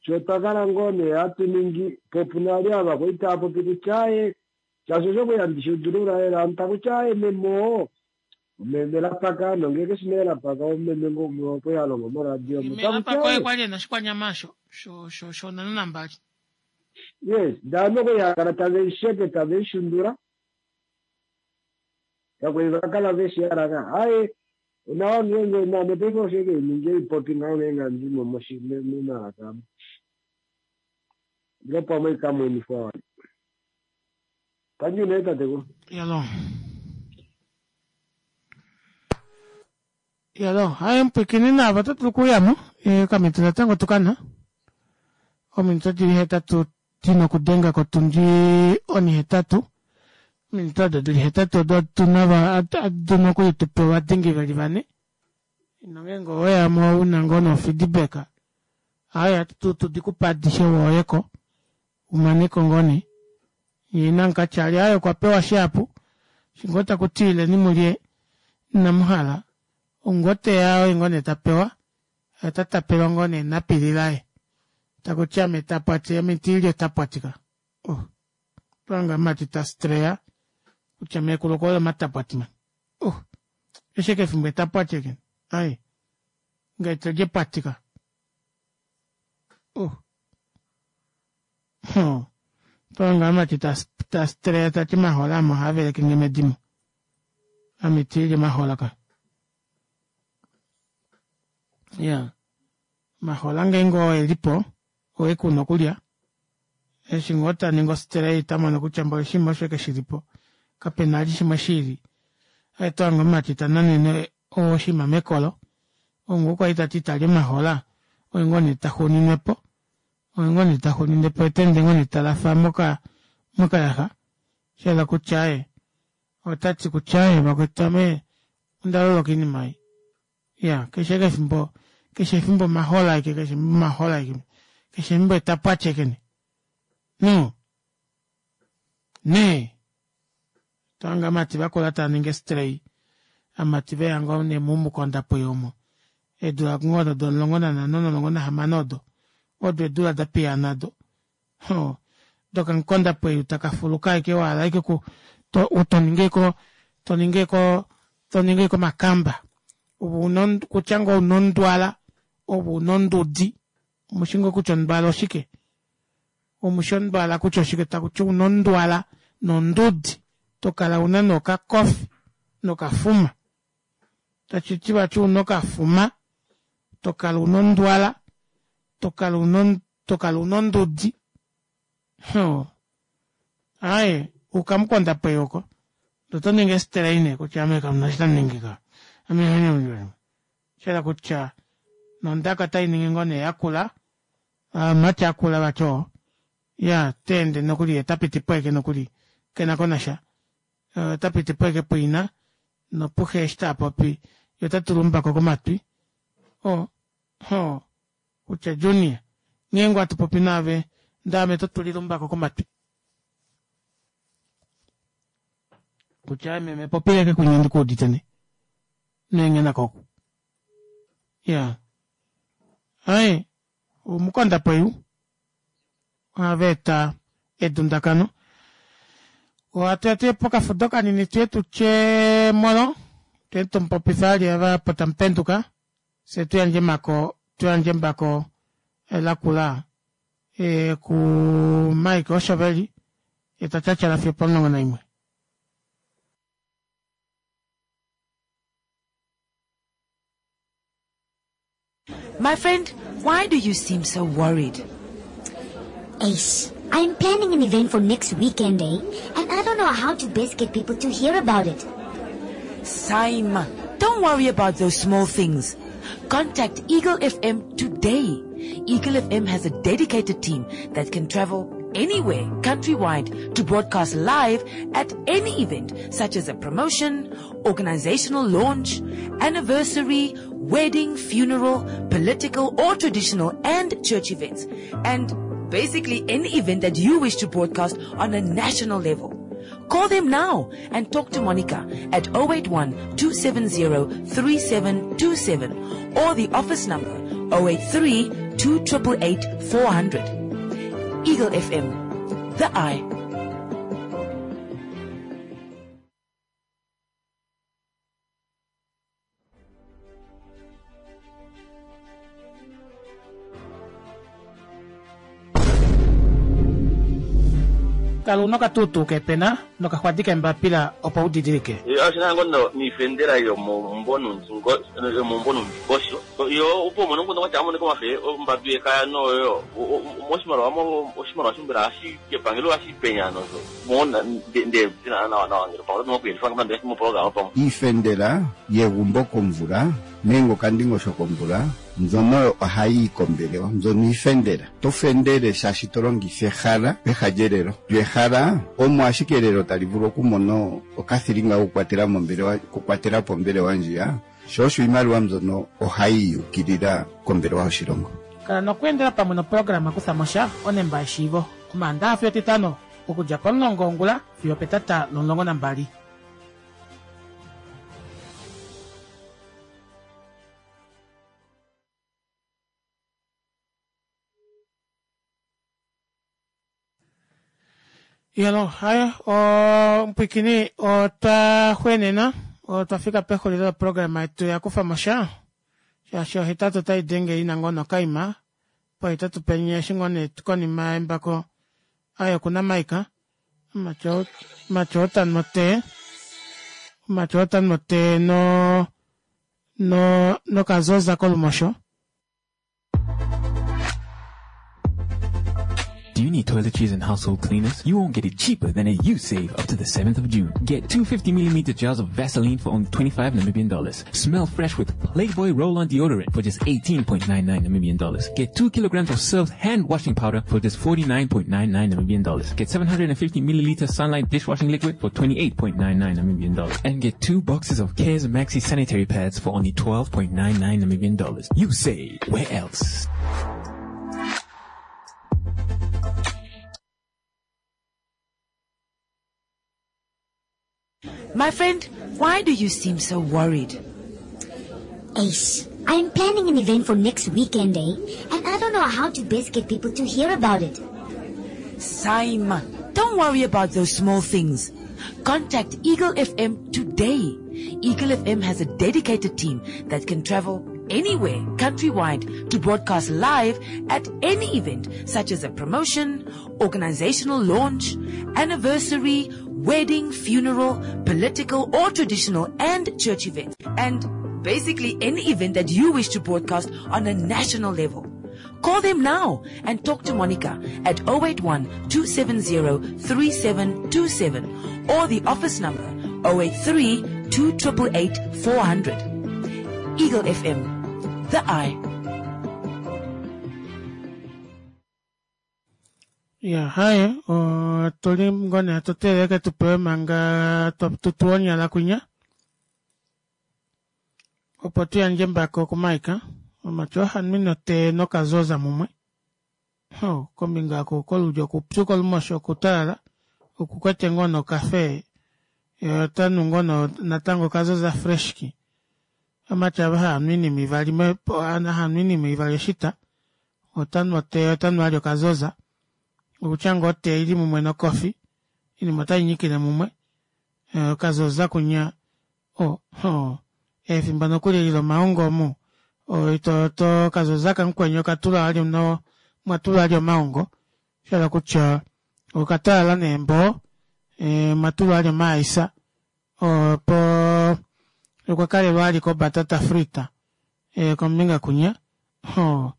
sho twakala ngoo nee hatu ningi po puna vali ava kwali tava popi kutya aaye shaashi osho kwali handi shudulula lela ovanhu takuti aaye meme oo meme lapaka nongee keshi nee lapaka omeme ngoo umwe okwali halongo moradio omo Meme takuti lapaka oye aaye kwali ena oshikwanyama osho sho sho nhano nambali. Yes, ndee ovanhu okwali hakala tave lisheke tave lishundula kakwali vakala veshihala aaye onawa ngeenge naame paife osho ashike hainingi haipopi ngaho ngeenge handimo momalaka amo ile pamwe ikamwenifwa wali tangi nee tatekulu. Yalo yalo haye mupwiikini naavo oto dulu okuuyamo okamito natango tukana ominute dili hetatu dina okudenga kotundi onihetatu ominute odo dili hetatu odo tuna dina okulitupa ovadengi veli vane nongeenge oweyamo una ngoo no feedback aaye ohatu tudikupa adishe woyeko umaneko ngoo nee yee namukatyali aaye okwapewa shihapu eshi ngoo takuti ileni mulye inamuhala ou ngoo teya oye ngoo nee tapewa ota tapelwa ngoo nee enapili laye takuti ame tapwati ame itiilya etapwati ka oh otwahanga omumati tastreya kutya meekulu okuhole omatapwati mani oh keshe ashike efimbo etapwati eke ai ngaye tolya epwati ka oh hoo otwahanga omumati tastreya tati omahola ame ohaavelekenge medimo ame itiilya omahola ka iyaa omahola ngeenge oo elipo oo una okulya eshi ngoo taningi ostray otamono kutya mboli oshinima osho ashike shilipo kapena vali shimwe shiili otohange omumati tananene oshinima mekolo ou ngoo kwali tati itali omahola oye ngoo nee taxuuninwepo oye ngoo nee taxuuninepo yeteende ngoo nee talafa moka mokayaxa shayela kutya aaye otati kutya aaye vakwetu ame ondaloloka oinima ei iya keshe ashike efimbo keshe efimbo omahola ashike keshe efimbo omahola ashike keshe efimbo etapwati ashike nee no nee tohange ovamati vakula tavaningi estray ovamati veya ngoo nee momukondapoyi omo eedula ngoo odo domulongo nanhano nomulongo nahamano odo odo eedula dapiyaana odo hoo dokamukondapoyi takafuluka ashike wahala ashike oku toningi ashike toningi ashike toningi ashike omakamba ove una kutya ngoo ouna ondwala ove una ondudi omushi ngoo kutya ondwala oshike omushi ondwala kutya oshike takuti una ondwala nondudi tokala una nee okakofi nokafuma tashiti vati una okafuma Tokala una ondwala, tokala una tokala una ondudi. Ho. Aaye, ukamukonda pweyo oko. Oto ningi esiteleine kutya ame kamuna eshi tamu ka. Ame shela kutya nondaka otai ningi ngoo nee yakula, amati akula vati oo. Ya, teende nokuli ye tapiti po ashike nokuli kena konasha. Ota piti po ashike puina nopuxe eshi taapopi ye ota tula oumbako komatwi. O, ho, kutya Junior, nghee ngoo hatu popi naave ndee ame to tulile oumbako komatwi. Kutya meme popileke kunya ndikuudite ne. Neenghena koku. Ya. Aye, omukonda pweyu ohava eta edundakano. Ohatu ya tuye pokafudo kanini tuye tutye molo, tuye tumupopife ali ava opo tamupenduka, fye tuyandje mako, tuyandje embako lakula e, ku Mike Oshoveli, ye ta tyatyala fiyo opomulongo naimwe. My friend, why do you seem so worried? Ace, I'm planning an event for next weekend, eh? And I don't know how to best get people to hear about it. Saima, don't worry about those small things. Contact Eagle F M today. Eagle F M has a dedicated team that can travel anywhere countrywide to broadcast live at any event such as a promotion, organizational launch, anniversary, wedding, funeral, political or traditional and church events, and basically any event that you wish to broadcast on a national level. Call them now and talk to Monica at oh eight one, two seven zero, three seven two seven or the office number oh eight three, two triple eight, four hundred. Eagle F M, the eye. Kala una okatuutuu kepena nokaxwadi kembapila opo udidilike. Oshina ngono niifendela yomombonundingosho yo opo mono ngono watya amoneka omafe ombadu yekaya noyo moshimaliwa oshimaliwa shombela hashi kepangelo hashi penya nozo mona nde nawa nawa ngelo pamwe nokuyelifa ngamandla moprogram pamwe. Iifendela yegumbo komvula nenge okandingosho komvula mbyono ohayi kombelewa, mbyono iifendela. To fendele shaashi to longitha ehala peha lyelelo. Lyehala omo ashike elelo tali vulu okumona okathilinga kokukwatela mombelewa, okukwatela po ombelewa ndjiya. Sho osho iimaliwa mbyono ohayi yukilila kombelewa yoshilongo. Kala nokweendela pamwe noprograma kutha mosha onemba yeshiivo. Omaandaha fiyo etitano okudja pomulongo wongula fiyo petata lomulongo nambali. Yelo, hayo, mpwikini otwa xwenena, otwa fika pexulilo loprograma yetu ya kufa mosha, shaashi ohetatu otai denge ina ngoo nokaima, pohetatu penye eshi ngoo nee konima yembako ayo kuna Mike, omatyo otanhu motee, omatyo otanhu motee no, no, nokazoza kolumosho. Do you need toiletries and household cleaners? You won't get it cheaper than at YouSave up to the seventh of June. Get two fifty millimeter jars of Vaseline for only twenty-five Namibian dollars. Smell fresh with Playboy Roll-On Deodorant for just eighteen point nine nine Namibian dollars. Get two kilograms of Surf hand washing powder for just forty-nine point nine nine Namibian dollars. Get seven hundred and fifty milliliter Sunlight dishwashing liquid for twenty-eight point nine nine Namibian dollars. And get two boxes of Cares Maxi sanitary pads for only twelve point nine nine Namibian dollars. You save. Where else? My friend, why do you seem so worried? Ace, I'm planning an event for next weekend, eh? And I don't know how to best get people to hear about it. Saima, don't worry about those small things. Contact Eagle F M today. Eagle F M has a dedicated team that can travel anywhere countrywide to broadcast live at any event such as a promotion, organizational launch, anniversary, wedding, funeral, political or traditional and church events, and Basically any event that you wish to broadcast on a national level. Call them now and talk to Monica at oh eight one, two seven zero, three seven two seven or the office number oh eight three, two triple eight, four hundred. Eagle F M, the eye. Ya, haye, otuli ngone atuteleke tupewe manga tutuonyala kunya. Opo tuyandje mbako kumaika. Omacho hanwino te nokazoza mumwe. Ho, kombinga ko kolulyo kupyu kolumosho kutalala. Okukwete ngono kafe. Otanu ngono natango kazoza freshki. Amacho aba hanwini mivali me, ana hanwini mivali shita. Otanu te, otanu alyo kazoza. Okuchango te ili mumwe no kofi. Ili motai nyikile mumwe. E, kazoza kunya. O, ho. Efimbo nokuli lilo maongo mu. O, ito, to kazoza kankwenyo katula alyo no, mwatula alyo maongo. Shala kucha, okatala nembo, e, mwatula alyo maisa. O, po, okwakale wali ko batata frita. E, kombinga kunya. Ho.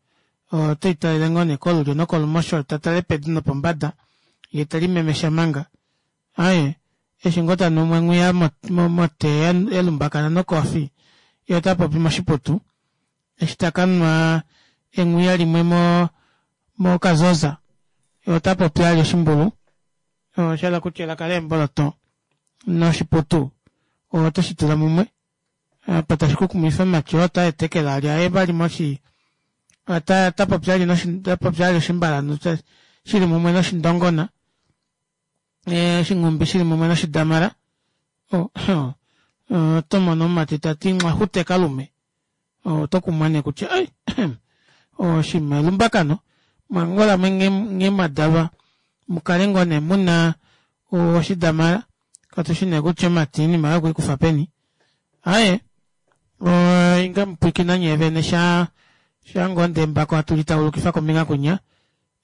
O, teita ilengone kolulyo nokolumosho, tatale pedu nopombada. Ye tali memesha manga. Aye, eshingota numwe ngwiya mo, mote elumbakana nokofi. Ye otapopi moshiputu. Eshitakanwa engwiya limwe mo, mo kazoza. Ye otapopi ali oshimbulu. O, shala kuchela kale emboloto. Noshiputu. O, otoshitula mumwe. Apa tashikukumifa macho, ota etekela ali aye bali moshi. Ata, tapopi ali noshi, tapopi ali oshimbala, no, shili mumwe noshindongona. E, shingumbi shili mumwe noshidamara. O, o, otomono mati tati mwahute kalume. O, tokumwane kutya, ai, o, shima lumbakano. Mwangola mwenge, nge madalwa. Mukale ngone muna, o, oshidamara. Katushine kutya mati ni mara kuikufa peni. Aye, o, inga mpwikina nyevene sha, shangonde mbako atulitaulukifa kombinga kunya.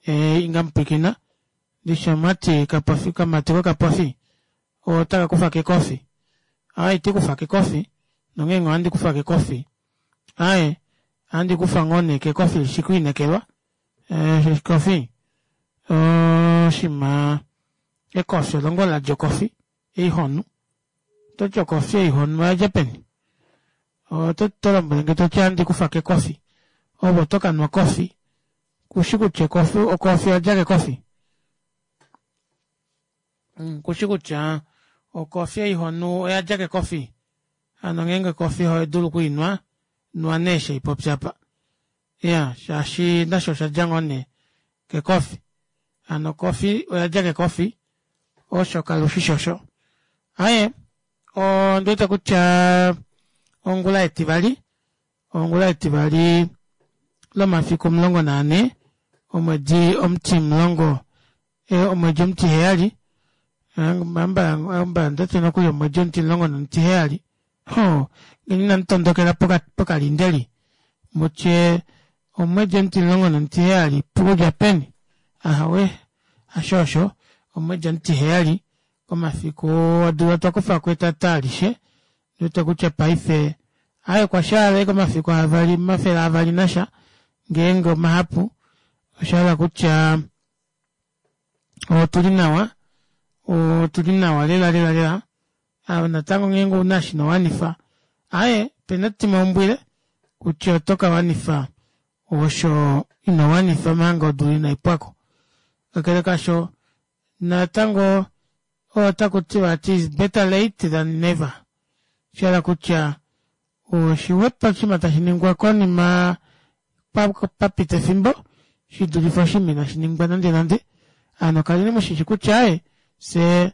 E, inga mpwikina. Lisha mati kapofi, kamati ko kapofi. O, taka kufa kekofi. Aye, ti kufa kekofi. Nongengo andi kufa kekofi. Aye, andi kufa ngone kekofi shikuinekelwa. E, kofi. O, shima. Ekofi, longola jokofi. Eihonu. To jokofi eihonu ya Japani. O, to tolombwelenge to ti andi kufa kekofi. Obo toka nwa kofi. Kushikuche kofi, o kofi ajake kofi. Kushikucha, o kofi eihonu oyajake kofi. Ano ngenge kofi ho edulu kuinwa, nwa neshe ipopyapa. Ya, shashi nasho shajangone ke kofi. Ano kofi oyajake kofi. Osho kalushishosho. Aye, o ndwete kutya ongula etivali, ongula etivali lomafiku omulongo nane, omwedi omutimulongo, e, omwedi omutiheyali, amba, amba ndete nokuli omwedi omutimulongo nomutiheyali. Ho, ngeni namutondokela poka, pokalindeli. Mutye omwedi omutimulongo nomutiheyali, pukulya peni. Ahawe, ashosho, omwedi omutiheyali, komafiku odula twakufa kwetata alishe, ndwete kutya paife, aye kwashaale komafiku avali, mafela avali nasha, ngeenge omahapu, oshala kutya, otuli nawa, otuli nawa lela lela lela, awo natango ngeenge una shino wanifa, aye, pena tima ombwile, kutya otoka wanifa, osho ino wanifa manga odula inaipwako. Kakele kasho, natango, otaku tiwa it is better late than never. Shala kutya, oshiwepo shima tashi ningwa konima, papita efimbo, shidulifa oshima inashi ningwa nande nande. Ano kaleni mushishi kutya aye, se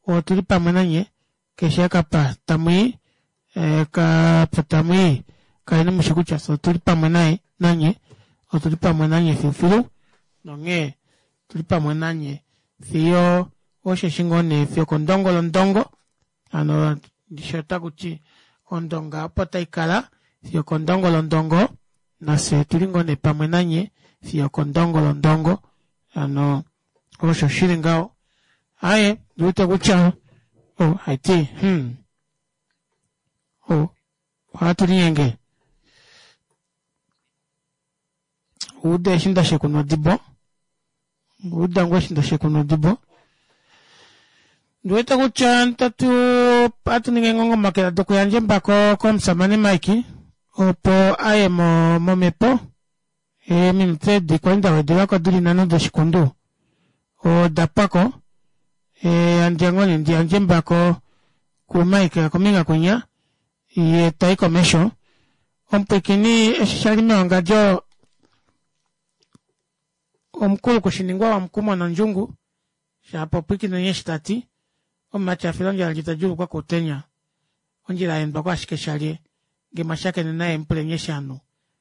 otuli pamwe nanye, keshe kapa tamwi, e, kapa tamwi, kaleni mushi kutya se otuli pamwe naye, nanye, otuli pamwe nanye filufilu, nonge, tuli pamwe nanye, fiyo, osheshi ngone, fiyo kondongo londongo, ano, ndisho takuti, ondonga opo taikala, fiyo kondongo londongo, nase tuli ngone pamwe nanye, fiyo kondongo londongo, ano, osho shili ngao. Aye, ndiwete kutya, oh, haiti, hmm, oh, Ohatu linyenge. Uda eshi ndashekuna odibo. Uda ngoo eshi ndashekuna odibo. Ndiwete kutya tatu ohatu ningi engongomakela dokuyandja embako komusamane Mike opo aye mo momhepo eeminute edi kwali ndawedelako dili nhano doshikundu oda pwako handi ngoo nee ndiyandje embako ku Mike kombinga kwinya yee tayi komesho omupwiikini eshi shali mewangadjo omukulu kushiningwa wamukumo nondjungu shapo pwiikineni eshi tati omumati afila ondjala ndji tadjuulukwa koutenya ondjila yaendwako ashike shalye ngee mwashakene naye mupuleni eshi anu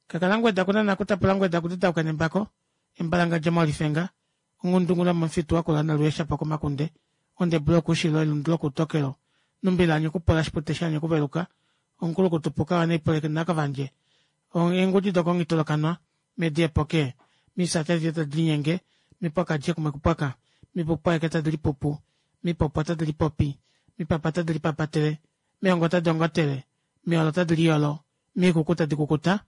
kakala ngweda kunana kutapula ngweda kututauka nembako embalangadja molifenga onghundungula momufitu wakula naluyesha pokomakunde ondebula okuushilo elundu lokuutokelo numbi laanye okupola shipute shaanye okuveluka omukulukutupuka wanaipoleke nakavandje eengudi dokongitolokanwa medi epoke misati adishe tadi linyenge mipwaka kumwe kupwaka mipupu aeke tadi lipupu mipopo tadi lipopi mipapa tadi lipapatele mihongo tadi ongotele miholo tadi liyolo miikuku tadi kukuta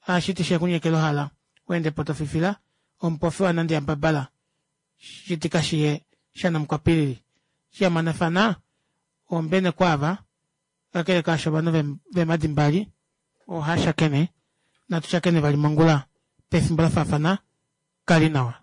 ashiti shekunyekela ohala weende po tofifila omupofi wanandi yambabala shitika shiye shanamukwapilili shiyamanafana ombene kwaava kakele kaasho ovanhu vemadi mbali ohashakene natu shakene vali mongula pefimbo lafaafana kali nawa.